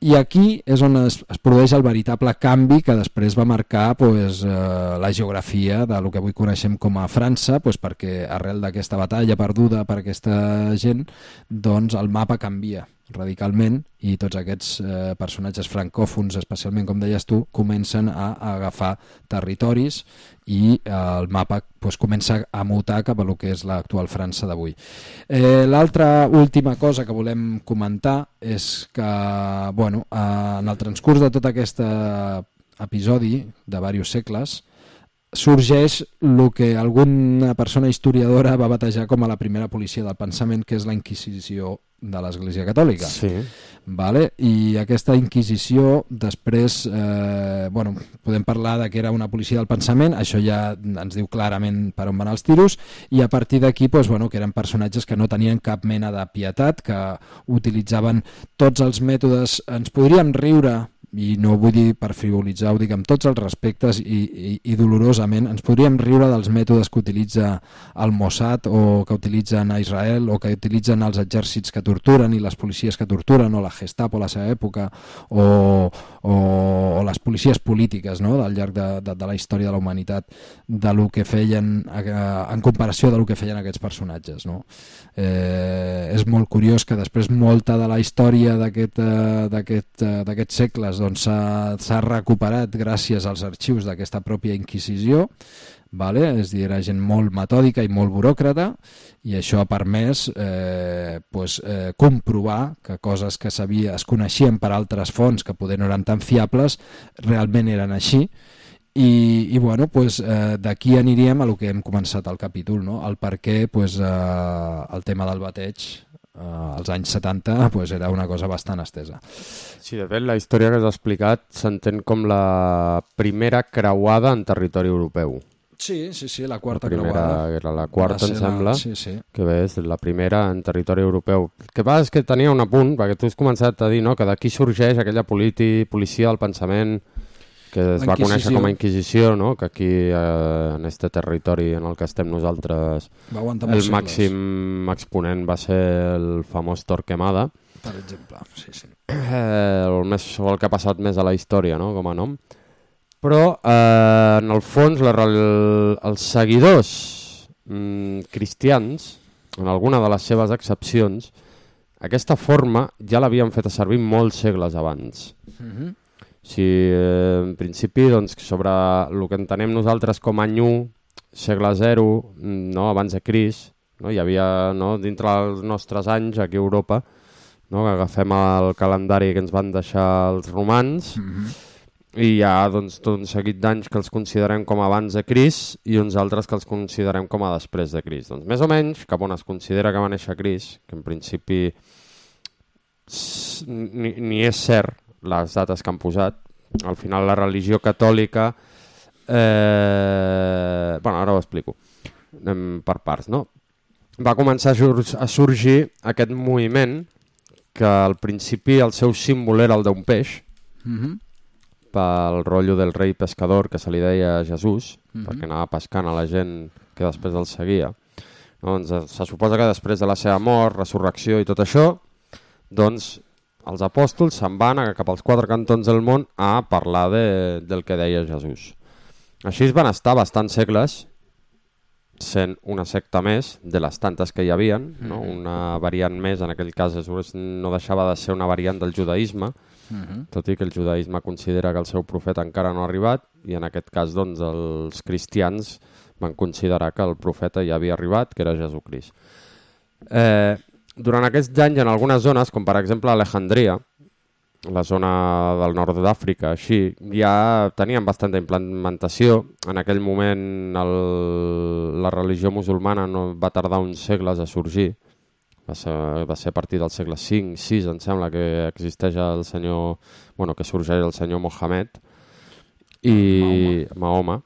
I aquí és on es, es produeix el veritable canvi que després va marcar pues, eh, la geografia de lo que avui coneixem com a França, pues, perquè arrel d'aquesta batalla perduda per aquesta gent, doncs el mapa canvia radicalment i tots aquests eh, personatges francòfons, especialment com deies tu, comencen a, a agafar territoris i eh, el mapa pues, comença a mutar cap a lo que és l'actual França d'avui. Eh, L'altra última cosa que volem comentar és que bueno, eh, en el transcurs de tot aquest episodi de diversos segles sorgeix el que alguna persona historiadora va batejar com a la primera policia del pensament, que és la Inquisició de l'Església Catòlica. Sí. Vale? I aquesta Inquisició després, eh, bueno, podem parlar de que era una policia del pensament, això ja ens diu clarament per on van els tiros, i a partir d'aquí doncs, bueno, que eren personatges que no tenien cap mena de pietat, que utilitzaven tots els mètodes, ens podríem riure i no vull dir per frivolitzar, ho dic amb tots els respectes i, i, i dolorosament, ens podríem riure dels mètodes que utilitza el Mossad o que utilitzen a Israel o que utilitzen els exèrcits que torturen i les policies que torturen o la Gestapo a la seva època o, o, o les policies polítiques, no?, al llarg de, de, de la història de la humanitat, de lo que feien en comparació de lo que feien aquests personatges, no? Eh, és molt curiós que després molta de la història d'aquest, d'aquest, d'aquests segles doncs, s'ha, s'ha recuperat gràcies als arxius d'aquesta pròpia Inquisició, vale? És dir, era gent molt metòdica i molt buròcrata i això ha permès eh, pues, eh, comprovar que coses que sabia, es coneixien per altres fonts que poder no eren tan fiables realment eren així. I, i bueno, pues, eh, d'aquí aniríem a lo que hem començat al capítol, no? El per què pues, eh, el tema del bateig eh, als anys setanta pues, era una cosa bastant estesa. Sí, de fet, la història que has explicat s'entén com la primera creuada en territori europeu. Sí, sí, sí, la quarta la primera, creuada. Era la quarta, em sembla, la... sí, sí. que bé, és la primera en territori europeu. El que passa és que tenia un apunt, perquè tu has començat a dir, no?, que d'aquí sorgeix aquella politi, policia del pensament que es va conèixer com a Inquisició, no?, que aquí, eh, en este territori en el que estem nosaltres, el màxim exponent va ser el famós Torquemada. Per exemple, sí, sí. Eh, el, més, el que ha passat més a la història, no?, com a nom. Però, eh, en el fons, la, el, els seguidors mm, cristians, en alguna de les seves excepcions, aquesta forma ja l'havien fet a servir molts segles abans. Mhm. Si, eh, en principi, doncs, sobre el que entenem nosaltres com any u, segle zero, no, abans de Crist, no, hi havia, no, dintre dels nostres anys aquí a Europa, no, que agafem el calendari que ens van deixar els romans, Mhm. i hi ha doncs, tot un seguit d'anys que els considerem com abans de Crist i uns altres que els considerem com a després de Crist. Doncs més o menys, cap on es considera que va néixer Crist, que en principi ni, ni és cert les dates que han posat. Al final la religió catòlica... Eh... Bueno, ara ho explico. Anem per parts, no? Va començar a, sur- a sorgir aquest moviment que al principi el seu símbol era el d'un peix, Mhm. pel rotllo del rei pescador que se li deia Jesús, Mhm. perquè anava pescant a la gent que després el seguia. No, doncs se suposa que després de la seva mort, resurrecció i tot això, doncs els apòstols se'n van a cap als quatre cantons del món a parlar de, del que deia Jesús. Així es van estar bastants segles sent una secta més de les tantes que hi havien, no? Una variant més, en aquell cas no deixava de ser una variant del judaïsme, Mhm. tot i que el judaïsme considera que el seu profeta encara no ha arribat, i en aquest cas doncs, els cristians van considerar que el profeta ja havia arribat, que era Jesucrist. Eh, durant aquests anys, en algunes zones, com per exemple Alejandria, la zona del nord d'Àfrica, així, ja tenien bastanta implementació. En aquell moment el, la religió musulmana no va tardar uns segles a sorgir. Va ser, va ser a partir del segle cinc sis, em sembla, que existeix el senyor... Bueno, que sorgeix el senyor Mohamed i Mahoma.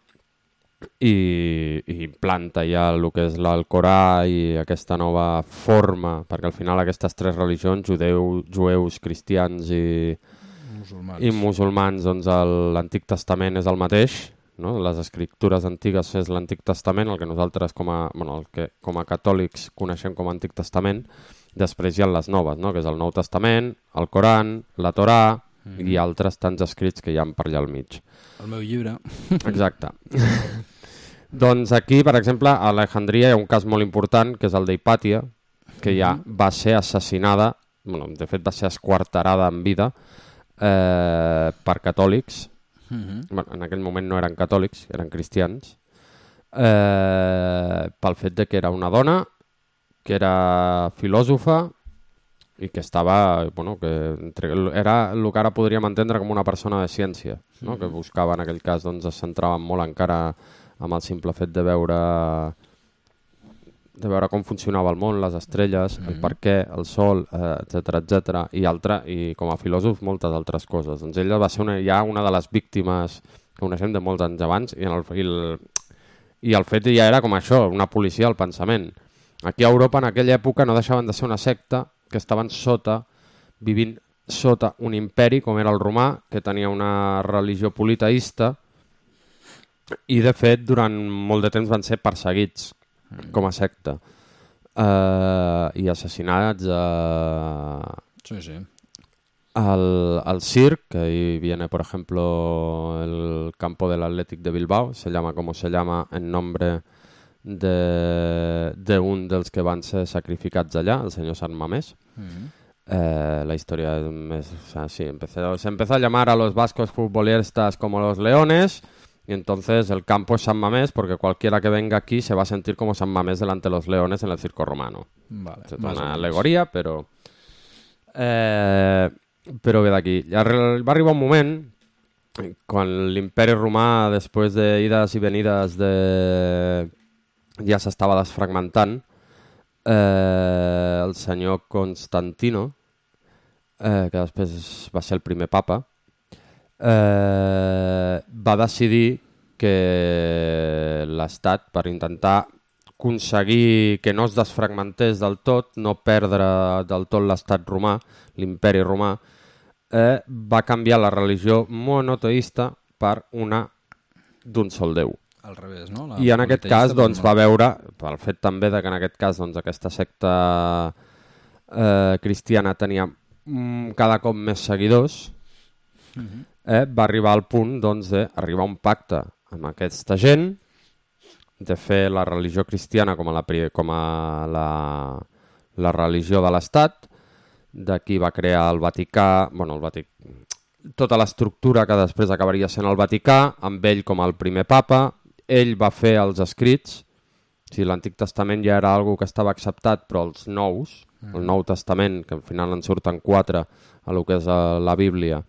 I, i implanta ja el que és l'Alcorà i aquesta nova forma, perquè al final aquestes tres religions, judeu, jueus, cristians i musulmans, i musulmans doncs l'Antic Testament és el mateix, no? Les escriptures antigues és l'Antic Testament, el que nosaltres com a, bueno, el que, com a catòlics coneixem com a Antic Testament. Després hi ha les noves, no? Que és el Nou Testament, el Coran, la Torà mm-hmm. i altres tants escrits que hi ha per allà al mig. El meu llibre. Exacte. Doncs aquí, per exemple, a Alejandria hi ha un cas molt important, que és el d'Hipàtia, que ja va ser assassinada, bueno, de fet va ser esquarterada en vida eh, per catòlics. Mhm. Bueno, en aquell moment no eren catòlics, eren cristians, eh, pel fet de que era una dona, que era filòsofa i que estava, bueno, que entre, era el que ara podríem entendre com una persona de ciència, no? Que buscava en aquell cas, doncs es centrava molt encara amb el simple fet de veure de veure com funcionava el món, les estrelles, el per què, el sol, etcètera, etcètera, i altra, i com a filòsof moltes altres coses. Doncs ella va ser una, ja una de les víctimes que coneixem de molts anys abans, i, en el, i, el, i el fet ja era com això, una policia del pensament. Aquí a Europa en aquella època no deixaven de ser una secta que estaven sota, vivint sota un imperi com era el romà, que tenia una religió politeïsta, i de fet durant molt de temps van ser perseguits com a secta uh, i assassinats a... Sí, sí. Al, al circ, que ahí viene por ejemplo el campo del Athletic de Bilbao, se llama como se llama en nombre de, de un dels que van ser sacrificats allà, el senyor Sant Mamés. Mm-hmm. Eh, la historia es, o sea, sí, empezó, se empezó a llamar a los vascos futbolistas como los leones, y entonces el campo es San Mamés porque cualquiera que venga aquí se va a sentir como San Mamés delante de los leones en el circo romano. Vale, es una alegoria, però... Eh, però bé d'aquí. Va arribar un moment, quan l'imperi romà, després d'ides i venides, de... ja s'estava desfragmentant, eh, el senyor Constantino, eh, que després va ser el primer papa, eh, va decidir que l'Estat, per intentar aconseguir que no es desfragmentés del tot, no perdre del tot l'Estat romà, l'imperi romà, eh, va canviar la religió monoteista per una d'un sol déu. Al revés, no? La I en aquest cas doncs, va veure, pel fet també de que en aquest cas doncs, aquesta secta eh, cristiana tenia mm, cada cop més seguidors, uh-huh. eh, va arribar al punt doncs, d'arribar a un pacte amb aquesta gent, de fer la religió cristiana com a la, com a la, la religió de l'Estat. D'aquí va crear el Vaticà, bueno, el Vatic... tota l'estructura que després acabaria sent el Vaticà, amb ell com el primer papa. Ell va fer els escrits, o sigui, l'Antic Testament ja era algo que estava acceptat, però els nous, mm. el Nou Testament, que al final en surten quatre a lo que és la Bíblia,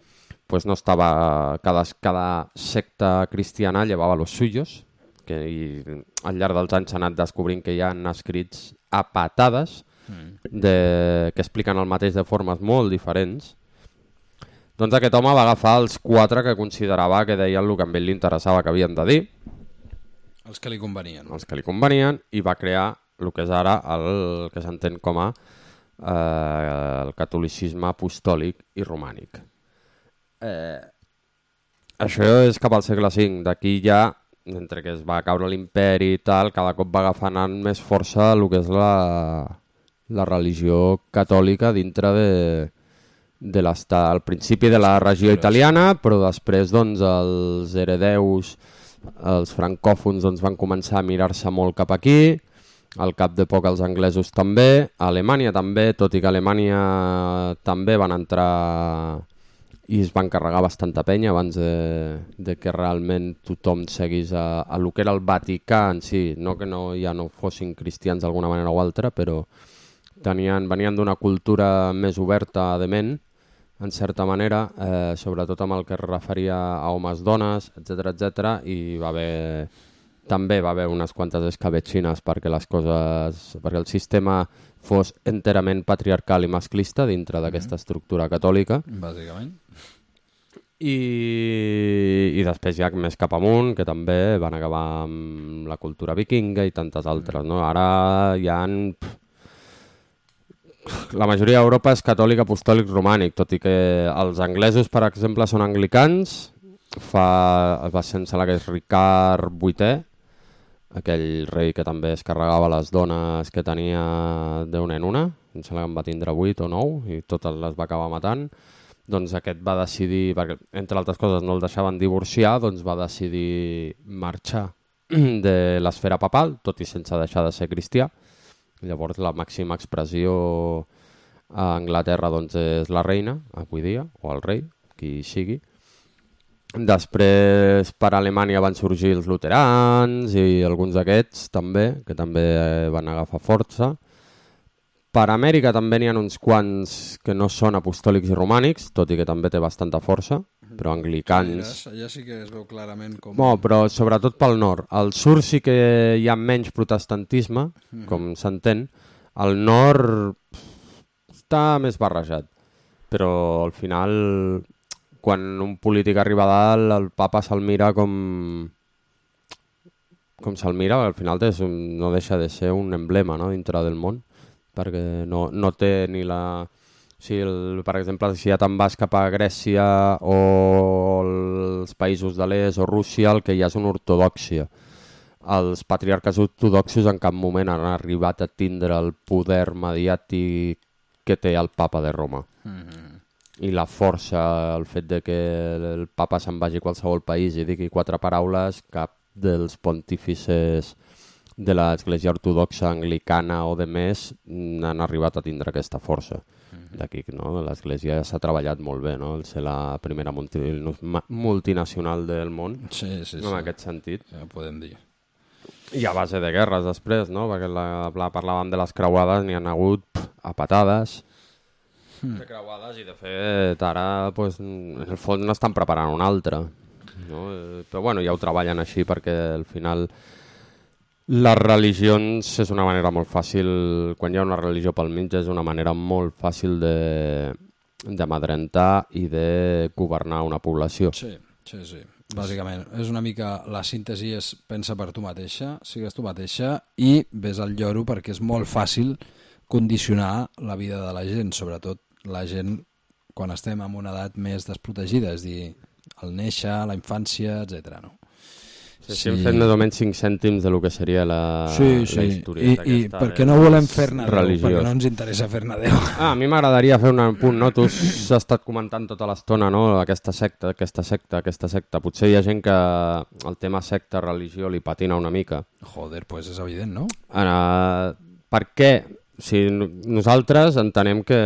pues no estava... Cada, cada secta cristiana llevava los suyos, que i al llarg dels anys s'ha anat descobrint que hi ha escrits a patades de, que expliquen el mateix de formes molt diferents. Doncs aquest home va agafar els quatre que considerava que deien el que a ell li interessava que havien de dir. Els que li convenien. Els que li convenien, i va crear el que és ara el que s'entén com a eh, el catolicisme apostòlic i romànic. Eh, això és cap al segle cinc. D'aquí ja, entre que es va caure l'imperi i tal, cada cop va agafant més força el que és la, la religió catòlica dintre de, de l'estat. Al principi de la regió italiana, però després doncs, els heredeus, els francòfons doncs, van començar a mirar-se molt cap aquí, al cap de poc els anglesos també, a Alemanya també, tot i que a Alemanya també van entrar i es van carregar bastanta penya abans de, de que realment tothom seguís a, a lo que era el Vaticà en si, no que no, ja no fossin cristians d'alguna manera o altra, però tenien, venien d'una cultura més oberta de ment, en certa manera, eh, sobretot amb el que es referia a homes, dones, etcètera, etcètera, i va haver, també va haver unes quantes escabetxines perquè les coses, perquè el sistema fos enterament patriarcal i masclista dintre d'aquesta estructura catòlica. Bàsicament. I, i després ja més cap amunt, que també van acabar amb la cultura vikinga i tantes altres. No? Ara hi ha... La majoria d'Europa és catòlic, apostòlic, romànic, tot i que els anglesos, per exemple, són anglicans. Fa, va ser, em sembla que és Ricard vuitè, aquell rei que també es carregava les dones que tenia d'una en una, em sembla que en va tindre vuit o nou i totes les va acabar matant. Doncs aquest va decidir, perquè entre altres coses no el deixaven divorciar, doncs va decidir marxar de l'esfera papal, tot i sense deixar de ser cristià. Llavors la màxima expressió a Anglaterra doncs, és la reina, avui dia, o el rei, qui sigui. Després per Alemanya van sorgir els luterans i alguns d'aquests també, que també van agafar força. Per Amèrica també n'hi ha uns quants que no són apostòlics i romànics, tot i que també té bastanta força, però anglicans... Allà sí que es veu clarament com... No, però sobretot pel nord. Al sud sí que hi ha menys protestantisme, mm. com s'entén. Al nord està més barrejat, però al final... Quan un polític arriba a dalt, el papa se'l mira com... com se'l mira, al final és un, no deixa de ser un emblema, no?, dintre del món, perquè no, no té ni la... O sigui, el, per exemple, si ja te'n vas cap a Grècia o els països de l'est o Rússia, el que hi ha és una ortodòxia. Els patriarques ortodoxos en cap moment han arribat a tindre el poder mediàtic que té el papa de Roma. Mm-hmm. I la força, el fet de que el papa se'n vagi a qualsevol país i digui quatre paraules, cap dels pontífices de l'Església Ortodoxa Anglicana o de més han arribat a tindre aquesta força. D'aquí, no? L'Església s'ha treballat molt bé, no? El ser la primera multi... multinacional del món, sí, sí, en sí. aquest sentit. Ja ho podem dir. I a base de guerres després, no? Perquè la, la parlàvem de les creuades, n'hi ha hagut pff, a patades de creuades i de fet ara pues, en el fons n'estan preparant una altra, no? Però bueno, ja ho treballen així perquè al final les religions és una manera molt fàcil, quan hi ha una religió pel mig és una manera molt fàcil de d'amedrentar i de governar una població. Sí, sí, sí. Bàsicament, és una mica la síntesi és pensa per tu mateixa, sigues tu mateixa i ves al lloro perquè és molt fàcil condicionar la vida de la gent, sobretot la gent quan estem en una edat més desprotegida, és dir, el néixer, la infància, etcètera. No? Sí, sí, hem fet més o menys cinc cèntims de lo que seria la, sí, sí. la historieta I, i perquè no volem fer-ne Déu, perquè no ens interessa fer-ne Déu. Ah, a mi m'agradaria fer un punt, no? Tu has estat comentant tota l'estona, no? Aquesta secta, aquesta secta, aquesta secta. Potser hi ha gent que el tema secta, religió, li patina una mica. Joder, pues és evident, no? Uh, per què? Si nosaltres entenem que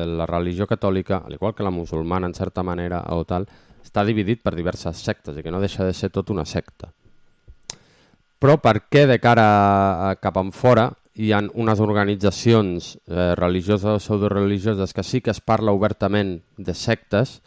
la religió catòlica, al igual que la musulmana en certa manera o tal, està dividit per diverses sectes i que no deixa de ser tot una secta. Però per què de cara a, cap en fora hi ha unes organitzacions eh, religioses o pseudoreligioses que sí que es parla obertament de sectes,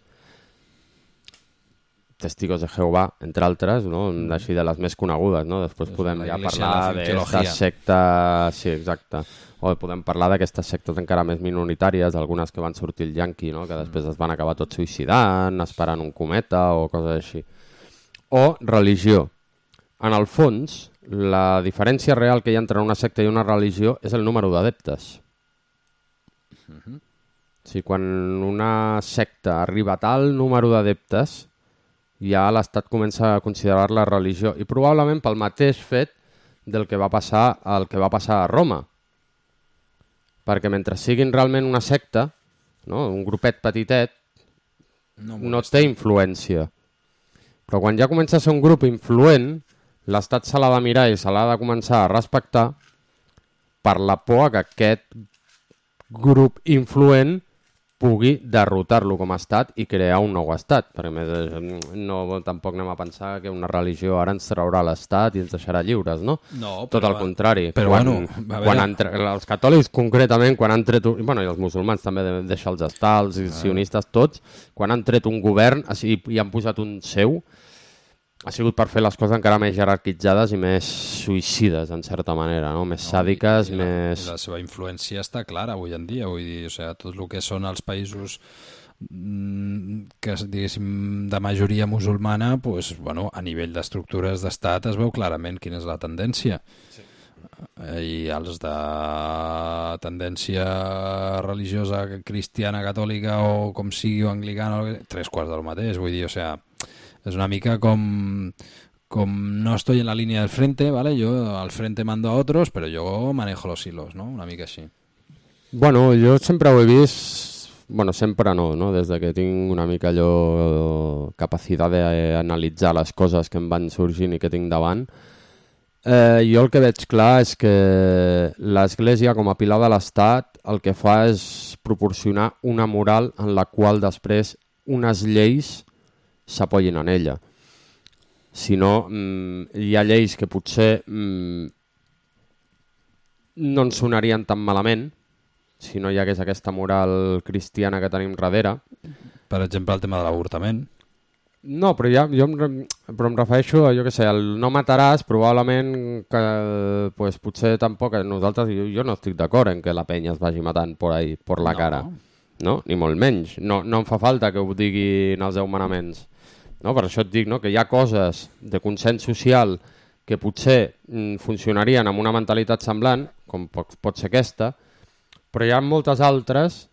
Testigos de Jehovà, entre altres, no? Així de les més conegudes, no? Després és podem ja parlar d'aquestes sectes, sí, exacte, o podem parlar d'aquestes sectes encara més minoritàries, algunes que van sortir el yanqui, no? Que després es van acabar tot suïcidant, esperant un cometa o coses així. O religió. En el fons, la diferència real que hi ha entre una secta i una religió és el número d'adeptes. Uh-huh. O sigui, quan una secta arriba a tal número d'adeptes, ja l'Estat comença a considerar-la religió i probablement pel mateix fet del que va passar el que va passar a Roma. Perquè mentre siguin realment una secta, no? Un grupet petitet, no, no té influència. Però quan ja comença a ser un grup influent, l'Estat se l'ha de mirar i se l'ha de començar a respectar per la por que aquest grup influent pugui derrotar-lo com a estat i crear un nou estat. Perquè més, no, tampoc anem a pensar que una religió ara ens traurà l'estat i ens deixarà lliures, no? No, tot però, al contrari. Però quan, bueno, quan han tre... els catòlics concretament, quan han tret... Bueno, i els musulmans també de deixar els estats, els sionistes, tots, quan han tret un govern i, i han posat un seu, ha sigut per fer les coses encara més jerarquitzades i més suïcides, en certa manera, no? Més no, sàdiques, i la, més... I la seva influència està clara avui en dia, vull dir, o sigui, tot el que són els països que, diguéssim, de majoria musulmana, pues, bueno, a nivell d'estructures d'estat es veu clarament quina és la tendència. Sí. I els de tendència religiosa cristiana, catòlica o com sigui, o anglicana, tres quarts del mateix, vull dir, o sigui, és una mica com, com no estoy en la línea del frente, ¿vale? Yo al frente mando a otros, pero yo manejo los hilos, ¿no? Una mica així. Bueno, jo sempre ho he vist, bueno, sempre no, no? Des de que tinc una mica allò capacitat d'analitzar les coses que em van sorgint i que tinc davant, eh, jo el que veig clar és que l'Església, com a pilar de l'Estat, el que fa és proporcionar una moral en la qual després unes lleis s'apoyin en ella. Si no, mmm, hi ha lleis que potser mmm, no ens sonarien tan malament si no hi hagués aquesta moral cristiana que tenim darrere. Per exemple, el tema de l'avortament. No, però, ja, jo em, però em refereixo a, jo què sé, el no mataràs, probablement que pues, potser tampoc, nosaltres, jo, jo no estic d'acord en que la penya es vagi matant por ahí, por la no. cara. No? Ni molt menys. No, no em fa falta que ho diguin els deu manaments. No? Per això et dic, no? Que hi ha coses de consens social que potser mm, funcionarien amb una mentalitat semblant, com pot, pot ser aquesta, però hi ha moltes altres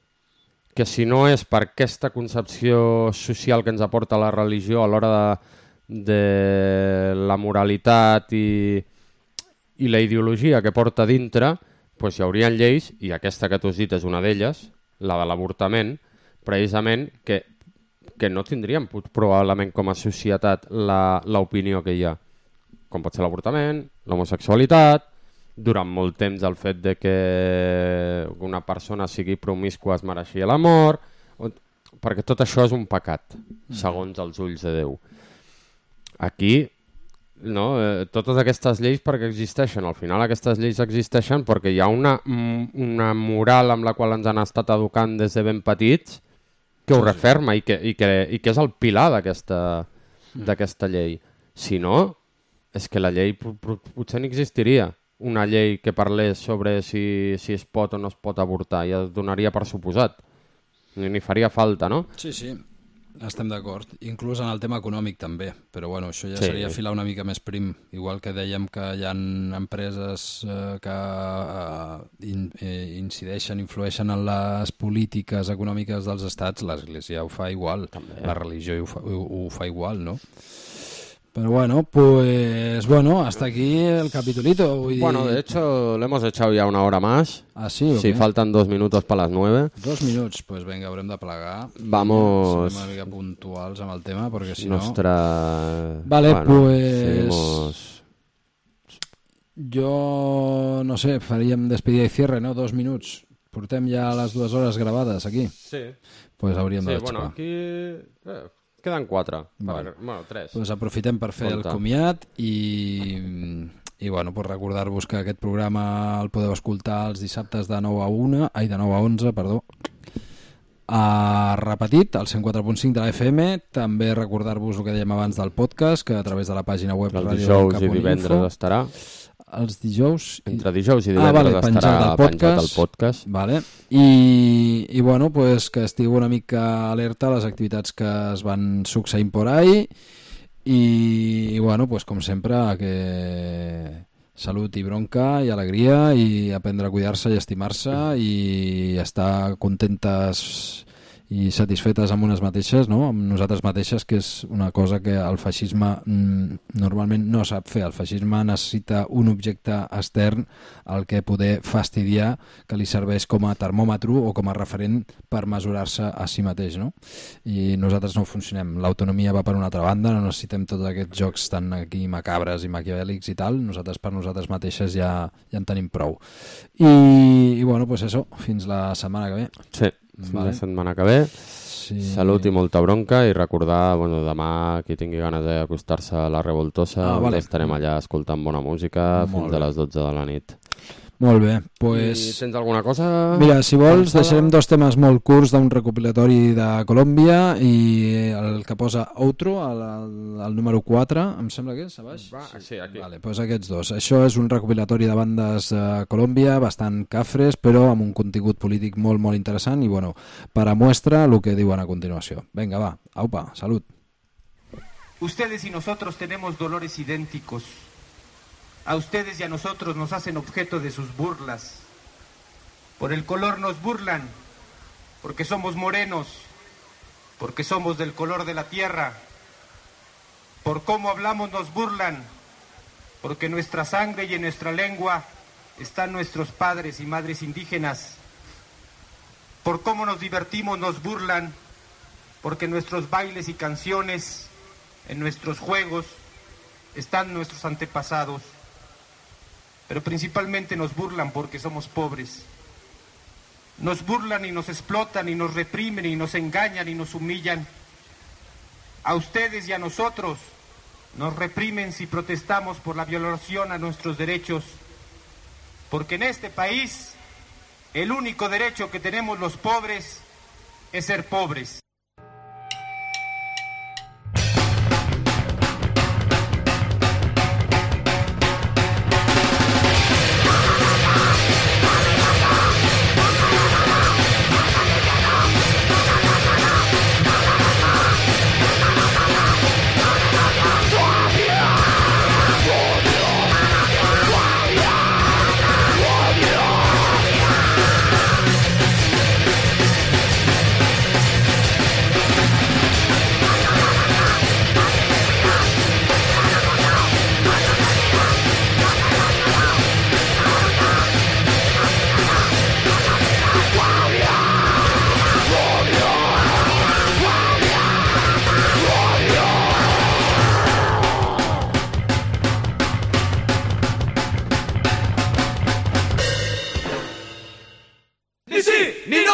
que si no és per aquesta concepció social que ens aporta la religió a l'hora de, de la moralitat i, i la ideologia que porta dintre, doncs hi haurien lleis, i aquesta que tu has dit és una d'elles, la de l'avortament, precisament que, que no tindríem probablement com a societat l'opinió que hi ha. Com pot ser l'avortament, l'homosexualitat, durant molt temps el fet de que una persona sigui promiscua es mereixia la mort, perquè tot això és un pecat, segons els ulls de Déu. Aquí, no, eh, totes aquestes lleis perquè existeixen, al final aquestes lleis existeixen perquè hi ha una, una moral amb la qual ens han estat educant des de ben petits que ho referma i que, i que, i que és el pilar d'aquesta d'aquesta llei. Si no, és que la llei potser no existiria. Una llei que parlés sobre si, si es pot o no es pot avortar, ja es donaria per suposat. Ni, ni faria falta, no? Sí, sí, estem d'acord. Inclús en el tema econòmic també, però bueno, això ja Sí. seria filar una mica més prim. Igual que dèiem que hi ha empreses eh, que eh, in, eh, incideixen, influeixen en les polítiques econòmiques dels estats, l'Església ho fa igual, També. la religió ho fa, ho, ho fa igual, no? Pero bueno, pues bueno, hasta aquí el capitulito. Vull dir... Bueno, de hecho, le hemos echado ya una hora más. ¿Ah, sí? ¿O Sí, qué? faltan dos minutos para las nueve. Dos minuts, pues venga, haurem de plegar. Vamos. Serem una mica puntuals amb el tema, perquè si no... Nuestra... Vale, bueno, pues... seguimos... Jo, no sé, faríem despedida i cierre, no? Dos minuts. Portem ja les dues hores gravades aquí. Sí. Pues hauríem Sí, de bueno, xapar. aquí... Eh, queden quatre. Vale. Bueno, tres. Pues aprofitem per fer Compte. el comiat i, i bueno, pues recordar-vos que aquest programa el podeu escoltar els dissabtes de nou a una, ai, de nou a onze, perdó, a repetit, al cent quatre punt cinc de la F M. També recordar-vos el que dèiem abans del podcast, que a través de la pàgina web Els Radio dijous Cap i on divendres Info, estarà. els dijous... i- Entre dijous i Ah, divendres vale, estarà penjat al penjat el podcast. podcast. Vale. I, i bueno, pues que estigueu una mica alerta a les activitats que es van succeint por ahí i, i bueno, pues com sempre que salut i bronca i alegria i aprendre a cuidar-se i estimar-se i estar contentes i satisfetes amb unes mateixes, no? Amb nosaltres mateixes, que és una cosa que el feixisme mm, normalment no sap fer. El feixisme necessita un objecte extern al que poder fastidiar, que li serveix com a termòmetre o com a referent per mesurar-se a si mateix, no? I nosaltres no funcionem. L'autonomia va per una altra banda, no necessitem tots aquests jocs tan aquí macabres i maquiavèlics i tal. Nosaltres per nosaltres mateixes ja, ja en tenim prou. I, i bueno, pues eso, fins la setmana que ve. Sí, fins Vale. la setmana que ve. Sí. Salut i molta bronca i recordar, bueno, demà qui tingui ganes d'acostar-se a la Revoltosa, Ah, vale. estarem allà escoltant bona música Molt fins bé. a les dotze de la nit. Molt bé, I pues... tens alguna cosa? Mira, si vols, pensada? deixarem dos temes molt curts d'un recopilatori de Colòmbia i el que posa Outro, el, el, el número quatre, em sembla que és, a baix? Va, sí, aquí. Vale, pues aquests dos. Això és un recopilatori de bandes de Colòmbia, bastant cafres, però amb un contingut polític molt, molt interessant i, bueno, per a muestra el que diuen a continuació. Venga, va, aupa, salut. Ustedes y nosotros tenemos dolores idénticos. A ustedes y a nosotros nos hacen objeto de sus burlas. Por el color nos burlan, porque somos morenos, porque somos del color de la tierra. Por cómo hablamos nos burlan, porque en nuestra sangre y en nuestra lengua están nuestros padres y madres indígenas. Por cómo nos divertimos nos burlan, porque en nuestros bailes y canciones, en nuestros juegos, están nuestros antepasados. Pero principalmente nos burlan porque somos pobres. Nos burlan y nos explotan y nos reprimen y nos engañan y nos humillan. A ustedes y a nosotros nos reprimen si protestamos por la violación a nuestros derechos. Porque en este país el único derecho que tenemos los pobres es ser pobres. ni no.